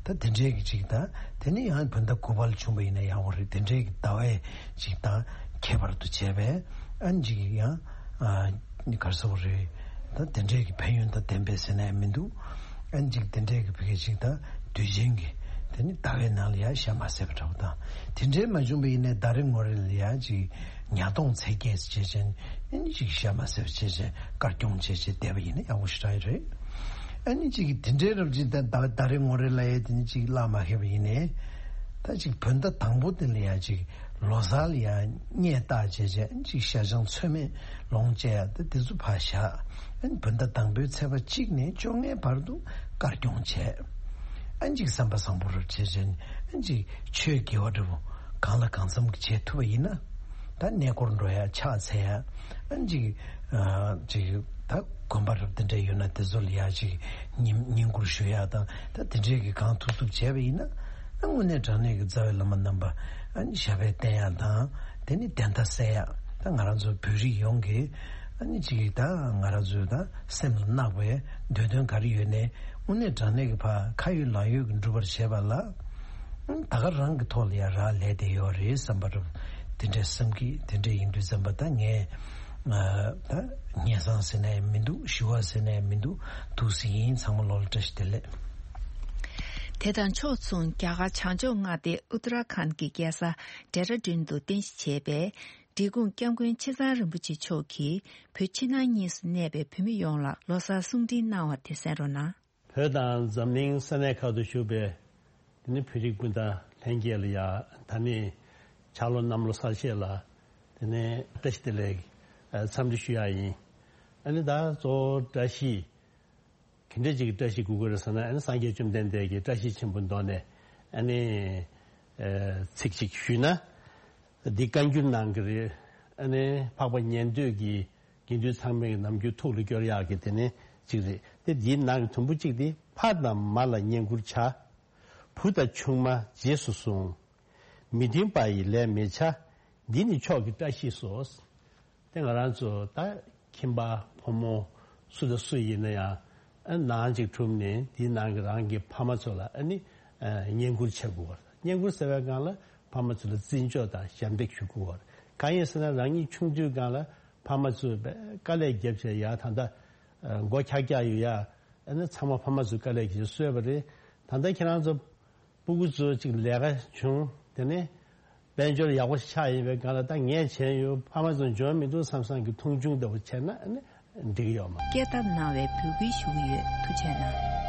ད་དེ་འདྲའི་གི་ཅིག་ད་དེ་ནི་ཡང་བོད་ཟླ་དགུ་པ་ལ་བྱུང་བ་ཡིན་ན་ཡང་འོ་རེད། དེ་འདྲའི་གི་ཟླ་བས་ཅིག་ད་ཁྱད་པར་དུ་བྱས་པས་ཨ་ནི་ཅིག་ཡང་ཨ་ནི་ག་རེ་ཟེར་དགོས་རེད། ད་དེ་འདྲའི་གི་ཕན་ཡོན་དང་ལྡན་པས་ཟེར་ན་ཡང་མི་འདུག་ཨ་ནི་ཅིག་དེ་འདྲའི་གི་ཕ་གི་ཅིག་ད་དུས་ཆེན་གི་དེ་ནི་ཟླ་བའི་ནང་ལ་ཡ་ཞག་མ་ཟད་པ་འདྲ་པོ་དང་། དེ་འདྲའི་མ་བྱུང་བ་ཡིན་ནའི་ཟླ་རེ་ངོ་རེ་ལ་ཡ་ཅིག་ཉ་སྟོང་ཚེས་བརྒྱད་ཅེས་བྱས་ནས་ཨ་ནི་ཅིག་ཞག་མ་ཟད་པ་བྱས་བྱས་དཀར་སྐྱོང་བྱས་བྱས་བསྡད་པ་ཡིན་ན་ཡག་པོ་ཞེ་དྲག་ཡོད་རེད། ཨ་ནི་ཅིག་དེ་འདྲའི་རབ་ཅིག་ད་ཟླ་ཟླ་རེ་ངོ་རེ་ལ་ཡ་དེ་ནི་ཅིག་བརླག་མ་ཁེལ་བ་ཡིན་ནའི་ད་ཅིག་བོད་ཟླ་དང་པོ་དེ་ལ་ཡ་ཅིག་ལོ་གསར་ལ་ཡ་སྙད་བཏགས་བྱས་བྱས་ཅིག་ཤ་ཆང་ཚོད་མེད་ལོངས་སྤྱད་ཡ་ད་དེ་ཚོ་ཕར་བཞག་ཨ་ནི་བོད་ཟླ་དང་པོའི་ཚེས་པ་གཅིག་ནས་བཅོ་ལྔའི་བར་དུ་དཀར་སྐྱོང་བྱས། ཨ་ནི་ཅིག་བསམ་པ་བཟང་པོ་རབ་བྱས་བྱས་ནས་ཨ་ནི་ཅིག་ཆོས་དགེ་བ་འདྲ་པོ་གང་ལ་གང་འཚམ་གྱིས་བྱེད་ཐུབ་པ་ཡིན་ན། ད་གནས་སྐོར་འགྲོ་ཡ་ཕྱག་འཚལ་ཡ་ཨ་ནི་ཅིག་ཨ་ཅིག་ད་དགོན་པ་རབ་དེ་འདྲ་ཡོད་ན་དེ་ཚོ་ལ་ཡ་ཅིག་བསྙེན་བསྙེན་བཀུར་ཞུ་ཡ་དང་ད་དེ་འདྲའི་གི་གང་ཐུབ་ཐུབ་བྱས་པ་ཡིན་ན། ཨ་དངོས་གནས་དྲང་གནས་ཀྱི་རྩ་བའི་བླ་མ་རྣམ་པ་ཨ་ནི་ཞབས་པད་བརྟན་ཡག་དང་དེ་ནི་བདེན་མཐའ་གསལ་ཡག་ད་ང་རང་ཚོ་བོད་རིགས་ཡོངས་ཀྱི་ཨ་ནི་ཅིག་ད་ང་རང་ཚོའི་ད་སེམས་ལ་བརྣག་པའི་འདོད་དོན་ག་རེ་ཡོད་ནའི་དངོས་གནས་དྲང་གནས་ཀྱི་ཕར་ཁ་ཡོད་ལག་ཡོད་ཀྱི་འགྲུབ་པར་བྱེད་པ་ལ་ཨ་ནི་ད་ག་རང་གི་ཐོག་ལ་ཡ་རག་ལས་བསྡད་ཡོད་རེད་བསམ་པ་རུ་དེ་འདྲའི་བསམ་གྱི། དེ་འདྲ་ཡིན་དུས་ཙམ་པ་ད་ངས་ཨ་ད་སྙན་སེང་ཟེར་ནའི་མི་འདུག་ཞུ་བ་ཟེར་ནའི་མི་འདུག་འདུག་སེ་ཡིན། ཚང་མ་ལོ་ལ་བཀྲ་ཤིས་བདེ་ལེགས། དེ་དང་ཕྱོགས་མཚུངས། རྒྱ་གར་བྱང་ཕྱོགས་མངའ་སྡེ་ཨུ་ཏ་ར་ཁཱན་གྱི་རྒྱལ་ས་ཌེ་ར་ཌུན་དུ་རྟེན་གཞི་བྱས་པའི་འབྲས་སྤུངས་སྐྱབས་མགོན་ཆེ་ཚང་རིན་པོ་ཆེ་མཆོག་གིས་བོད་ཕྱི་ནང་གཉིས་སུ་གནས་པའི་བོད་མི་ཡོངས་ལ་ལོ་གསར་གསུང་འཕྲིན་གནང་བ་དེ་གསན་རོགས་གནང་། བོད་དང་འཛམ་གླིང་ས་གནས་ཁག་ཏུ་བཞུགས་པའི་དེ་ནི་བོད་རིགས་སྤུན་ཟླ་ལྷན་རྒྱས་ལ་ཡ་ད་ནི་ཕྱག་ལོ་གནམ་ལོ་གསར་བཞད་ལ་དེ་ནི་བཀྲ་ཤིས་བདེ་ལེགས་འཚམས་འདྲི་ཞུ་ཡ་ཡིན། ཨ་ནི་ད་གཙོ་བོ་བཀྲ་ཤིས། ག་འདྲ་ཅིག་གི་བཀྲ་ཤིས་དགོས་ཀྱི་རེད་ཟེར་ན། ཨ་ནི་སངས་རྒྱས་བཅོམ་ལྡན་འདས་ཀྱིས་བཀྲ་ཤིས་ཆེན་པོ་མདོ་ནས་ཨ་ནི་ཚིག་ཅིག་ཞུས་ན། འདི་བཀའ་འགྱུར་ནང་གི་རེད། ཨ་ནི་འཕགས་པ་ཉན་ཐོས་ཀྱིས་དགེ་འདུན་ཚང་མའི་རྣམ་འགྱུར་ཐུགས་ལ་སྐྱོར་ཡག་གི་དེ་ནི་ཅིག་རེད། དེ་འདིའི་ནང་གི་དུམ་བུ་གཅིག་དེ། ཕ་དང་མ་ལ་བསྙེན་བཀུར་བྱ། བུ་དང་ཆུང་མ་རྗེས་སུ་བཟུང་། མི་མཐུན་པ་ཡི་ལས་མི་བྱ། འདི་ནི་མཆོག་གི་བཀྲ་ཤིས་སོ། དེ་ང་རང་ཚོ་ད་ཁྱིམ་པ་ཕོ་མོ་སུ་དང་སུ་ཡིན་ན་ཡང་ཨ་ནང་གཅིག་གྲུབ་ནས་དེའི་ནང་གི་རང་གི་ཕ་མ་ཚོ་ལ་ཨ་ནི་ཨ་བསྙེན་བཀུར་བྱེད་དགོས་པ། བསྙེན་བཀུར་ཟེར་བའི་སྒང་ལ་ཕ་མ་ཚོ་ལ་བརྩི་འཇོག་དང་ཞབས་འདེགས་ཞུ་དགོས་པ། གང་ཡིན་ཟེར་ན་རང་ཉིད་ཆུང་དུས་སྒང་ལ་ཕ་མ་ཚོས་དཀའ་ལས་བརྒྱབ་བྱས་ཡ་ད་ལྟ་མགོ་འཁྱག་འཁྱག་ཡོད་ཡ་ཨ་ནི་ཚང་མ་ཕ་མ་ཚོས་དཀའ་ལས་བརྒྱབ་བྱས་གསོས་པ་རེད། ད་ལྟ་ཁྱེད་རང་ཚོ་སྤུ་གུ་ཚོ་ཅིག་ལས་ཀ་བྱུང་། དེ་ནས་དཔལ་འབྱོར་ཡག་པོ་ཆགས་ཡིན་པའི་སྒང་ལ་ད་ངས་བྱས་ཡོད། ཕ་མ་ཚོ་འཇོན་མི་འདུག་བསམ་བསམ་གྱི་མཐོང་ཆུང་ལྟ་བུ་བྱས་ན་ཨ་ནི་འགྲིག་གི་ཡོད་མ། སྐད་བཏབ་གནང་བའི་འབོད་སྐུལ་ཞུ་གི་ཡོད། ཐུགས་རྗེ་གནང་།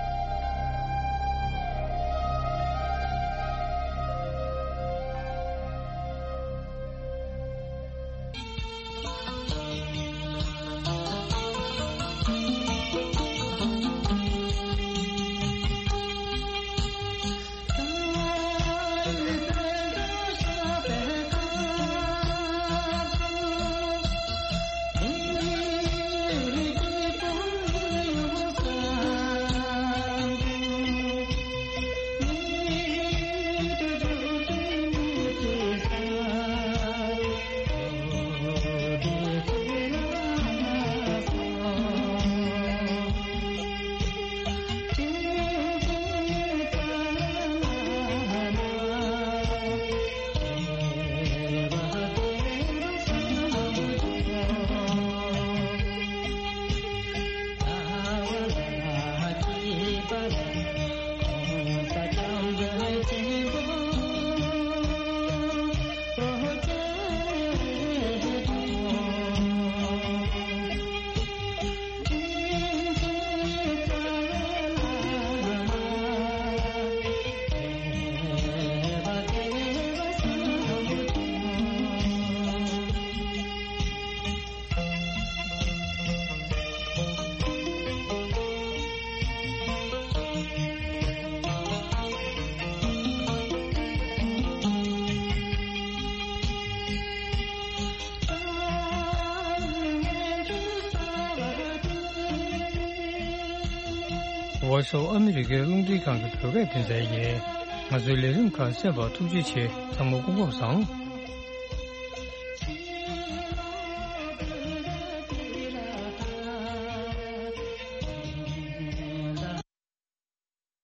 Voice of America རླུང་འཕྲིན་ཁང་གི་བོད་སྐད་སྡེ་ཚན་ཡིན། ང་ཚོའི་ལས་རིམ་ཁག་གསན་པར་ཐུགས་རྗེ་ཆེ། ཚང་མ་སྐུ་ཁམས་བཟང་།